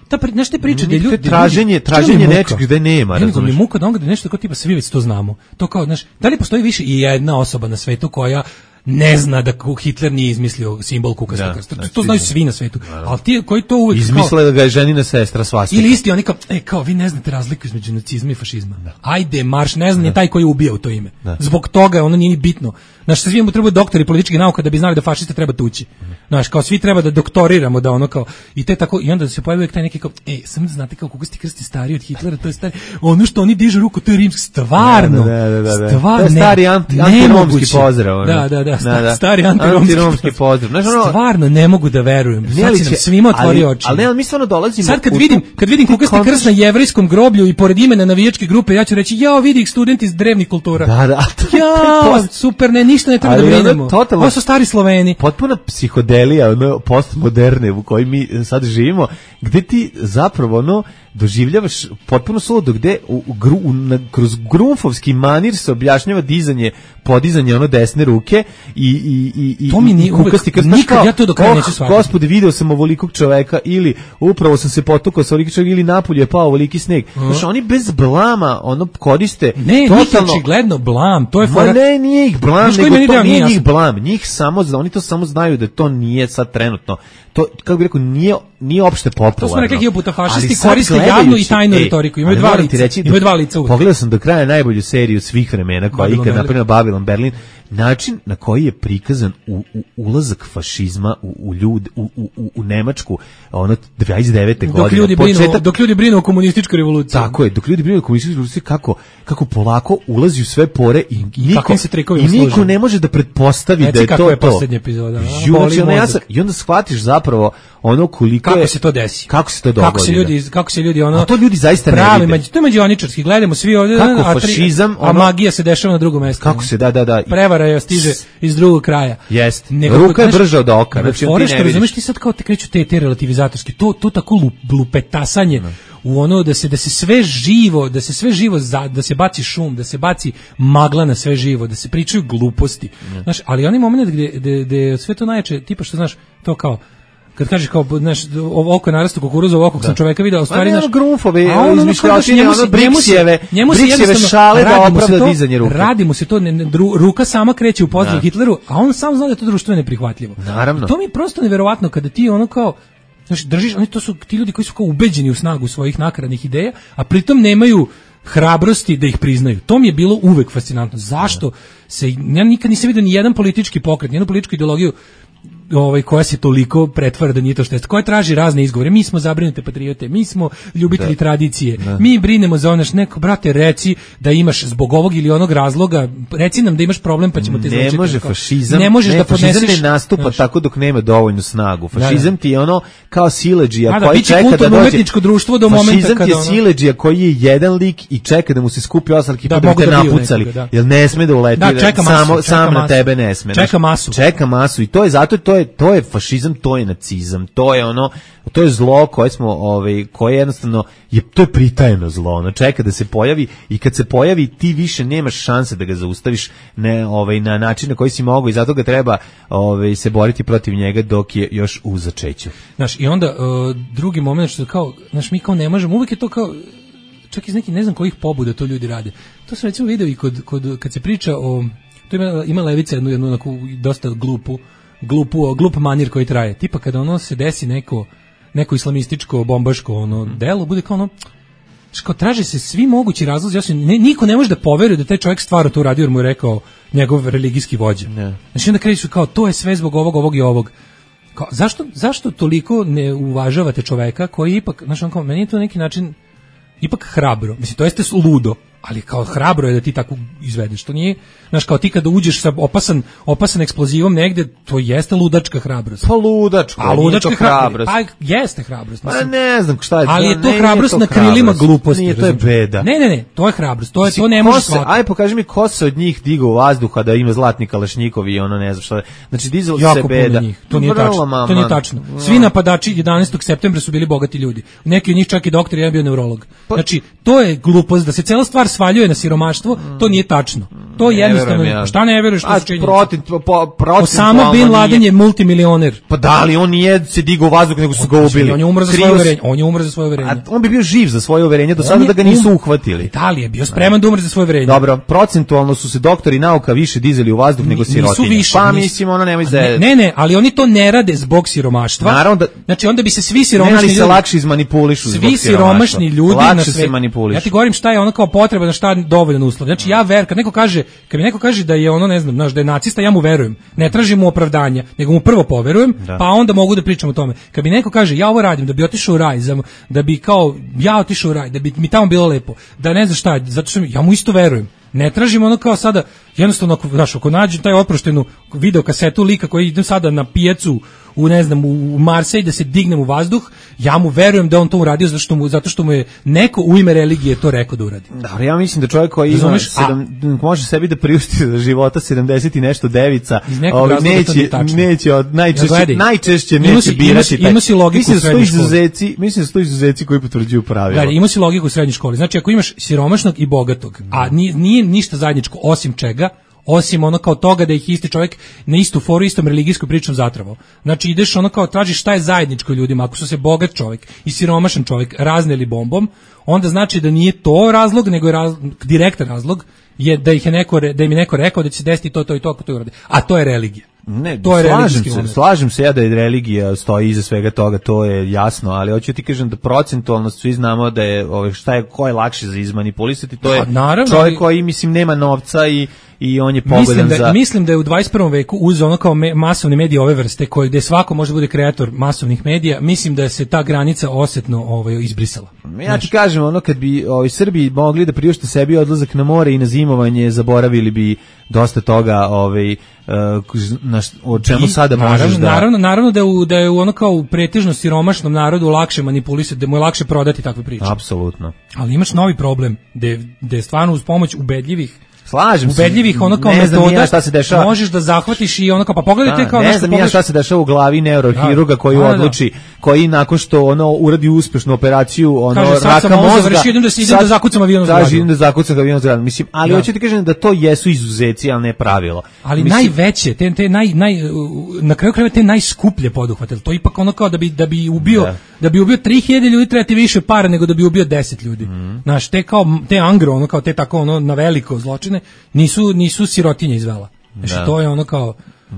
ta znaš te priče da ljudi traženje traženje nečeg gde nema, razumeš. Mi muka da on nešto kao tipa svi već to znamo. To kao znaš, da li postoji više i jedna osoba na svetu koja ne zna da Hitler nije izmislio simbol kukastog da, krsta. To, znači, to znaju svi na svetu. Ali ti koji to uvek izmisle da ga je ženina sestra svastika. Ili isti oni kao, e, kao vi ne znate razliku između nacizma i fašizma. Da. Ajde, marš, ne znam, je taj koji je ubio u to ime. Da. Zbog toga ono nije ni bitno. Znaš, svi mu trebaju doktori političkih nauka da bi znali da fašiste treba tući. Znaš, kao svi treba da doktoriramo, da ono kao, i te tako, i onda se pojavio taj neki kao, ej, samo da znate kao kukasti krst je stariji od Hitlera, to je stari, ono što oni dižu ruku, to je rimski, stvarno, da, da, da, da. stvarno, to je stari anti, antiromski pozdrav. Ono. Da, da, da, da, da. stari antiromski, antiromski pozdrav. Znaš, ono, stvarno ne mogu da verujem, sad si nam svima otvori oči. Ali ne, mi stvarno dolazimo. Sad kad vidim, kad vidim kukasti krst na jevrejskom groblju i pored imena navijačke grupe, ja ću reći, jao, vidi ih studenti iz drevnih kultura. Da, da. Jao, super, ne, ništa ne treba da brinemo. Ovo su stari Sloveni. Potpuna psihodelija, ono, postmoderne u kojoj mi sad živimo, gde ti zapravo, ono, doživljavaš potpuno suludo, gde u, u, gru, u, na, kroz grunfovski manir se objašnjava dizanje, podizanje ono desne ruke i, i, i, i, to mi nije kukasti krst. Nikad kao, ja to do kraja oh, neću shvatiti. Gospode, video sam ovolikog čoveka ili upravo sam se potukao sa ovolikog čoveka ili napolju je pao ovoliki sneg. Uh-huh. Znaš, oni bez blama ono koriste ne, totalno... Ne, očigledno blam. To je Ma fora... ne, nije ih blam, Znaš, nego to nije njih blam. Njih samo, oni to samo znaju da to nije sad trenutno. To, kako bih rekao, nije, nije opšte popularno. To smo rekli hiljadu puta, fašisti koriste javnu i tajnu ej, retoriku. Imaju dva lica. Reći, imaju dva lica uvijek. Pogledao sam do kraja najbolju seriju svih vremena koja je ikad napravljena Babylon Berlin. Način na koji je prikazan u, u ulazak fašizma u, u, ljud, u, u, u Nemačku ono dvadeset devete godine. Dok ljudi, brinu, početak, dok ljudi brinu o komunističkoj revoluciji. Tako je, dok ljudi brinu o komunističkoj revoluciji, kako, kako polako ulazi u sve pore i, i, niko, i niko ne može da pretpostavi Reci da je to to. Je posljednja epizoda. Junači, ono, ja sam, I onda shvatiš zapravo ono koliko kako je... se to desi. Kako se to dogodi. Kako se ljudi, kako se ljudi ono... A to ljudi zaista pravi, ne vide. To je mađioničarski, gledamo svi ovdje. Kako a, fašizam... A, ono, a magija se dešava na drugom mjestu. Kako se, da, da, da. Prevara je stiže iz drugog kraja. Jeste. Ruka je brža od oka. Znači, fore što razumeš ti sad kao te kreću te, te relativizatorski. To, to tako lup, lupetasanje no. u ono da se, da se sve živo, da se sve živo, za, da se baci šum, da se baci magla na sve živo, da se pričaju gluposti. No. Znaš, ali onaj moment gde, gde, gde sve to najjače, tipa što znaš, to kao kad kažeš kao, znaš, oko je narasto kukuruza, ovako sam čoveka vidio, u stvari, znaš... Grunfove, izmišljotine, ono, Briksijeve, Briksijeve šale da opravda dizanje ruke. Radi mu se to, ne, dru, ruka sama kreće u pozdrav da. Hitleru, a on sam zna da je to društvo neprihvatljivo. Naravno. I to mi je prosto neverovatno kada ti ono kao, znaš, držiš, oni to su ti ljudi koji su kao ubeđeni u snagu svojih nakaradnih ideja, a pritom nemaju hrabrosti da ih priznaju. To mi je bilo uvek fascinantno. Zašto se, ja nikad nisam vidio ni jedan politički pokret, ni jednu političku ideologiju ovaj koja se toliko pretvara da nije to što jest. Koja traži razne izgovore. Mi smo zabrinute patriote, mi smo ljubitelji da. tradicije. Da. Mi brinemo za ono, neko brate reci da imaš zbog ovog ili onog razloga, reci nam da imaš problem pa ćemo te izlečiti. Ne može fašizam. Ne možeš ne, da podneseš. Fašizam ne nastupa znaš, tako dok nema dovoljnu snagu. Fašizam da, da. ti je ono kao siledžija da, koji čeka da dođe. Umetničko društvo do momenta fašizam kada ti je siledžija koji je jedan lik i čeka da mu se skupi osam ekipa da, da te da napucali. Nekoga, da. Jel ne sme da uleti. Da, čeka masu, samo čeka sam masu. na tebe ne sme. Čeka masu. Čeka masu i to je zato to je to je fašizam, to je nacizam, to je ono, to je zlo koje smo, ovaj, koje jednostavno je to je pritajeno zlo, ono čeka da se pojavi i kad se pojavi ti više nemaš šanse da ga zaustaviš ne, ovaj, na način na koji si mogao i zato ga treba ovaj, se boriti protiv njega dok je još u začeću. Znaš, i onda uh, drugi moment što kao, znaš, mi kao ne možemo, uvijek je to kao čak iz nekih ne znam kojih pobuda to ljudi rade. To sam recimo video i kod, kod, kad se priča o, to ima, ima Levica jednu, jednu onako dosta glupu glupu, glup manir koji traje. Tipa kada ono se desi neko neko islamističko bombaško ono mm. delo, bude kao ono što traže se svi mogući razlozi, ja se ne, niko ne može da poveruje da taj čovjek stvarno to uradio jer mu je rekao njegov religijski vođa. Ne. Znači onda kreću kao to je sve zbog ovog, ovog i ovog. Kao, zašto, zašto toliko ne uvažavate čoveka koji ipak, znači on kao, meni je to na neki način ipak hrabro. Mislim, to jeste ludo, ali kao hrabro je da ti tako izvedeš. To nije, znaš, kao ti kada uđeš sa opasan, opasan eksplozivom negde, to jeste ludačka hrabrost. Pa ludačka, a ludačka hrabrost. Pa jeste hrabrost. Pa ne znam šta je. Ali je to hrabrost na krilima gluposti. Nije, to je beda. Ne, ne, ne, to je hrabrost. To je, to ne može svaki. Aj, pokaži mi ko se od njih digao u vazduha da ima zlatni kalašnjikov i ono ne znam šta. Znači, dizalo se beda. Njih. To nije tačno. Mama. To nije tačno. Svi napadači jedanaestog septembra su bili bogati ljudi. Neki od njih čak i doktor, jedan bio neurolog. Znači, to je glupost da se cela stvar svaljuje na siromaštvo, to nije tačno. to jednostavno, ja. Šta ne veruješ, što su činjenice? Protiv, po, Osama Bin Laden je multimilioner. Pa da li on nije se digao u vazduh, nego su ga ubili. On je umro za svoje uverenje. On je umro za svoje uverenje. A on bi bio živ za svoje uverenje, do sada da ga nisu uhvatili. Da li je bio spreman da umre za svoje uverenje? Dobro, procentualno su se doktori nauka više dizeli u vazduh nego sirotinje. Više, pa nisu, mislim, ono nemoj za... Ne, ne, ali oni to ne rade zbog siromaštva. Naravno da... Znači onda bi se svi siromašni ljudi... Ne, ali se ljudi, lakše izmanipulišu zbog svi siromašni ljudi lakše na sve... se manipulišu. Ja ti govorim šta je ono kao potreba, na šta dovoljan uslov. Znači ja ver, kad neko kaže, kad mi neko kaže da je ono, ne znam, znaš, da je nacista, ja mu verujem. Ne tražim mu opravdanja, nego mu prvo poverujem, da. Pa onda mogu da pričam o tome. Kad mi neko kaže ja ovo radim da bi otišao u raj, da bi kao ja otišao u raj, da bi mi tamo bilo lepo, da ne znam šta, zato što ja mu isto verujem. Ne tražim ono kao sada, jednostavno, znaš, ako nađem taj oproštenu video kasetu lika koji idem sada na pijacu u, ne znam, u Marsej da se dignem u vazduh, ja mu verujem da on to uradio zato što mu, zato što mu je neko u ime religije to rekao da uradi. Dobro, ja mislim da čovjek koji ima sedam, može sebi da priušti za života sedamdeset i nešto devica, ovaj, neće, neće od najčešće, ja, najčešće neće ima si, birati ima, ima si logiku mislim da sto izuzeci, mislim da sto izuzeci koji potvrđuju pravilo. Gledaj, ima si logiku u srednjoj školi. Znači, ako imaš siromašnog i bogatog, a nije, nije ništa zajedničko osim čega, osim ono kao toga da ih isti čovjek na istu foru, istom religijskom pričom zatravao. Znači ideš ono kao tražiš šta je zajedničko ljudima, ako su se bogat čovjek i siromašan čovjek razneli bombom, onda znači da nije to razlog, nego je raz, direktan razlog je da ih je neko, da im je neko rekao da će se desiti to, to i to, ako to uradi. A to je religija. Ne, to je slažem se, moment. slažem se ja da je religija stoji iza svega toga, to je jasno, ali hoću ti kažem da procentualno svi znamo da je ovaj šta je ko je lakše za izmanipulisati, to je naravno, čovjek koji mislim nema novca i i on je pogodan mislim da, za... Mislim da je u dvadeset prvom veku uz ono kao me, masovne medije ove vrste, koje gde svako može bude kreator masovnih medija, mislim da se ta granica osetno ovaj, izbrisala. Ja znači, ti kažem, ono kad bi ovaj, Srbi mogli da priušte sebi odlazak na more i na zimovanje, zaboravili bi dosta toga ovaj, na, o čemu sada naravno, možeš da... Naravno, naravno da je, u, da je u ono kao u pretežno siromašnom narodu lakše manipulisati, da mu je lakše prodati takve priče. Apsolutno. Ali imaš novi problem, gde, gde je stvarno uz pomoć ubedljivih Slažem se. Ubedljivih ono kao metoda šta se dešava. Možeš da zahvatiš i ono kao pa pogledajte da, kao ne znam ja šta se dešava u glavi neurohiruga koji da, odluči, da. koji nakon što ono uradi uspešnu operaciju, ono kaže, raka mozga. Kaže idem da se idem da zakucam avion zgradu. Kaže idem da zakucam avion zgradu. Mislim, ali da. hoću ti kažem da to jesu izuzeci, al ne pravilo. Ali mislim, najveće, te te naj naj na kraju krajeva te najskuplje poduhvate. To ipak ono kao da bi da bi ubio da, da bi ubio tri hiljade ljudi treba ti više para nego da bi ubio deset ljudi. Mm. Znaš, te kao te angro, ono kao te tako ono na veliko zločine nisu nisu sirotinje izvela. Znači to je ono kao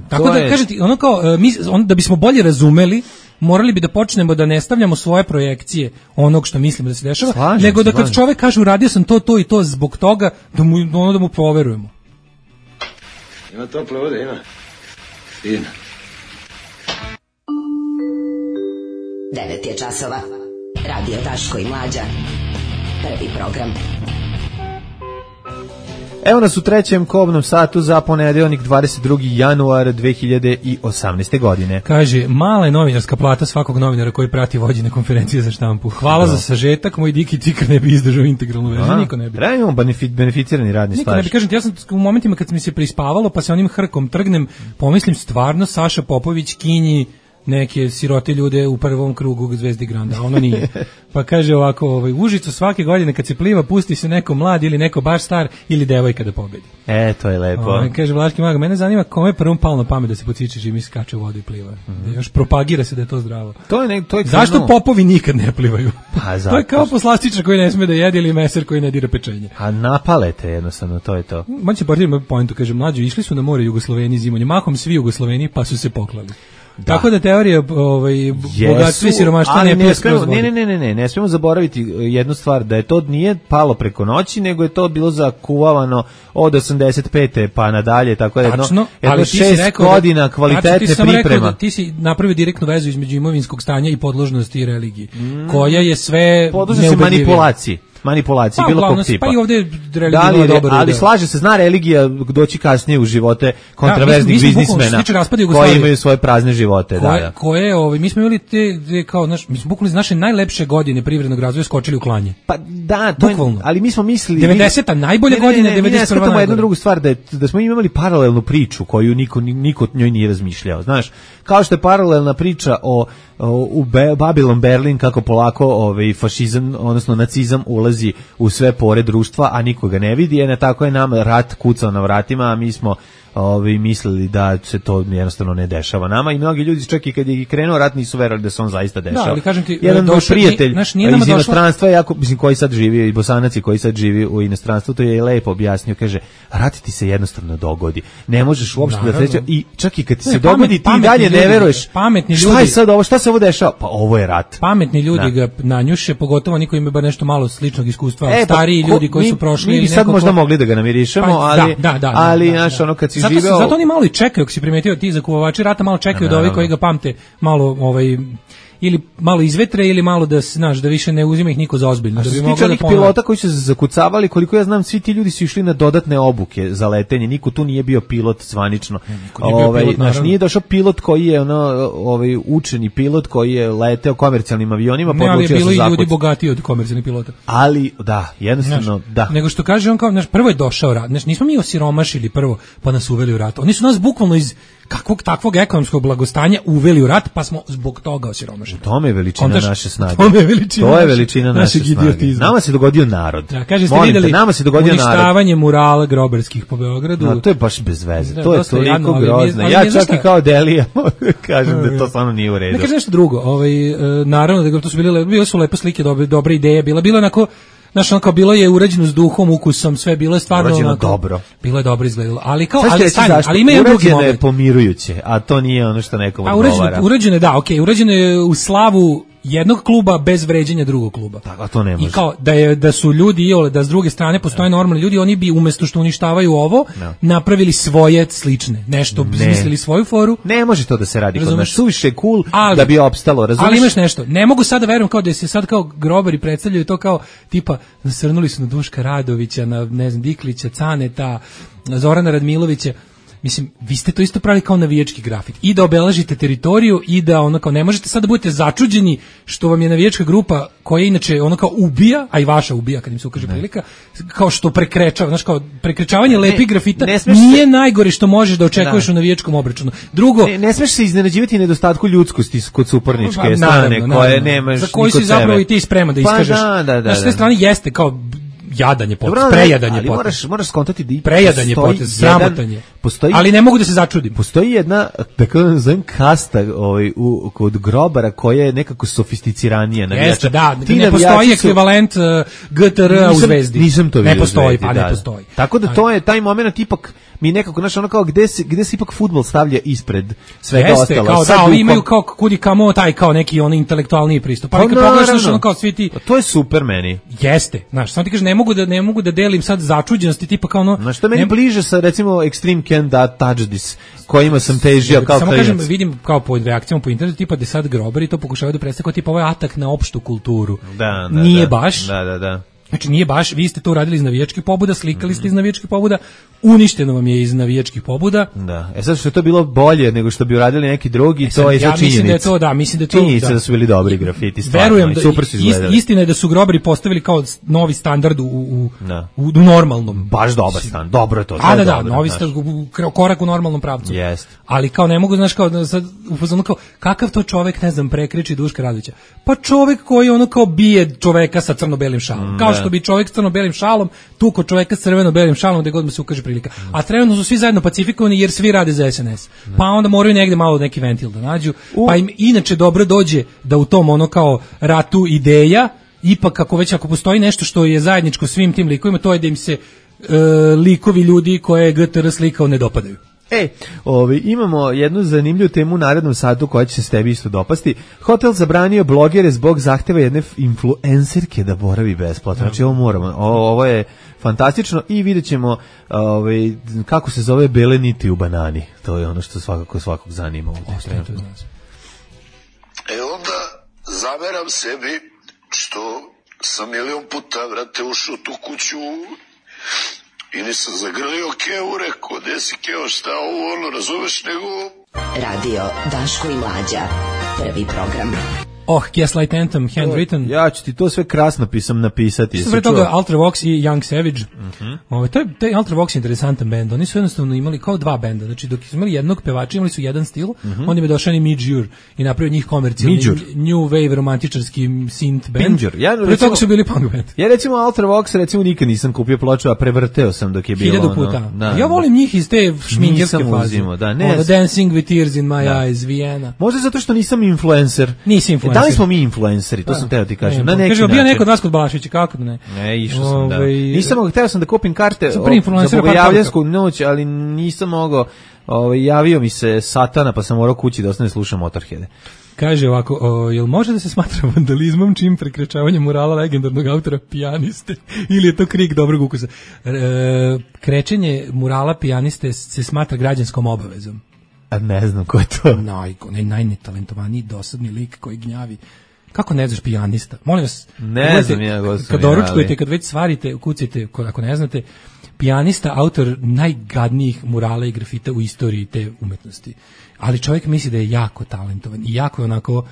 tako to da je... kažem ti, ono kao mi on, da bismo bolje razumeli, morali bi da počnemo da ne stavljamo svoje projekcije onog što mislimo da se dešava, slažem, nego da kad slažem. Čovjek kaže uradio sam to to i to zbog toga da mu ono da mu poverujemo. Ima tople vode, ima. Fino. devet je časova. Radio Daško i Mlađa. Prvi program. Evo nas u trećem kobnom satu za ponedeljnik dvadeset drugi januar dve hiljade osamnaeste. godine. Kaže, mala je novinarska plata svakog novinara koji prati vođene konferencije za štampu. Hvala no. za sažetak, moj diki tikar ne bi izdržao integralnu verziju, niko ne bi. Trebamo benefit, beneficirani radni staž. Niko ne bi, kažem ti, ja sam u momentima kad mi se prispavalo, pa se onim hrkom trgnem, pomislim stvarno Saša Popović kinji neke sirote ljude u prvom krugu Zvezdi Granda, ono nije. Pa kaže ovako, ovaj, Užicu svake godine kad se pliva pusti se neko mlad ili neko baš star ili devojka da pobedi. E, to je lepo. O, kaže Vlaški mag, mene zanima kome je prvom palo na pamet da se pociče čim skače u vodu i pliva. Mm-hmm. Da još propagira se da je to zdravo. To je ne, to je zašto no... popovi nikad ne plivaju? Pa, to je kao poslastičar koji ne sme da jede ili meser koji ne dira pečenje. A napalete jednostavno, to je to. Man će portirati moj pointu, kaže mlađu, išli su na more Jugosloveni zimonje, mahom svi Jugosloveni pa su se poklali. Da. Tako da teorija ovaj bogatstva i siromaštva ne ne smemo ne ne ne ne ne smemo zaboraviti jednu stvar, da je to nije palo preko noći, nego je to bilo zakuvavano od osamdeset pete pa nadalje, tako da jedno, Tačno, jedno šest godina kvalitetne ti priprema. Da ti si napravio direktnu vezu između imovinskog stanja i podložnosti i religije, mm. koja je sve podložna manipulaciji. Manipulacije, pa, bilo kog tipa. Pa i ovdje religija da li, dobro. Ali slaže se, zna religija doći kasnije u živote kontraverznih da, biznismena koji imaju svoje prazne živote. Koje, da, da. koje ovaj, mi smo imali te, te kao, naš, mi smo bukvalno iz naše najlepše godine privrednog razvoja skočili u klanje. Pa da, to je, ali mi smo mislili... devedeseta najbolje godine, devedeset prva najbolje. Jednu drugu stvar, da, je, da smo imali paralelnu priču koju niko, niko njoj nije razmišljao. Znaš, kao što je paralelna priča o u Be- Babylon Berlin kako polako ovaj fašizam odnosno nacizam ulazi u sve pore društva, a nikoga ne vidi, je tako je nam rat kucao na vratima, a mi smo ovi mislili da se to jednostavno ne dešava nama i mnogi ljudi čak i kad je krenuo rat nisu verovali da se on zaista dešava. Da, ali kažem ti, jedan moj prijatelj ni, naš, iz inostranstva, jako, mislim, koji sad živi, i Bosanac koji sad živi u inostranstvu, to je lepo objasnio, kaže, rat ti se jednostavno dogodi. Ne možeš uopšte da sreća i čak i kad ti se ne, dogodi pamet, ti dalje ne veruješ. Pametni ljudi. Šta je sad ovo? Šta se ovo dešava? Pa ovo je rat. Pametni ljudi da. ga nanjuše, pogotovo niko ima bar nešto malo sličnog iskustva, e, stariji pa, ko, ljudi koji mi, su prošli. Mi bi sad možda ko... mogli da ga namirišemo, pa, ali, da, da, da, ali da, naš, da. ono kad si zato, živeo... Zato oni malo i čekaju, ako si primetio, ti zakuvovači rata malo čekaju da ovi koji ga pamte malo ovaj ili malo izvetre ili malo da znaš da više ne uzima ih niko za ozbiljno. Da bi mogli da pilota koji su se zakucavali, koliko ja znam, svi ti ljudi su išli na dodatne obuke za letenje. Niko tu nije bio pilot zvanično. Ovaj naš nije došao pilot koji je ono ovaj učeni pilot koji je leteo komercijalnim avionima, pa odlučio se zakucati. Ljudi bogatiji od komercijalnih pilota. Ali da, jednostavno znaš, da. Nego što kaže on kao naš prvo je došao rat. Znači nismo mi osiromašili prvo pa nas uveli u rat. Oni su nas bukvalno iz kakvog takvog ekonomskog blagostanja uveli u rat, pa smo zbog toga osiromašili. U tome je veličina Ondaš, naše snage. To je veličina, to je veličina naše snage. Nama se dogodio narod. Da, kaže, ste videli nama se dogodio uništavanje narod. Murala grobarskih po Beogradu. No, to je baš bez veze. Da, to je toliko jadno, grozno. Ja čak i kao Delija kažem da to stvarno nije u redu. Ne kaže nešto drugo. Ovaj, naravno da to su bile, bile su lepe slike, dobre, dobre ideje. Bila, bilo onako znaš, ono kao bilo je urađeno s duhom, ukusom, sve bilo je stvarno urađeno onako, dobro. Bilo je dobro izgledalo, ali kao, ali, stani, ali ima jedan drugi moment. Urađeno je pomirujuće, a to nije ono što nekom odgovara. Urađeno je, da, okej, okay, urađeno je u slavu jednog kluba bez vređanja drugog kluba. Tako, a to ne može. I kao da je da su ljudi iole da s druge strane postoje ne. normalni ljudi, oni bi umesto što uništavaju ovo, ne. napravili svoje slične, nešto izmislili svoju foru. Ne može to da se radi kod nas. Suviše cool ali, da bi opstalo, razumeš? Ali imaš nešto. Ne mogu sad da verujem kao da se sad kao grobari predstavljaju to kao tipa nasrnuli su na Duška Radovića, na ne znam Diklića, Caneta, na Zorana Radmilovića. Mislim, vi ste to isto pravili kao navijački grafit. I da obeležite teritoriju i da ono kao ne možete sad da budete začuđeni što vam je navijačka grupa koja inače ono kao ubija, a i vaša ubija kad im se ukaže prilika, kao što prekrečava, znači kao prekrečavanje lepih grafita ne, ne nije se... najgore što možeš da očekuješ da. u navijačkom obračunu. Drugo, ne, ne smeš se iznenađivati nedostatku ljudskosti kod suparničke pa, strane naravno, koje naravno. nemaš za koji si zapravo i ti spreman da iskažeš. Pa, da, da, da, na sve strane jeste kao jadanje potez, Dobro, prejadanje ali potez. moraš, moraš skontati da prejadanje potez, sramotanje. Postoji, ali ne mogu da se začudim. Postoji jedna, tako da nazovem, kasta ovaj, u, kod grobara koja je nekako sofisticiranija. Jeste, da, ti ne postoji su... ekvivalent uh, G T R u Zvezdi. Nisam to vidio. Ne postoji, Zvezdi, pa da, ne postoji. Tako da to je, taj moment ipak mi nekako, znaš, ono kao, gde se, gde se ipak fudbal stavlja ispred svega Jeste, ostalo. Kao, da, oni imaju kao kudi kamo taj kao neki on intelektualniji pristup. Pa, pa kad pogledaš ono kao svi ti... To je super meni. Jeste, znaš, samo ti kažeš, ne mogu da, ne mogu da delim sad začuđenosti, tipa kao ono... Znaš, to meni ne... bliže sa, recimo, Extreme Can That Touch This, kojima sam težio kao samo klinac. Samo kažem, vidim kao po reakcijama po internetu, tipa da sad grobari to pokušavaju da predstave kao tipa ovo je atak na opštu kulturu. Da, da, Nije da, baš. Da, da, da. Znači nije baš, vi ste to uradili iz navijačkih pobuda, slikali ste iz navijačkih pobuda, uništeno vam je iz navijačkih pobuda. Da. E sad što je to bilo bolje nego što bi uradili neki drugi, e sad, to je ja činjenica. Mislim da je to, da, mislim da je to. Činjenica da, da su bili dobri grafiti, stvarno. Verujem da super su izgledali. Istina je da su grobari postavili kao novi standard u u, da. u, u normalnom. Baš dobar standard. Dobro je to. A da, da, dobro, novi standard, korak u normalnom pravcu. Jest. Ali kao ne mogu, znaš, kao sad u fazonu kao kakav to čovjek, ne znam, prekriči Duška Radovića. Pa čovjek koji ono kao bije čoveka sa crno-belim šalom. Mm, kao što bi čovjek sa crno-belim šalom tuko čoveka sa crveno-belim šalom gde god mu se ukaže prilika. A trenutno su svi zajedno pacifikovani jer svi rade za S N S. Mm. Pa onda moraju negde malo neki ventil da nađu. U. Pa im inače dobro dođe da u tom ono kao ratu ideja, ipak kako već ako postoji nešto što je zajedničko svim tim likovima, to je da im se e, likovi ljudi koje je G T R slikao ne dopadaju. E, ovi, imamo jednu zanimljivu temu u narednom satu koja će se s tebi isto dopasti. Hotel zabranio blogere zbog zahteva jedne influencerke da boravi besplatno. Znači ovo moramo, ovo, ovo je fantastično i vidjet ćemo ovaj, kako se zove bele niti u banani. To je ono što svakako svakog zanima ovdje. E onda zameram sebi što sam milion puta, vrate, ušao tu kuću i nisam zagrlio Keo, rekao, gde si Keo, šta ovo, ono, razumeš, nego... Radio Daško i Mlađa, prvi program. Oh, Gaslight Anthem, Handwritten. Ja ću ti to sve krasno pisam napisati. Sve toga Ultravox i Young Savage. Uh-huh. Ovo, to je, to je Ultravox interesantan bend. Oni su jednostavno imali kao dva benda. Znači, dok su imali jednog pevača, imali su jedan stil, uh-huh. onda im je došao ni Midjur i napravio njih komercijalni new wave romantičarski synth band. Midjur. Ja, Prije toga su bili punk band. Ja recimo Ultravox, recimo nikad nisam kupio ploču, a prevrteo sam dok je bilo. Hiljadu puta. Ono, da, ja volim njih iz te šmingerske faze. Uzimo, da, ne. Ono, Dancing with Tears in My da. Eyes, Vienna. Možda zato što nisam influencer. Nisi influencer. Da li smo mi influenceri, to da. sam teo ti kažem. Na neki način. Bio neko od vas kod Balaševića, kako da ne? Ne, išao sam, da. Nisam, hteo sam da kupim karte o, za bogojavljansku noć, ali nisam mogao, ovaj, javio mi se satana, pa sam morao kući da ostane slušam Motorheade. Kaže ovako, o, jel može da se smatra vandalizmom čim prekrečavanje murala legendarnog autora Pijaniste ili je to krik dobrog ukusa? E, krečenje murala Pijaniste se smatra građanskom obavezom. A ne znam ko je to. Naj, naj, najnetalentovaniji dosadni lik koji gnjavi. Kako ne znaš Pijanista? Molim vas, ne gledajte, znam ja gospodin, kad doručkujete, kad već svarite, kucajte, ako ne znate, Pijanista, autor najgadnijih murala i grafita u istoriji te umetnosti. Ali čovjek misli da je jako talentovan i jako je onako,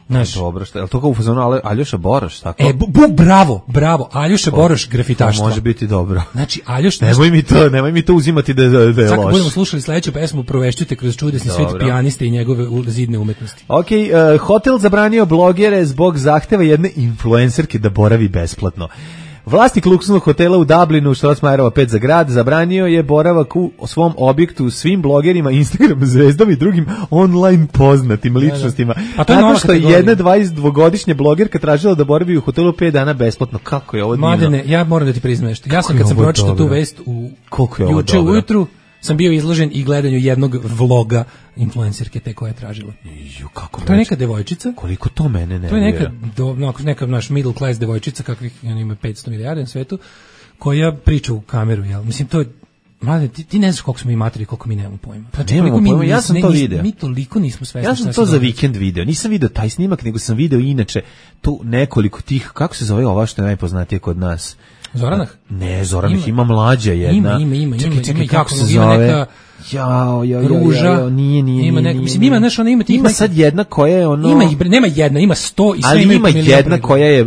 znaš, dobro, šta, je li to kao u fazonu Aljoša Boroš, tako? E, bu, bu, bravo, bravo, Aljoša Boroš grafitaštvo. To može biti dobro. Znači, Aljoš... Nemoj mi to, nemoj mi to uzimati da, da, da je Sad loš. budemo slušali sledeću pesmu, provešćute kroz čudesni svijet Pijaniste i njegove zidne umetnosti. Ok, uh, hotel zabranio blogere zbog zahteva jedne influencerke da boravi besplatno. Vlasnik luksuznog hotela u Dublinu, Strossmayerova pet za grad, zabranio je boravak u svom objektu svim blogerima, Instagram zvezdama i drugim online poznatim ličnostima. A to je Nakon što je jedna dvadesetdvogodišnja blogerka tražila da boravi u hotelu pet dana besplatno. Kako je ovo divno? Mladene, ja moram da ti priznam nešto. Ja sam kad sam pročitao tu vest u juče ujutru, sam bio izložen i gledanju jednog vloga influencerke te koja je tražila. Ju, kako to je neka devojčica. Koliko to mene ne. To je neka do, no, neka naš middle class devojčica kakvih ima petsto milijardi na svetu, koja priča u kameru, jel? Mislim to je mlade, ti, ti ne znaš koliko smo mi materi, koliko mi nemamo pojma. Znači, nemamo pojma, ja sam ne, to nis, video. Mi toliko nismo svesni. Ja sam to za vikend video. Nisam video taj snimak, nego sam video inače tu nekoliko tih, kako se zove ova što je najpoznatije kod nas? Zoranah? Ne, Zoranah ima, ima mlađa jedna. Ima, ima, ima. Čekaj, čekaj, ima, kako se ima zove? Neka jao, jao, ruža. Jao, jao, nije, nije, ima nije, neka, mislim, ima, znaš, ona ima tih... Ima sad jedna koja je ono... Ima ih, nema jedna, ima sto i sve ali imaju ima jedna koja je,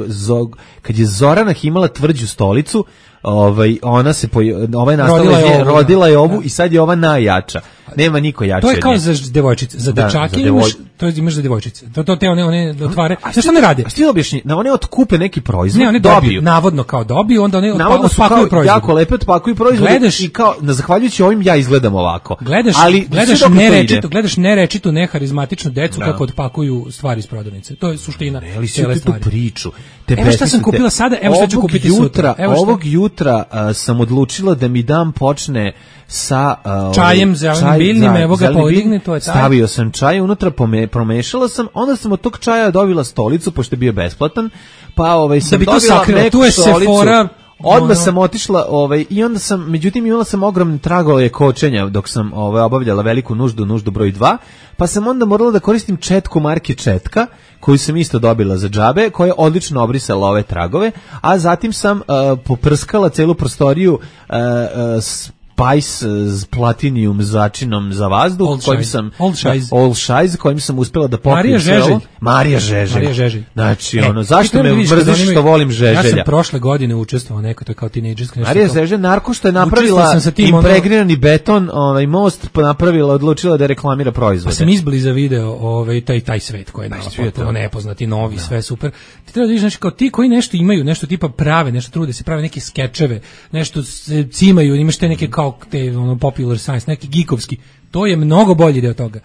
kad je Zoranah imala tvrđu stolicu, ovaj, ona se, poj... ova je nastala, rodila je ovu, rodila je ovu da. I sad je ova najjača. Nema niko jače. To je kao za devojčice, za da, dečake za imaš, to je imaš za devojčice. To to te one one otvare. Znaš šta ne rade? A ti objašnji, na one otkupe neki proizvod, ne, one dobiju, dobiju, navodno kao dobiju, onda one navodno otpakuju proizvod. Jako lepo otpakuju proizvod i kao na zahvaljujući ovim ja izgledam ovako. Gledaš, ali gledaš nerečito, gledaš nerečito, neharizmatičnu decu da. Kako otpakuju stvari iz prodavnice. To je suština cele stvari. Tu priču. Te evo šta sam kupila sada, evo šta ću kupiti sutra. Ovog jutra sam odlučila da mi dan počne sa uh, čajem zelenim biljnim, evo ga podigni, to je taj. Stavio sam čaj unutra, pome, promešala sam, onda sam od tog čaja dobila stolicu, pošto je bio besplatan, pa ovaj, sam da dobila meku tu je stolicu. Sephora, odmah sam otišla, ovaj, i onda sam, međutim imala sam ogromne tragove kočenja dok sam ovaj, obavljala veliku nuždu, nuždu broj dva, pa sam onda morala da koristim četku marke Četka, koju sam isto dobila za džabe, koja je odlično obrisala ove tragove, a zatim sam uh, poprskala celu prostoriju uh, uh, s Spice s platinijum začinom za vazduh, Old kojim Shize. sam Old Shize. Old Shize, kojim sam uspela da popijem. Marija Žeželj. Marija Žeželj. Marija Žeželj. Znači, e, ono, zašto me mrziš što volim Žeželja? Ja sam prošle godine učestvovao neko, to je kao tinejdžerska. Marija Žeželj, narko što je napravila impregrirani ono... beton, ovaj most, napravila, odlučila da reklamira proizvode. Pa sam izbliza video ovaj, taj, taj svet koji je nama potpuno nepoznati, novi, da. Sve super. Ti treba da vidiš, znači, kao ti koji nešto imaju, nešto tipa prave, nešto trude se prave neke skečeve, nešto se cimaju, imaš te neke kao te, ono, popular science, neki geekovski, to je mnogo bolji deo toga.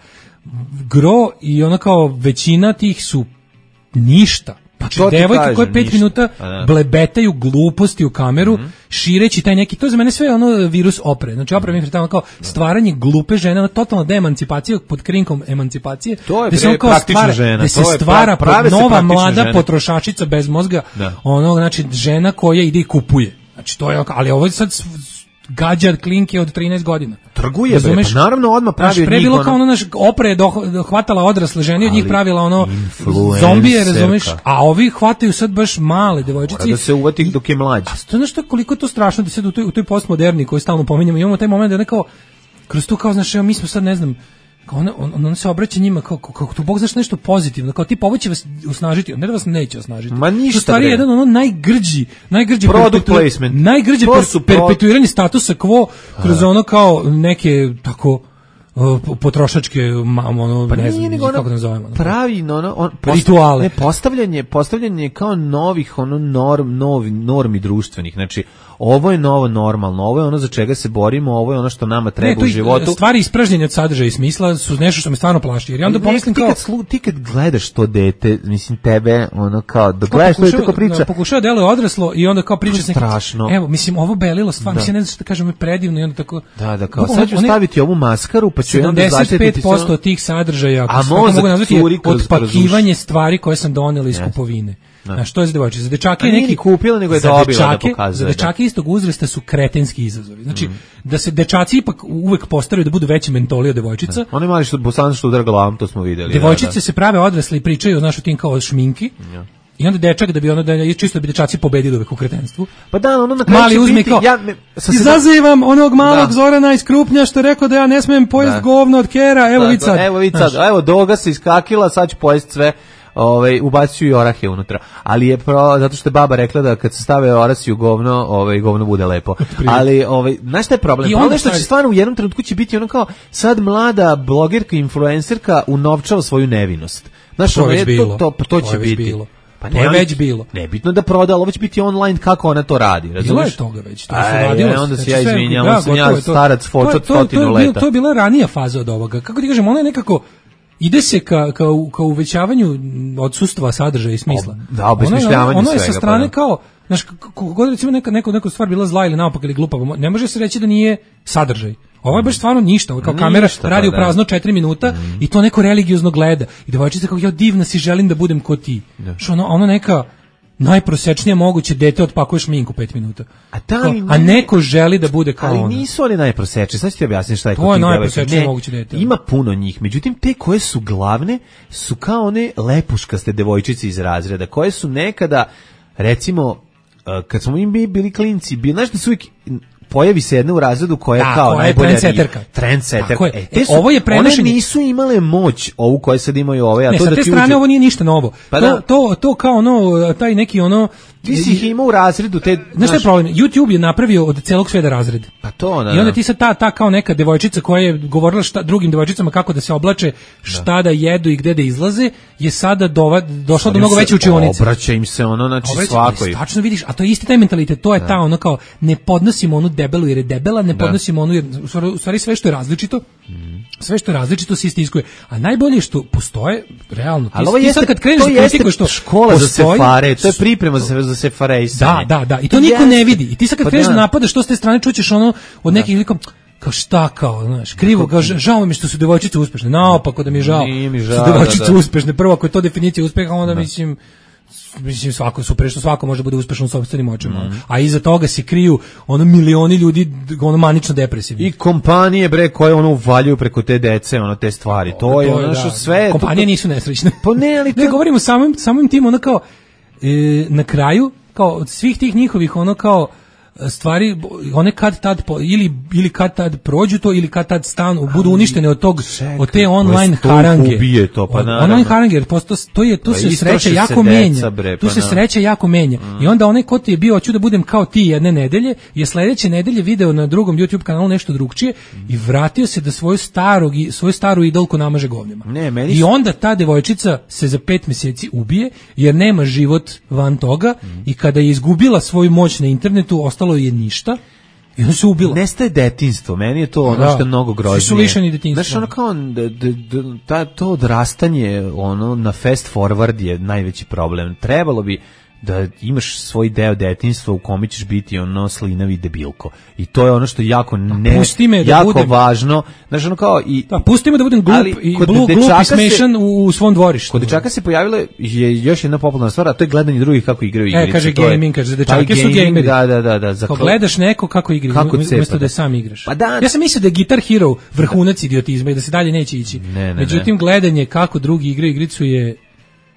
Gro i ona kao većina tih su ništa. Znači, devojke koje pet ništa. Minuta blebetaju gluposti u kameru, mm-hmm. šireći taj neki, to je za mene sve ono virus opre. Znači opre mi je tamo kao stvaranje glupe žene, ono totalna deemancipacija pod krinkom emancipacije. To je da se kao stvara, žena. Da se to stvara pra, nova mlada žene. Potrošačica bez mozga, da. Ono, znači žena koja ide i kupuje. Znači to je, ali ovo je sad gađar klinke od trinaest godina. Trguje, bre, pa naravno odmah pravi od njih. Bilo kao ono, naš opre je hvatala odrasle žene, od njih pravila ono zombije, razumeš? A ovi hvataju sad baš male devojčice. Mora da se uvati dok je mlađi. A to je nešto koliko je to strašno da sad u toj, u toj postmoderni koju stalno pominjamo, imamo taj moment da nekao, kroz to kao, znaš, evo, mi smo sad, ne znam, kao ona, on, on se obraća njima kao, kao, kao tu Bog znaš nešto pozitivno, kao tipa ovo će vas osnažiti, ne da vas neće osnažiti. Ma ništa. U stvari jedan ono najgrđi, najgrđi product placement. Najgrđi per, perpetuiranje statusa quo kroz ono kao neke tako potrošačke ono pa ne znam nego kako nazovemo. Pravi ono on rituale. Ne, postavljanje, postavljanje kao novih ono norm, novi normi društvenih. Znači ovo je novo normalno, ovo je ono za čega se borimo, ovo je ono što nama treba ne, u životu. Stvari ispražnjenja od sadržaja i smisla su nešto što me stvarno plaši. Jer ja onda pomislim kao... Ti kad, slu, ti kad gledaš to dete, mislim tebe, ono kao, da gledaš to tako priča... Pokušava da deluje odraslo i onda kao priča... Strašno. Evo, mislim, ovo belilo stvar, da. Mislim, ne znam što da kažem, je predivno i onda tako... Da, da, kao, sad ću staviti ovu maskaru, pa ću onda zaštititi... sedamdeset pet posto tih sadržaja, ako mogu nazvati, otpakivanje stvari koje sam donela iz kupovine. Znaš, to je za devojčice. Za dečake neki nije kupila, nego je dobila da pokazuje. Za dečake istog uzrasta su kretenski izazovi. Znači, mm. da se dečaci ipak uvek postaraju da budu veći mentoli od devojčica. Da. Oni mali što bosan što udara glavom, to smo videli. Devojčice da, da. se prave odrasle i pričaju, znaš, o tim kao šminki. Ja. I onda dečak da bi ono da je čisto da bi dečaci pobedili uvek u kretenstvu. Pa da, ono na kraju mali uzme biti, kao, ja me, izazivam onog malog da. Zorana iz Krupnja što je rekao da ja ne smijem pojest da. Govno od kera, evo vid sad. Evo vid sad, evo doga se iskakila, sad ću pojest sve. Ovaj ubacuju i orahe unutra. Ali je pro, zato što je baba rekla da kad se stave orasi u govno, ovaj govno bude lepo. Ali ovaj znaš šta je problem? Problem što će stvarno u jednom trenutku će biti ono kao sad mlada blogerka, influencerka unovčava svoju nevinost. Znaš, to, je već to, to, to, to će to biti. Bilo. Pa to je već bilo. Nebitno da proda, ovo će biti online kako ona to radi, razumiješ? Bilo je toga već, to se radilo. Aj, onda se ja izvinjam, onda sam ja starac fočot stotinu leta. To je bila ranija faza od ovoga. Kako ti kažem, ona je nekako ide se ka, ka, ka uvećavanju odsustva sadržaja i smisla. Da, obesmišljavanje svega. Ono je sa strane kao, znaš, kogod recimo neka, neka, neka stvar bila zla ili naopak ili glupa, ne može se reći da nije sadržaj. Ovo je baš stvarno ništa, ovo kao ništa, kamera radi pa, u prazno četiri minuta mm. i to neko religiozno gleda. I devojčica kao, ja divna si, želim da budem ko ti. Što ono, ono neka najprosečnije moguće dete otpakuje šminku pet minuta. A, da, kao, a neko želi da bude kao ali ona. nisu oni najprosečniji, sad ću ti objasniti šta je to je najprosečnije moguće dete. Ima puno njih, međutim te koje su glavne su kao one lepuškaste devojčice iz razreda, koje su nekada, recimo, kad smo mi bili klinci, bili, znaš da su uvijek pojavi se jedna u razredu koja je kao najbolja trendseterka. Trendseterka. E, e, ovo je prenošenje. One nisu imale moć ovu koje sad imaju ove, a ne, to sa da te ti strane uđe... ovo nije ništa novo. Pa to, to, to kao ono, taj neki ono... Ti si ih imao u razredu. Te, znaš šta je problem? YouTube je napravio od celog sveta razred. Pa to, da, i onda ti sad ta, ta kao neka devojčica koja je govorila šta, drugim devojčicama kako da se oblače, šta da, da jedu i gde da izlaze, je sada dova, došla do mnogo veće učionice. Obraća im se ono, znači obraća, svakoj. Tačno vidiš, a to je isti taj mentalitet, to je da. Ta ono kao, ne podnosimo onu debelu jer je debela, ne podnosimo onu, jer u stvari sve što je različito, mm. sve što je različito se istiskuje. A najbolje što postoje, realno, ti, ti sad kad kreneš da kritikuješ što škola postoji, za sefare, to je priprema za, za sefarejsanje. Da, da, da, i to niko ne vidi. I ti sad kad kreneš da napadaš, što s te strane čućeš ono od nekih likom, kao šta kao, znaš, krivo, kao žao mi što su devojčice uspešne. Naopako da mi je žao, žao što su devojčice uspešne. Prvo ako je to definicija uspeha, onda da. mislim mislim svako super što svako može da bude uspešan u sopstvenim očima. Mm. A iza toga se kriju ono milioni ljudi ono manično depresivni. I kompanije bre koje ono uvaljuju preko te dece, ono te stvari. To, to je ono što da. Sve kompanije to... nisu nesrećne. Pa ne, ali to... ne govorimo samim samim tim ono kao e, na kraju kao od svih tih njihovih ono kao stvari one kad tad po, ili ili kad tad prođu to ili kad tad stanu budu uništene od tog čekaj, od te online harange ubije to pa naravno. Online harange posto to je tu pa se sreća jako se menja bre, pa tu se na. Sreća jako menja mm. i onda onaj ko ti je bio hoću da budem kao ti jedne nedelje je sledeće nedelje video na drugom YouTube kanalu nešto drugčije mm. i vratio se da svoju starog svoju staru idolku namaže govnima ne, meni i onda ta devojčica se za pet meseci ubije jer nema život van toga mm. i kada je izgubila svoju moć na internetu ostalo je ništa i ona se ubila. Nestaje detinjstvo, meni je to ono da. Što je mnogo groznije. Svi su lišeni detinjstva. Znaš, ono kao, d, d, d, ta, to odrastanje ono, na fast forward je najveći problem. Trebalo bi da imaš svoj deo detinjstva u kome ćeš biti ono slinavi debilko. I to je ono što je jako ne, me da jako budem, važno. Znaš, ono kao i... Da, pusti me da budem glup i blu, glup i smešan u, u svom dvorištu. Kod dečaka se pojavila je još jedna popularna stvar, a to je gledanje drugih kako igraju igrice. E, kaže gaming, kaže, dečake su gameri. Da, da, da. da za Ko gledaš neko kako igra, kako umjesto da sam igraš. Pa da, ja sam mislio da je Guitar Hero vrhunac idiotizma i da se dalje neće ići. Ne, ne, međutim, ne. Gledanje kako drugi igraju igricu je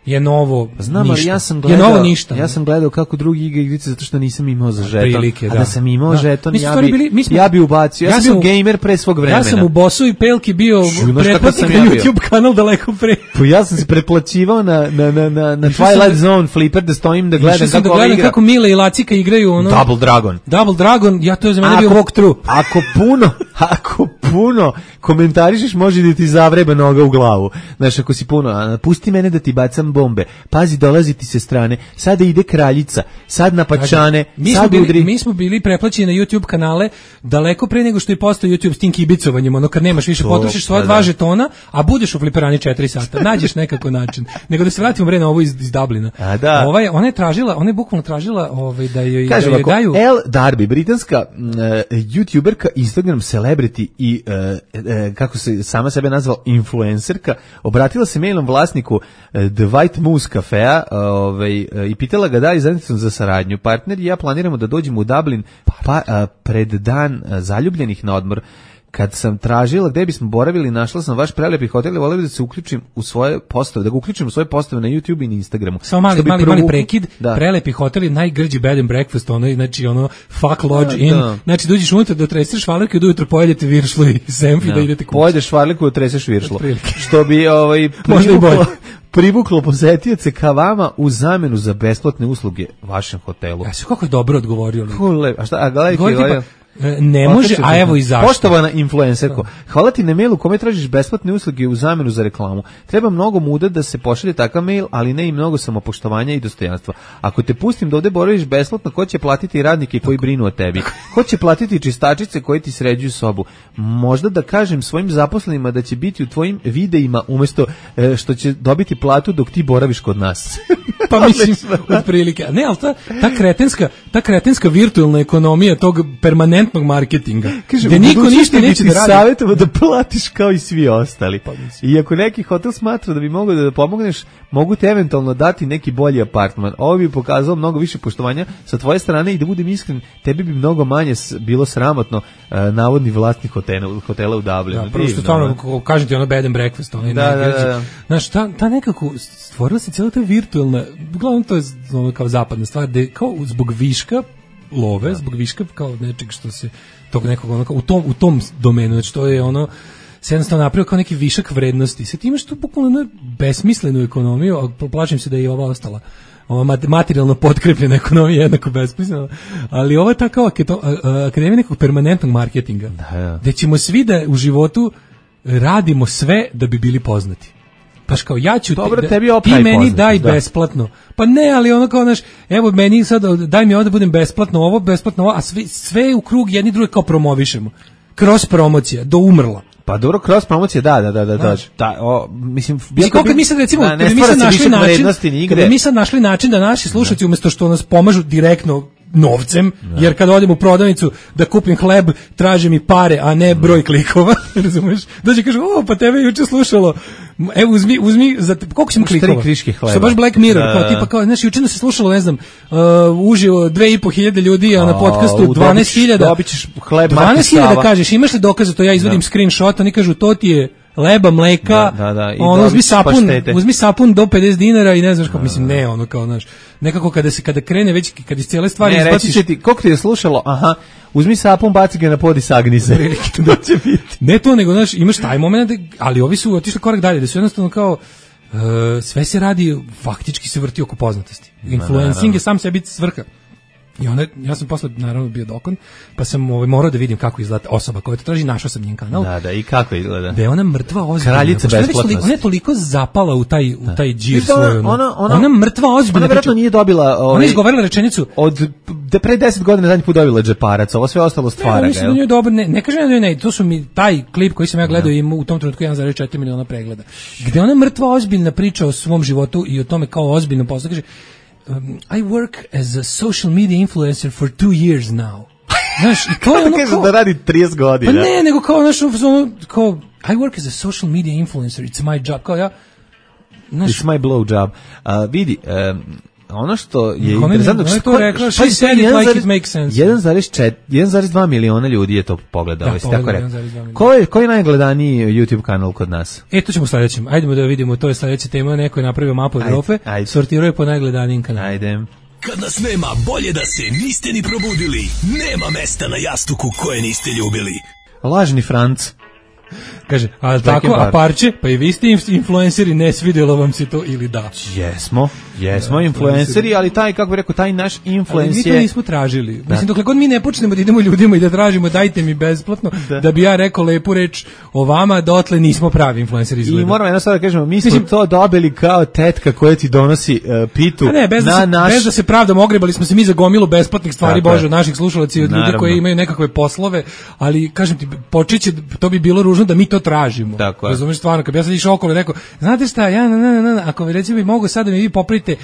je novo Znam, ništa. ali ja sam gledao, je novo ništa. Ja sam gledao kako drugi igra igrice zato što nisam imao za žeton. Prilike, a da. da sam imao da. žeton, mi ja bi, bili, mi smo, ja bi ubacio. Ja, ja sam bio gamer pre svog vremena. Ja sam u Bosu i Pelki bio pretplatnik ja na YouTube kanal daleko pre. Pa ja sam se pretplaćivao na, na, na, na, na Twilight Zone Flipper da stojim da gledam kako da gledam kako Mile i Lacika igraju ono. Double Dragon. Double Dragon, ja to je za mene bio walkthrough. Ako puno, ako puno komentarišeš može da ti zavreba noga u glavu. Znaš, ako si puno, pusti mene da ti bacam bombe. Pazi, dolazi ti se strane. Sada ide kraljica, sad na pačane, mi sad smo udri. Bili, mi smo bili preplaćeni na YouTube kanale daleko pre nego što je postao YouTube s tim kibicovanjem, ono kad nemaš više, potrošiš svoje dva žetona, a budeš u fliperani četiri sata. Nađeš nekako način. Nego da se vratimo bre na ovo iz, iz Dublina. A da. Ovaj, ona je tražila, ona je bukvalno tražila ovaj, da joj, Kažem, da joj daju... Elle Darby, britanska uh, youtuberka, Instagram celebrity i uh, uh, kako se sama sebe nazvala influencerka, obratila se mailom vlasniku uh, The White Moose kafea ovaj, uh, i pitala ga da li zajednicom za saradnju. Partner i ja planiramo da dođemo u Dublin pa, uh, pred dan uh, zaljubljenih na odmor. Kad sam tražila gde bismo boravili, našla sam vaš prelepi hotel i voleo bih da se uključim u svoje postave, da ga uključim u svoje postave na YouTube i na Instagramu. Samo mali, mali, provu... mali prekid, da. Prelepi hotel je najgrđi bed and breakfast, ono, znači ono fuck lodge da, in, da. znači dođeš unutra da treseš švalerke i da ujutro pojedete viršlu i semfi da, da idete kući. Pojedeš švalerku i treseš viršlu. Što bi ovaj, privuklo, privuklo posetioce ka vama u zamenu za besplatne usluge vašem hotelu. Ja se kako je dobro odgovorio. Kule, a šta, a gledajte, gledajte. Ne može, a evo i zašto. Poštovana influencerko, hvala ti na mailu kome tražiš besplatne usluge u zamenu za reklamu. Treba mnogo muda da se pošalje takav mail, ali ne i mnogo samopoštovanja i dostojanstva. Ako te pustim da ovde boraviš besplatno, ko će platiti radnike koji brinu o tebi? Ko će platiti čistačice koji ti sređuju sobu? Možda da kažem svojim zaposlenima da će biti u tvojim videima umesto e, što će dobiti platu dok ti boraviš kod nas. Pa mislim, otprilike. Ne, ali ta, ta kretenska, ta kretenska virtualna ekonomija tog permanentnog marketinga. Kaže, gde niko ništa neće da radi. Savjetovo da platiš kao i svi ostali. Pa, i ako neki hotel smatra da bi mogao da, da pomogneš, mogu te eventualno dati neki bolji apartman. Ovo bi pokazalo mnogo više poštovanja sa tvoje strane i da budem iskren, tebi bi mnogo manje bilo sramotno uh, navodni vlasnik hotela, hotela u Dublinu. Da, prvo što stvarno, kažem ti ono bed and breakfast. Ono, da, da, da. Znaš, ta, ta nekako, stvorila se cijela ta virtualna, uglavnom to je ono, kao zapadna stvar, da kao zbog viška love, zbog viška kao nečeg što se tog nekog ono, u tom u tom domenu, znači to je ono se jednostavno napravio kao neki višak vrednosti. Sad imaš tu bukvalno besmislenu ekonomiju, a plašim se da je i ova ostala. Ova materijalno potkrepljena ekonomija jednako besmislena, ali ovo je ta kao akademija nekog permanentnog marketinga, da, ja. Gde ćemo svi da u životu radimo sve da bi bili poznati. Paš kao ja ću Dobro, ti, tebi ti meni poznati, daj da. Besplatno. Pa ne, ali ono kao naš, evo meni sad daj mi ovo da budem besplatno ovo, besplatno ovo, a sve, sve u krug jedni drugi kao promovišemo. Kroz promocija, do umrla. Pa dobro, kroz promocije, da, da, da, da, da. da o, mislim, mislim kako mi sad recimo, da, kad mi sad našli način, kad mi sad našli način da naši slušatelji umesto što nas pomažu direktno novcem, da. Jer kad odem u prodavnicu da kupim hleb, traže mi pare, a ne broj klikova, razumeš? Dođe kaže, o, pa tebe juče slušalo, evo uzmi, uzmi, za, koliko sam klikova? Što baš Black Mirror, da, kao tipa, kao, znaš, juče se slušalo, ne znam, uh, uživo dve i po hiljade ljudi, a na podcastu dvanaest hiljada. Dobit ćeš hleb, dvanaest hiljada kažeš, imaš li dokaza, to ja izvodim da. Screenshot, oni kažu, to ti je leba, mleka, da, da, da. ono, uzmi sapun, paštete. uzmi sapun do pedeset dinara i ne znaš kako, mislim, ne, ono kao, znaš, nekako kada se, kada krene već, kada iz cijele stvari ne, izbaciš... Ne, reći ti, koliko ti je slušalo, aha, uzmi sapun, baci ga na pod i sagni se. Da će biti. Ne to, nego, znaš, imaš taj moment, ali ovi su otišli korak dalje, da su jednostavno kao, uh, sve se radi, faktički se vrti oko poznatosti. Influencing je sam sebi svrha. I onda, ja sam posle naravno bio dokon, pa sam ovaj, morao da vidim kako izgleda osoba koja to traži, našao sam njen kanal. Da, da, i kako izgleda. Da je ona mrtva ozbiljna. Kraljica besplatnosti. Ona je toliko zapala u taj, u taj džir ona, svoj. Ona, ona, ona, ona mrtva ozbiljna. Ona vjerojatno nije dobila... Ovaj, ona je izgovorila rečenicu... Od de pre deset godina zadnji put dobila džeparac, ovo sve ostalo stvara. Ne, mislim da je dobro, ne, ne kažem da je ne, to su mi, taj klip koji sam ja gledao ima u tom trenutku jedan zarez četiri miliona pregleda. Gde ona mrtva ozbiljna priča o svom životu i o tome kao ozbiljno posao, kaže, Um, I work as a social media influencer for two years now. Znaš, i to je ono kao... da radi trideset godina. Pa ne, nego kao, znaš, ono, kao, I work as a social media influencer, it's my job, kao ja, znaš... It's my blow job. Uh, vidi, um, ono što je Ona interesantno, je to rekla, she said it like it makes sense. jedan zarez dva miliona ljudi je to pogledao, Da, jesi tako pogledao, rekao. jedan zarez dva miliona. Ko je, koji je najgledaniji YouTube kanal kod nas? E, to ćemo sledećem. Ajdemo da vidimo, to je sledeća tema, neko je napravio mapu Evrope, ajde. sortirao je po najgledanijim kanalima. Ajde. Kad nas nema, bolje da se niste ni probudili. Nema mesta na jastuku koje niste ljubili. Lažni Franc. Kaže, a tako, a parče, pa i vi ste influenceri, ne svidjelo vam se to ili da? Jesmo, jesmo da, influenceri, ali taj, kako bih rekao, taj naš influencer je... Ali mi to nismo tražili. Da. Mislim, dokle god mi ne počnemo da idemo ljudima i da tražimo, dajte mi besplatno, da, da bi ja rekao lepu reč o vama, dotle nismo pravi influenceri izgleda. I moramo jedno sad da kažemo, mi smo Mislim, to dobili kao tetka koja ti donosi uh, pitu ne, bez na da se, naš... Bez da se pravdamo, ogrebali smo se mi za gomilu besplatnih stvari, Tako Bože, je. od naših slušalaca i od ljudi Naravno. koji imaju nekakve poslove, ali, kažem ti, počeće, to bi bilo ružno da mi to tražimo. Tako je. Razumeš, stvarno, kad bi ja sad išao okolo i rekao, znate šta, ja, na, na, na, na, ako vi recimo mogu sad da mi vi popravite,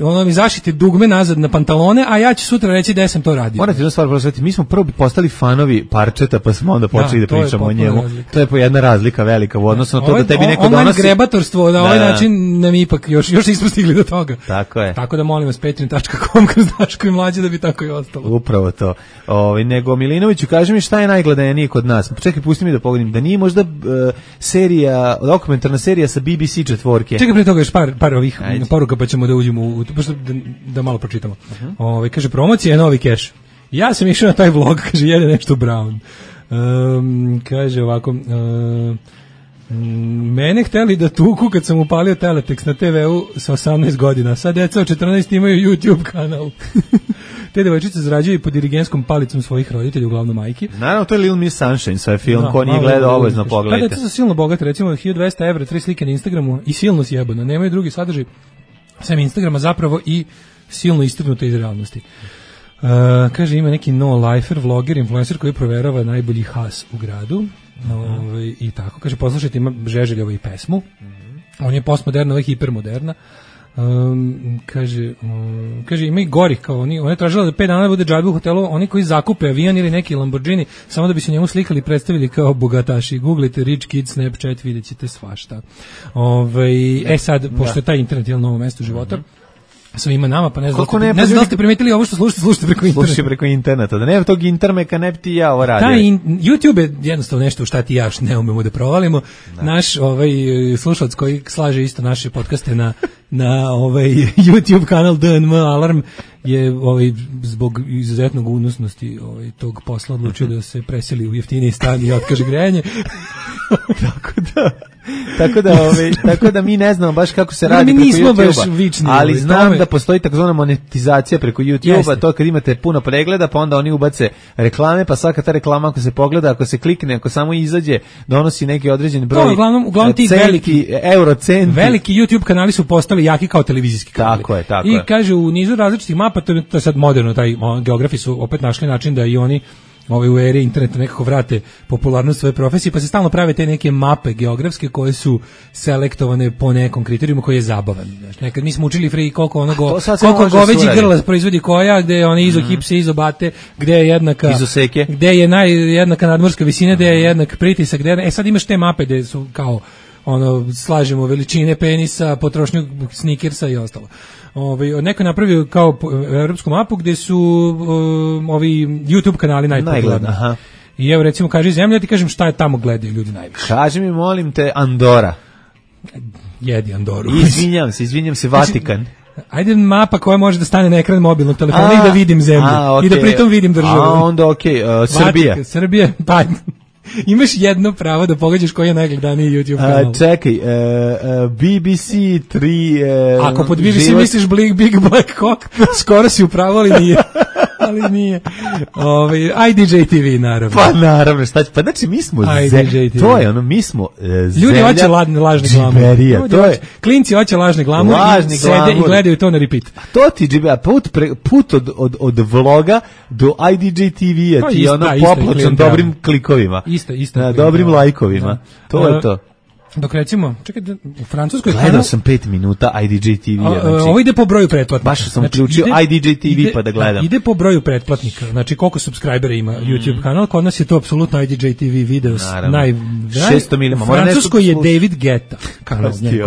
ono mi zašite dugme nazad na pantalone, a ja ću sutra reći da sam to radio. Morate jednu stvar prosvetiti, mi smo prvo bi postali fanovi parčeta, pa smo onda počeli da, da pričamo o njemu. Razlika. To je po jedna razlika velika u odnosu na to ovaj, da tebi neko on, donosi. Grebatorstvo, na ovaj da, način nam ipak još, još nismo stigli do toga. Tako je. Tako da molim vas, patreon tačka com kroz Daško i Mlađe da bi tako i ostalo. Upravo to. Ovaj nego Milinoviću, kaži mi šta je najgledanije kod nas. Čekaj, pusti mi da pogledam. Da nije možda uh, serija, dokumentarna serija sa B B C četvorke. Čekaj, pre toga još par, par ovih Ajde. poruka pa ćemo da uđemo u, baš da, da malo pročitamo. Uh-huh. Ovaj kaže, promocija je novi keš. Ja sam išao na taj vlog, kaže, jede nešto Brown. Um, kaže ovako... Uh, mene hteli da tuku kad sam upalio teletekst na te veu sa osamnaest godina. Sad deca od četrnaest imaju YouTube kanal. Te devojčice zarađuju pod dirigenskom palicom svojih roditelja, uglavnom majki. Naravno, to je Little Miss Sunshine, sve film, da, ko nije gledao, obavezno pogledajte. Da, deca su silno bogate, recimo hiljadu dvesta evra, tri slike na Instagramu i silno sjebano. Nemaju drugi sadržaj, sem Instagrama zapravo i silno istrgnute iz realnosti. Uh, kaže, ima neki no-lifer, vloger, influencer koji proverava najbolji has u gradu. Ovaj, i tako, kaže, poslušajte, ima Žeželjovo i pesmu. Mm-hmm. On je postmoderna, ovo je hipermoderna. Um, kaže, um, kaže, ima i gorih kao oni. Ona je tražila da pet dana bude džabe u hotelu. Oni koji zakupe avion ili neki Lamborghini samo da bi se njemu slikali i predstavili kao bogataši. Googlite Rich Kid Snapchat, vidjet ćete svašta. Ovaj, e sad, pošto je taj internet je novo mesto života, mm-hmm. svima nama, pa ne znam, ne, ne znam da ste primetili ovo što slušate, slušate preko interneta. Slušate preko interneta, da nema tog intermeka, ne bi ti ja ovo radio. Da, in, YouTube je jednostavno nešto u šta ti ja ne umemo da provalimo. Da. Naš ovaj, slušalac koji slaže isto naše podcaste na, na ovaj, YouTube kanal D N M Alarm je ovaj, zbog izuzetnog unosnosti ovaj, tog posla odlučio da se preseli u jeftiniji stan i otkaže grejanje. Tako da... tako da ovaj tako da mi ne znamo baš kako se radi mi preko YouTubea, ali znam tome. Da postoji takozvana monetizacija preko YouTubea, to kad imate puno pregleda, pa onda oni ubace reklame, pa svaka ta reklama ako se pogleda, ako se klikne, ako samo izađe, donosi neki određeni broj. To, uglavnom, uglavnom ti centi, veliki eurocenti. Veliki YouTube kanali su postali jaki kao televizijski kanali. Tako je, tako I je. kaže u nizu različitih mapa, to je, to je sad moderno, taj geografi su opet našli način da i oni ovaj u eri interneta nekako vrate popularnost svoje profesije, pa se stalno prave te neke mape geografske koje su selektovane po nekom kriterijumu koji je zabavan. Znači, nekad mi smo učili free koliko onogo, koliko goveđi grla proizvodi koja, gde je one izohipse, mm-hmm. izobate, gde je jednaka, izoseke, gde je naj, jednaka nadmorska visina, gde je jednak pritisak, gde je, e sad imaš te mape gde su kao ono, slažemo veličine penisa, potrošnju snikersa i ostalo. Ovaj neko je napravio kao evropsku mapu gde su um, ovi YouTube kanali najpopularniji. Aha. I evo recimo kaže zemlja, ja ti kažem šta je tamo gledaju ljudi najviše. Kaži mi molim te Andora. Jedi Andoru. Izvinjam se, izvinjam se Vatikan. Ajde mapa koja može da stane na ekran mobilnog telefona a, i da vidim zemlju. A, okay. I da pritom vidim državu. A onda okej, okay. uh, Srbija. Vatikan, Srbija, pa imaš jedno pravo da pogađaš koji je najgledaniji YouTube kanal. A, čekaj, uh, uh, B B C tri... Uh, Ako pod B B C život... misliš Big, Big Black Cock, skoro si upravo, ali nije. ali nije. Ove, I D J T V, naravno. Pa naravno, šta će, pa znači mi smo zemlja, to je ono, mi smo uh, zemlja... Ljudi hoće lažne glamure. To je... Klinci hoće lažne glamure i sede glamur. I gledaju to na repeat. A to ti, džibe, put, pre, put od, od, od vloga do I D J T V-a ti je ono popločan dobrim klikovima. Isto, isto. Na dobrim lajkovima. Da. To uh, je to. Dok recimo, čekaj, u Francuskoj... Gledao kanal, sam pet minuta I D J T V-a. Znači, ovo ide po broju pretplatnika. Baš sam uključio znači, I D J T V ide, pa da gledam. Ide po broju pretplatnika. Znači, koliko subscribera ima mm. YouTube kanal. Kod nas je to apsolutno I D J T V video. Naj, šesto milima. U Francuskoj je David Guetta. Kako znači?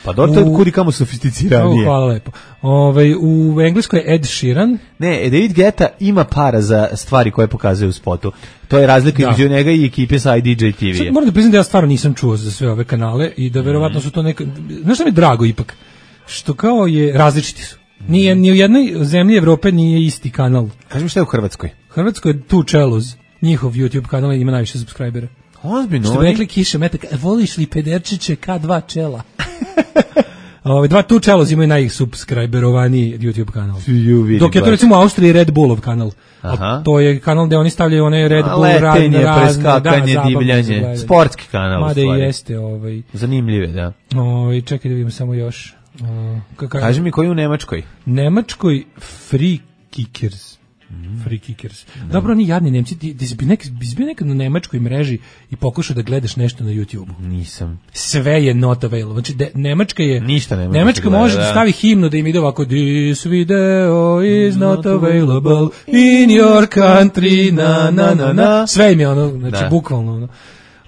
Pa dobro, to je kudi kamo sofisticiranije. Oh, hvala lepo. Ove, u Engleskoj je Ed Sheeran. Ne, David Guetta ima para za stvari koje pokazuje u spotu. To je razlika između njega i ekipe sa I D J T V. Sad moram da priznam da ja stvarno nisam čuo za sve ove kanale i da verovatno su to neka... Znaš šta mi je drago ipak? Što kao je, različiti su. Nije, ni u jednoj zemlji Evrope nije isti kanal. Kaži mi šta je u Hrvatskoj? Hrvatskoj je Two Cellos, njihov YouTube kanal ima najviše subscribera. Ozbiljno. Što bi rekli Kiša Metak, voliš li pederčiće K dva čela? Ove, dva Two Cellos imaju najsubscriberovaniji YouTube kanal. Dok je to recimo u Austriji Red Bullov kanal. Aha. To je kanal gde oni stavljaju one Red Bull, letenje, razne, preskakanje, da, divljanje. Sportski kanal. Mada i jeste. Ovaj. Zanimljive, da. Ovaj, čekaj da vidimo samo još. Uh, Kaži mi koji u Nemačkoj? Nemačkoj Free Kickers. Mm. Free Kickers. No. Dobro, oni jadni Nemci, ti, ti si bio nekad, nekad na nemačkoj mreži i pokušao da gledaš nešto na YouTube-u. Nisam. Sve je not available. Znači, de, Nemačka je... Ništa ne Nemačka gleda, može da stavi himnu da im ide ovako This video is not available in your country, na, na, na, na. Sve im je ono, znači, da. Bukvalno ono.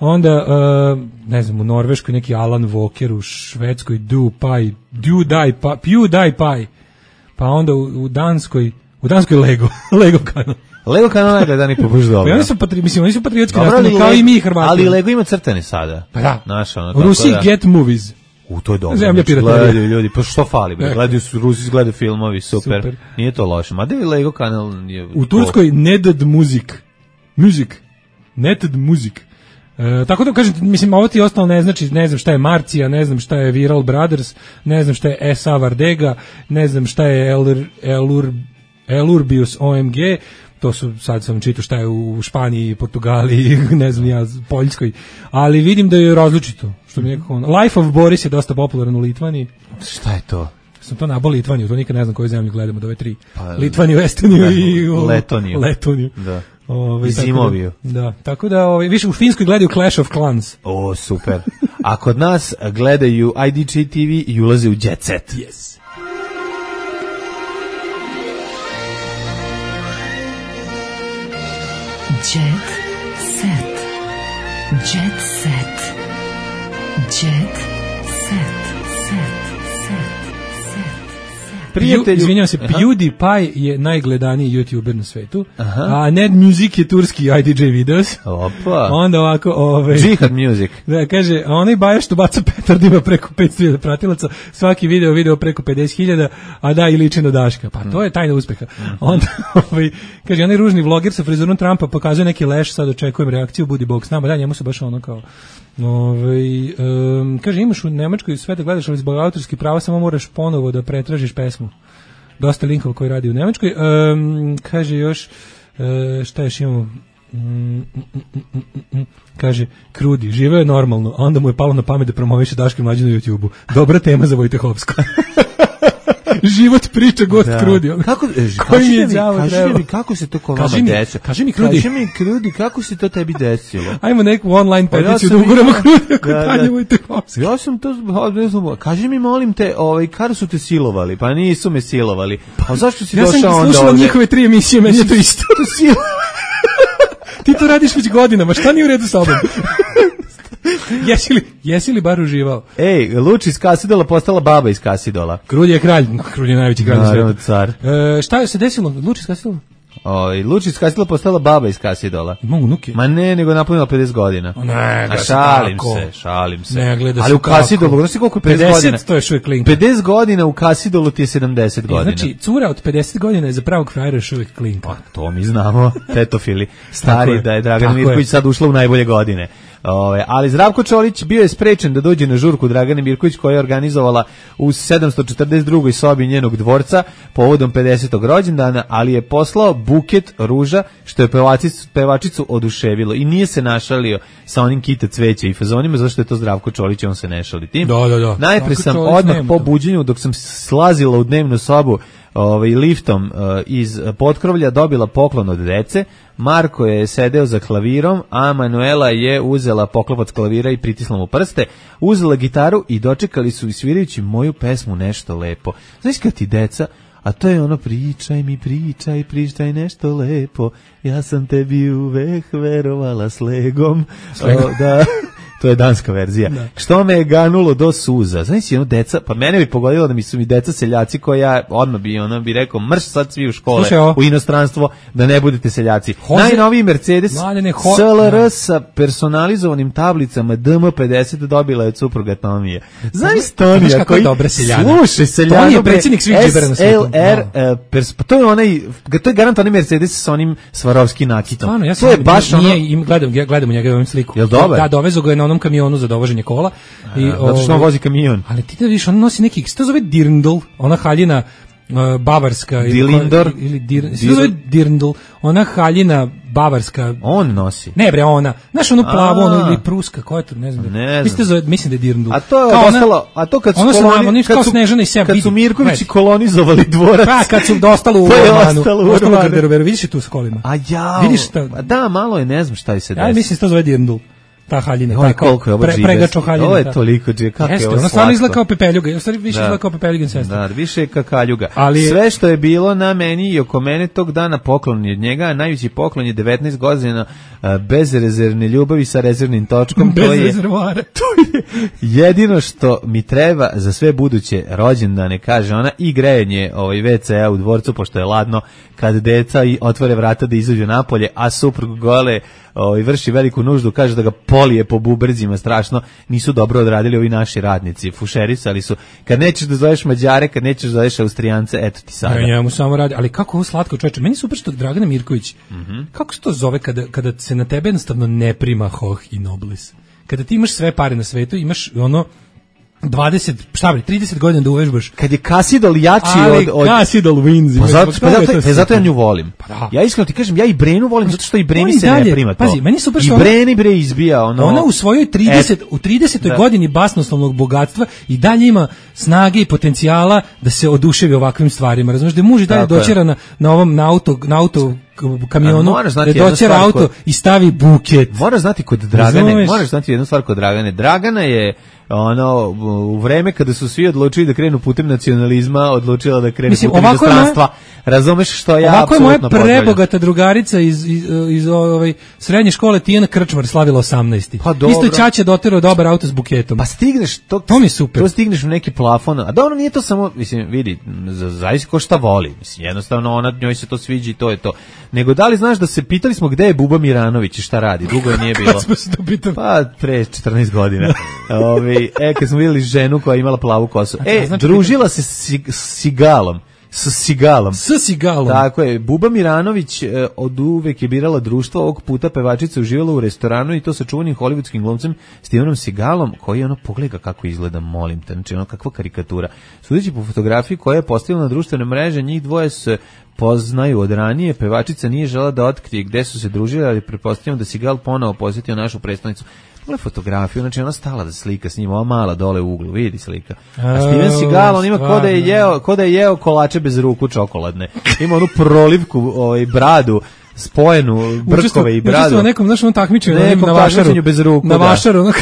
Onda, uh, ne znam, u Norveškoj neki Alan Walker, u Švedskoj PewDiePie, PewDiePie, PewDiePie, pa onda u, u Danskoj, u Danskoj Lego, Lego kanal. Lego kanal najgledani po baš dobro. Pa oni su, patri, mislim, oni su patriotski nastavni, kao i mi Hrvati. Ali Lego ima crtane sada. Pa da. Naš, ono, u Rusiji da. Get Movies. U, to je dobro. Zemlja piraterija. Gledaju ljudi, pa što fali? Bre? Gledaju su, Rusi gledaju filmovi, super. super. Nije to loše. Mada je Lego kanal... Je u Turskoj Nedad Music. Music. Netad Music. E, tako da kažem, mislim, ovo ti ostalo ne znači, ne znam šta je Marcija, ne znam šta je Viral Brothers, ne znam šta je S A Vardega, ne znam šta je Elur, Elur, Elurbius O M G, to su, sad sam čitao šta je u Španiji, Portugaliji, ne znam ja, Poljskoj, ali vidim da je različito, što mi nekako... Life of Boris je dosta popularan u Litvaniji. Šta je to? Sam to nabao Litvaniju, to nikad ne znam koju zemlju gledamo od ove tri. Pa, Litvaniju, Estoniju da, i... U, Letoniju. Letoniju. Da. Ove, I Zimoviju. Da, da, tako da, ove, više u Finskoj gledaju Clash of Clans. O, super. A kod nas gledaju I D J T V i ulaze u Jet Set. Yes. Jet Set. Jet Set. Jet Set. Prijatelju, izvinjavam se, PewDiePie je najgledaniji YouTuber na svetu, aha. A Ned Music je turski I D J videos. Opa. Onda ovako, ove, Jihad Music. Da, kaže, a onaj bajaš što baca petard ima preko petsto hiljada pratilaca, svaki video video preko pedeset hiljada, a da i liči na Daška. Pa to je tajna uspeha. Onda, ovaj, kaže, onaj ružni vloger sa frizurom Trumpa pokazuje neki leš, sad očekujem reakciju, budi bog s nama, da, njemu se baš ono kao... Ove, um, kaže, imaš u Nemačkoj sve da gledaš, ali zbog autorskih prava samo moraš ponovo da pretražiš pesmu. Dosta linkova koji radi u Nemačkoj. Um, kaže još, uh, šta još imamo? Mm, mm, mm, mm, mm. Kaže, Krudi, živeo je normalno, a onda mu je palo na pamet da promoviše Daške mlađe na YouTube-u. Dobra tema za Vojtehovsku. Život priča gost da. Krudi. Kako, e, kaži, mi, kaži mi kako se to kod vama desilo? Kaži mi Krudi. Kaži mi Krudi, kako se to tebi desilo? Ajmo neku online peticiju da uguramo Krudi ako dalje Vojtehovski. Ja sam to, ne znam, kaži mi molim te, ovaj, kada su te silovali? Pa nisu me silovali. Pa zašto si ja došao onda ovde? Ja sam slušala njihove tri emisije, meni je to isto. Ti to radiš već godinama, šta nije u redu sa obom? Jesi li, jesi li bar uživao? Ej, Luč iz Kasidola postala baba iz Kasidola. Krudi je kralj, Krudi je najveći kralj na svijetu. Car. E, šta je se desilo? Luč iz Kasidola? Oj, Luč iz Kasidola postala baba iz Kasidola. Ima unuke? Ma ne, nego napunila pedeset godina. O, ne, a šalim se, šalim se. Ne, gleda ali u Kasidolu, znaš ti koliko je pedeset, pedeset godina? To je što je klinka. pedeset godina u Kasidolu ti je sedamdeset godina. Znači, cura od pedeset godina je za pravog frajera još uvijek klinka. Pa, to mi znamo, tetofili. Stari je, da je Dragana Mirković sad ušla u najbolje godine. Ove, ali Zdravko Čolić bio je sprečen da dođe na žurku Dragane Mirković koja je organizovala u sedamsto četrdeset drugoj sobi njenog dvorca povodom pedesetog rođendana, ali je poslao buket ruža što je pevačicu, pevačicu oduševilo i nije se našalio sa onim kita cveća i fazonima, zato što je to Zdravko Čolić, on se ne šali tim. Da, da, da. Najpre sam odmah po buđenju dok sam slazila u dnevnu sobu ovaj, liftom uh, iz potkrovlja dobila poklon od dece. Marko je sedeo za klavirom, a Manuela je uzela poklopac klavira i pritisla mu prste, uzela gitaru i dočekali su svirajući moju pesmu Nešto lepo. Znaš kad ti deca, a to je ono pričaj mi, pričaj, pričaj nešto lepo, ja sam tebi uvek verovala s legom. S legom. O, da... to je danska verzija. Da. Što me je ganulo do suza. Znaš, jedno deca, pa mene bi pogodilo da mi su mi deca seljaci koji ja odmah bi, ona bi rekao, mrš sad svi u škole, slušaj, u inostranstvo, da ne budete seljaci. Hoze, najnoviji Mercedes mladene, ho, S L R sa personalizovanim tablicama D M pedeset dobila je od supruga Tomije. Znaš, Tonija koji, slušaj, seljano, on je predsjednik svih džibera na svijetu. S L R, uh, pers, pa to je onaj, to je garant onaj Mercedes sa onim Svarovski nakitom. Stvarno, ja to je baš nije, ono... Im, gledam, gledam u njega, imam sliku. Jel dobar? Da, dovezu ga je na onom kamionu za dovoženje kola. I, a, zato što on vozi kamion. Ali ti da vidiš, on nosi neki, što zove dirndl, ona haljina uh, bavarska. Dilindor? Ili, ili dir, što zove dirndl, ona haljina bavarska. On nosi. Ne bre, ona. Znaš ono plavo, ono ili pruska, koja je to, ne znam. Da, ne mislim, zove, mislim da je dirndl. A to je ostalo, a to kad su ono koloni, nam, kad, kao su, Snežana i Seba, kad su Mirkovići kolonizovali dvorac. Pa, kad su dostalo u Urmanu. Ostalo u garderoberu, vidiš je tu s kolima. A ja. Vidiš šta? Da, malo je, ne znam šta je se desi. Ja mislim da to zove dirndl. Ta haljina, ta koliko je ovo pre, pregačo haljina. Ovo je toliko džije, kako jeste, je ovo ona stvarno izgleda kao pepeljuga, u stvari više da. izgleda kao pepeljugin sestra. Da, više je kakaljuga. Ali, sve što je bilo na meni i oko mene tog dana poklon je od njega, a najveći poklon je devetnaest godina uh, bezrezervne ljubavi sa rezervnim točkom. Bez to je, rezervoara. To je jedino što mi treba za sve buduće rođendane, kaže ona, i grejanje ovaj, ve ce a u dvorcu, pošto je ladno, kad deca i otvore vrata da izađu napolje, a suprug gole ovaj, vrši veliku nuždu, kaže da ga polije po bubrzima strašno, nisu dobro odradili ovi naši radnici, fušerisali su, kad nećeš da zoveš Mađare, kad nećeš da zoveš Austrijance, eto ti sada. Ja, njemu samo radi, ali kako ovo slatko čoveče, meni super što Dragana Mirković, mm-hmm. kako se to zove kada, kada se na tebe jednostavno ne prima hoh i noblis, kada ti imaš sve pare na svetu, imaš ono, dvadeset, šta bre, trideset godina da uvežbaš. Kad je Kasidol jači ali od... od... Kasidol wins. Pa zato, pa zato, pa zato ja nju volim. Pa da. Ja iskreno ti kažem, ja i Brenu volim zato što i Breni se dalje, ne prima to. Pazi, meni super što I Breni bre izbija ono... Ona u svojoj trideset, u tridesetoj godini basnoslovnog bogatstva i dalje ima snage i potencijala da se oduševi ovakvim stvarima. Razumeš, da je muž i dalje dočera na, na ovom na auto, na auto kamionu, da dočera auto kod... i stavi buket. Moraš znati kod Dragane, Razumeš? moraš znati jednu stvar kod Dragane. Dragana je ono u vreme kada su svi odlučili da krenu putem nacionalizma, odlučila da krene Mislim, putem inostranstva. Moja, razumeš što ja ovako apsolutno je moja prebogata drugarica iz, iz, iz ovaj, srednje škole Tijana Krčmar slavila osamnaesti. Pa isto Ćaća doterao dobar auto s buketom. Pa stigneš, to, to mi je super. To stigneš u neki plafon. A dobro, nije to samo, mislim, vidi, zavisi ko šta voli. Mislim, jednostavno ona, njoj se to sviđa i to je to. Nego da li znaš da se pitali smo gde je Buba Miranović i šta radi? Dugo je nije bilo. Kad smo se to pitali? Pa pre četrnaest godina. Ovi, e, kad smo vidjeli ženu koja je imala plavu kosu. E, znači, družila se s Sigalom. S Sigalom. S Sigalom. Tako je. Buba Miranović e, od uvek je birala društvo, ovog puta pevačica uživala u restoranu i to sa čuvenim hollywoodskim glumcem Stevenom Sigalom, koji ono pogleda kako izgleda, molim te, znači ono kakva karikatura. Sudeći po fotografiji koja je postavila na društvene mreže, njih dvoje se poznaju od ranije, pevačica nije žela da otkrije gde su se družili, ali pretpostavljam da Sigal ponovo posjetio našu predstavnicu. Pogledaj fotografiju, znači ona stala da slika s njim, ova mala dole u uglu, vidi slika. A Steven Seagal, on ima ko da je jeo, ko da je jeo kolače bez ruku čokoladne. Ima onu prolivku, ovaj, bradu, spojenu, brkove i bradu. Učestvo nekom, znaš, on takmičenju na, na vašaru. Bez ruku, na vašaru, ono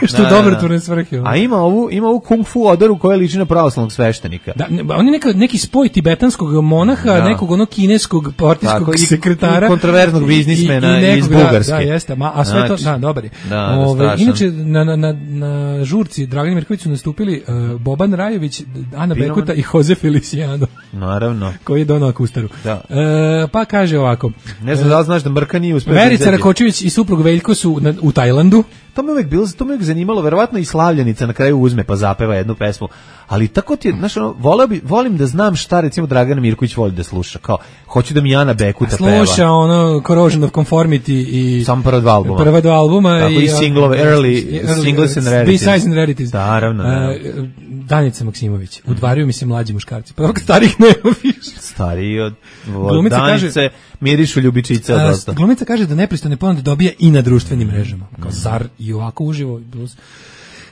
što da, dobrotvorne svrhe. A ima ovu, ima ovu kung fu odaru koja liči na pravoslavnog sveštenika. Da, on je neka, neki spoj tibetanskog monaha, da. nekog ono kineskog partijskog Tako, sekretara. I kontroverznog biznismena i, i, iz Bugarske. Da, jeste, ma, a sve znači, to, da, dobar je. Da, Ove, inače, na, na, na, na žurci Dragana Mirković su nastupili uh, Boban Rajović, Ana Pinoman. Bekuta i Jose Feliciano. Naravno. Koji je donao akustaru. Da. E, pa kaže ovako. Ne znam da li znaš da Mrka nije uspeo. Verica Rakočević i suprug Veljko su na, u Tajlandu. To me uvek bilo, to me uvek zanimalo, verovatno i Slavljenica na kraju uzme pa zapeva jednu pesmu. Ali tako ti je, znaš, ono, voleo bi, volim da znam šta recimo Dragana Mirković voli da sluša. Kao, hoću da mi Ana Bekuta peva. Sluša ono Corrosion of Conformity i sam prva dva albuma. Prva dva albuma tako i, i singlove, early, early singles and rarities. B-sides and rarities. Naravno, da. Uh, Danica Maksimović. Udvaraju mi se mlađi muškarci. Pa dok starih nema više. Stariji od, od Danice kaže, mirišu ljubičice od dosta. Glumica kaže da nepristojne ponude dobija i na društvenim mrežama. Kao zar i ovako uživo.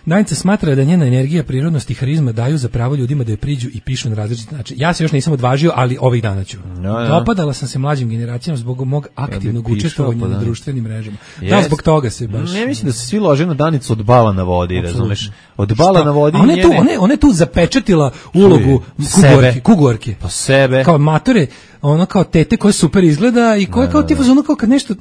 Danica smatra da njena energija, prirodnost i harizma daju za pravo ljudima da je priđu i pišu na različite načine. Ja se još nisam odvažio, ali ovih dana ću. No, ja. Dopadala sam se mlađim generacijama zbog mog aktivnog ja učestvovanja pa na društvenim mrežama. Yes. Da, zbog toga se baš... Ne mislim da se svi lože na Danicu od bala na vodi, Absolutno. razumeš? Od bala Šta? na vodi... Ona je, tu, ona, je, ona je tu zapečatila ulogu kuguarke, kuguarke. Pa sebe. Kao matore, ono kao tete koje super izgleda i koje kao ti ono kao kad nešto...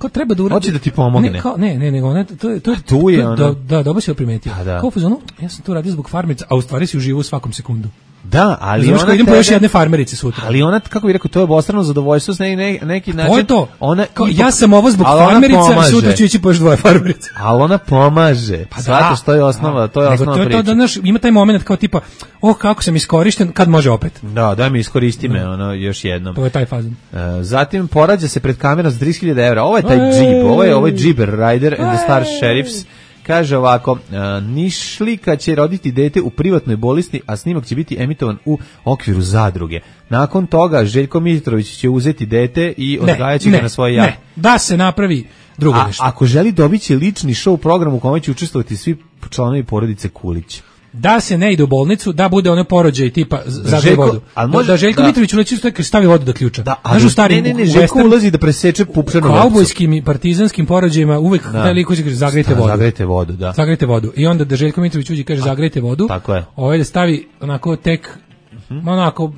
Kao treba da uradi. Hoće da ti pomogne. Ne, kao, ne, ne, nego ona to je to je tu je ona. Da, da, dobro si primetio. Da. Kao fuzonu, ja sam tu radio zbog farmerica, a u stvari si uživo u svakom sekundu. Da, ali znaš, ona idem tebe, po još jedne farmerice sutra. Ali ona, kako bih rekao, to je obostrano zadovoljstvo s ne, ne, neki način. To je to. Ona kao, ipak, ja sam ovo zbog farmerica, sutra ću ići po još dvoje farmerice. Ali ona pomaže. Pa da, što je osnova, to je nego osnova to je priče. To da naš, ima taj moment kao tipa, oh kako sam iskorišten, kad može opet. Da, daj mi iskoristi me, ono, još jednom. To je taj fazon. Uh, zatim porađa se pred kamerom za trideset hiljada evra. Ovo je taj džip, ovo je, ovo je Džiber Rider and the Star Sheriffs. Kaže ovako, uh, Nišlika će roditi dete u privatnoj bolnici, a snimak će biti emitovan u okviru zadruge. Nakon toga Željko Mitrović će uzeti dete i odgajaće ga na svoje jahte. Ne, da se napravi drugo a, nešto. Ako želi dobiti lični show program u kome će učestvovati svi članovi porodice Kulić. Da se ne ide u bolnicu, da bude ono porođaj tipa zagreje vodu. Može, da, da Željko da. Mitrović uleći što stavi vodu do ključa. Da, ali, stari, ne, ne, ne, Željko western, ulazi da preseče pupčanu vrpcu. U kaubojskim i partizanskim porođajima uvek da. Taj lik koji kaže zagrejte vodu. Zagrejte vodu, da. Zagrejte vodu. I onda da Željko Mitrović uđe i kaže zagrejte vodu. Tako je. Ovaj da stavi onako tek, uh-huh. onako,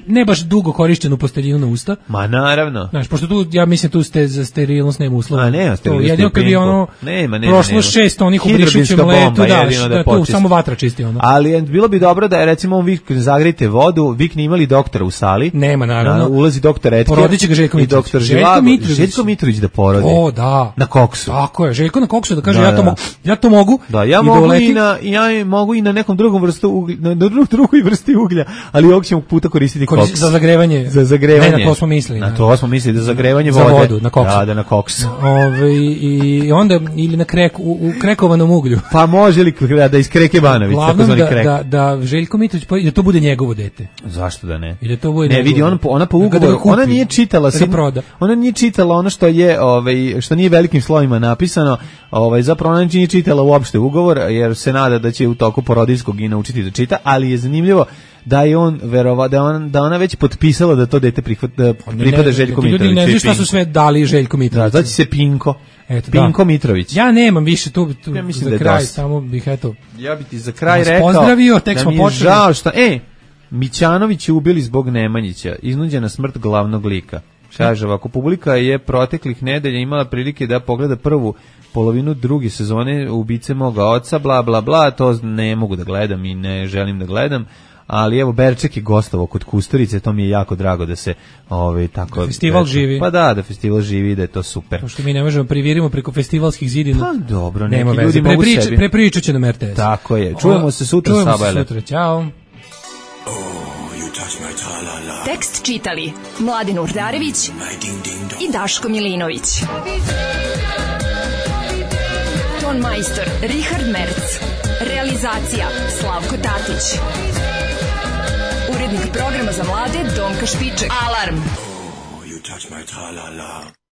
ne baš dugo korišćenu posteljinu na usta. Ma naravno. Znaš, pošto tu, ja mislim tu ste za sterilnost nema uslova. A nema sterilnost. Jedino kad bi ono, nema, nema, prošlo nema. šest onih u Brišićem letu, da, da, da tu samo vatra čisti ono. Ali bilo bi dobro da je recimo on vikne zagrejte vodu, vikne imali doktora u sali. Nema, naravno. Ulazi doktor Etker. Porodiće ga Željko Mitrović. Doktor Željko Mitrović. Željko Mitrović da porodi. O, da. Na koksu. Tako je, Željko na koksu da kaže da, ja, to mogu, ja to mogu. Da, ja mogu i na, ja mogu i na nekom drugom vrstu uglja, na drugoj vrsti uglja, ali ovog ćemo puta koristiti koks. Za zagrevanje. Za zagrevanje. Ne, na to smo mislili. Na to smo mislili, da zagrevanje za vode. Vodu, na koks. Da, da, na koks. Ove, i onda, ili na krek, u, u krekovanom uglju. Pa može li da iz Kreke Banović, tako zvani krek. Da, da Željko Mitrović, da to bude njegovo dete. Zašto da ne? I da to bude ne, vidi, on, ona po ugovoru, ona nije čitala, da proda. Ona nije čitala ono što je, ovaj, što nije velikim slovima napisano, ovaj, zapravo ona nije čitala uopšte ugovor, jer se nada da će u toku porodiljskog i naučiti da čita, ali je zanimljivo da je on verova da on da ona već potpisala da to dete prihvata da pripada Željku Mitroviću. Ljudi ne znaju šta su sve dali Željku Mitroviću. Da, znači se Pinko. Eto, Pinko da. Mitrović. Ja nemam više tu, tu ja za kraj, dosta. Samo bih eto. Ja bih ti za kraj rekao. Pozdravio, tek smo počeli. Žao što, e, Mićanović je ubili zbog Nemanjića, iznuđena smrt glavnog lika. Kaže ovako, publika je proteklih nedelja imala prilike da pogleda prvu polovinu druge sezone Ubice moga oca, bla bla bla, to ne mogu da gledam i ne želim da gledam. Ali evo Berček je gostovao kod Kusturice, to mi je jako drago da se ovaj tako da festival Berček, živi. Pa da, da festival živi, da je to super. Pošto mi ne možemo privirimo preko festivalskih zidina. Pa dobro, neki nema ljudi veze. mogu Preprič, sebi. Prepričat će nam R T S. Tako je. Čujemo se sutra, Čujemo Sabajle. se sutra. Ćao. Oh, you touch my tra-la-la. Tekst čitali Mladin Urdarević i Daško Milinović. Ton majstor Richard Merc. Realizacija Slavko Tatić. Urednik programa za mlade Donka Špiček. Alarm! Oh, you touch my tra-la-la.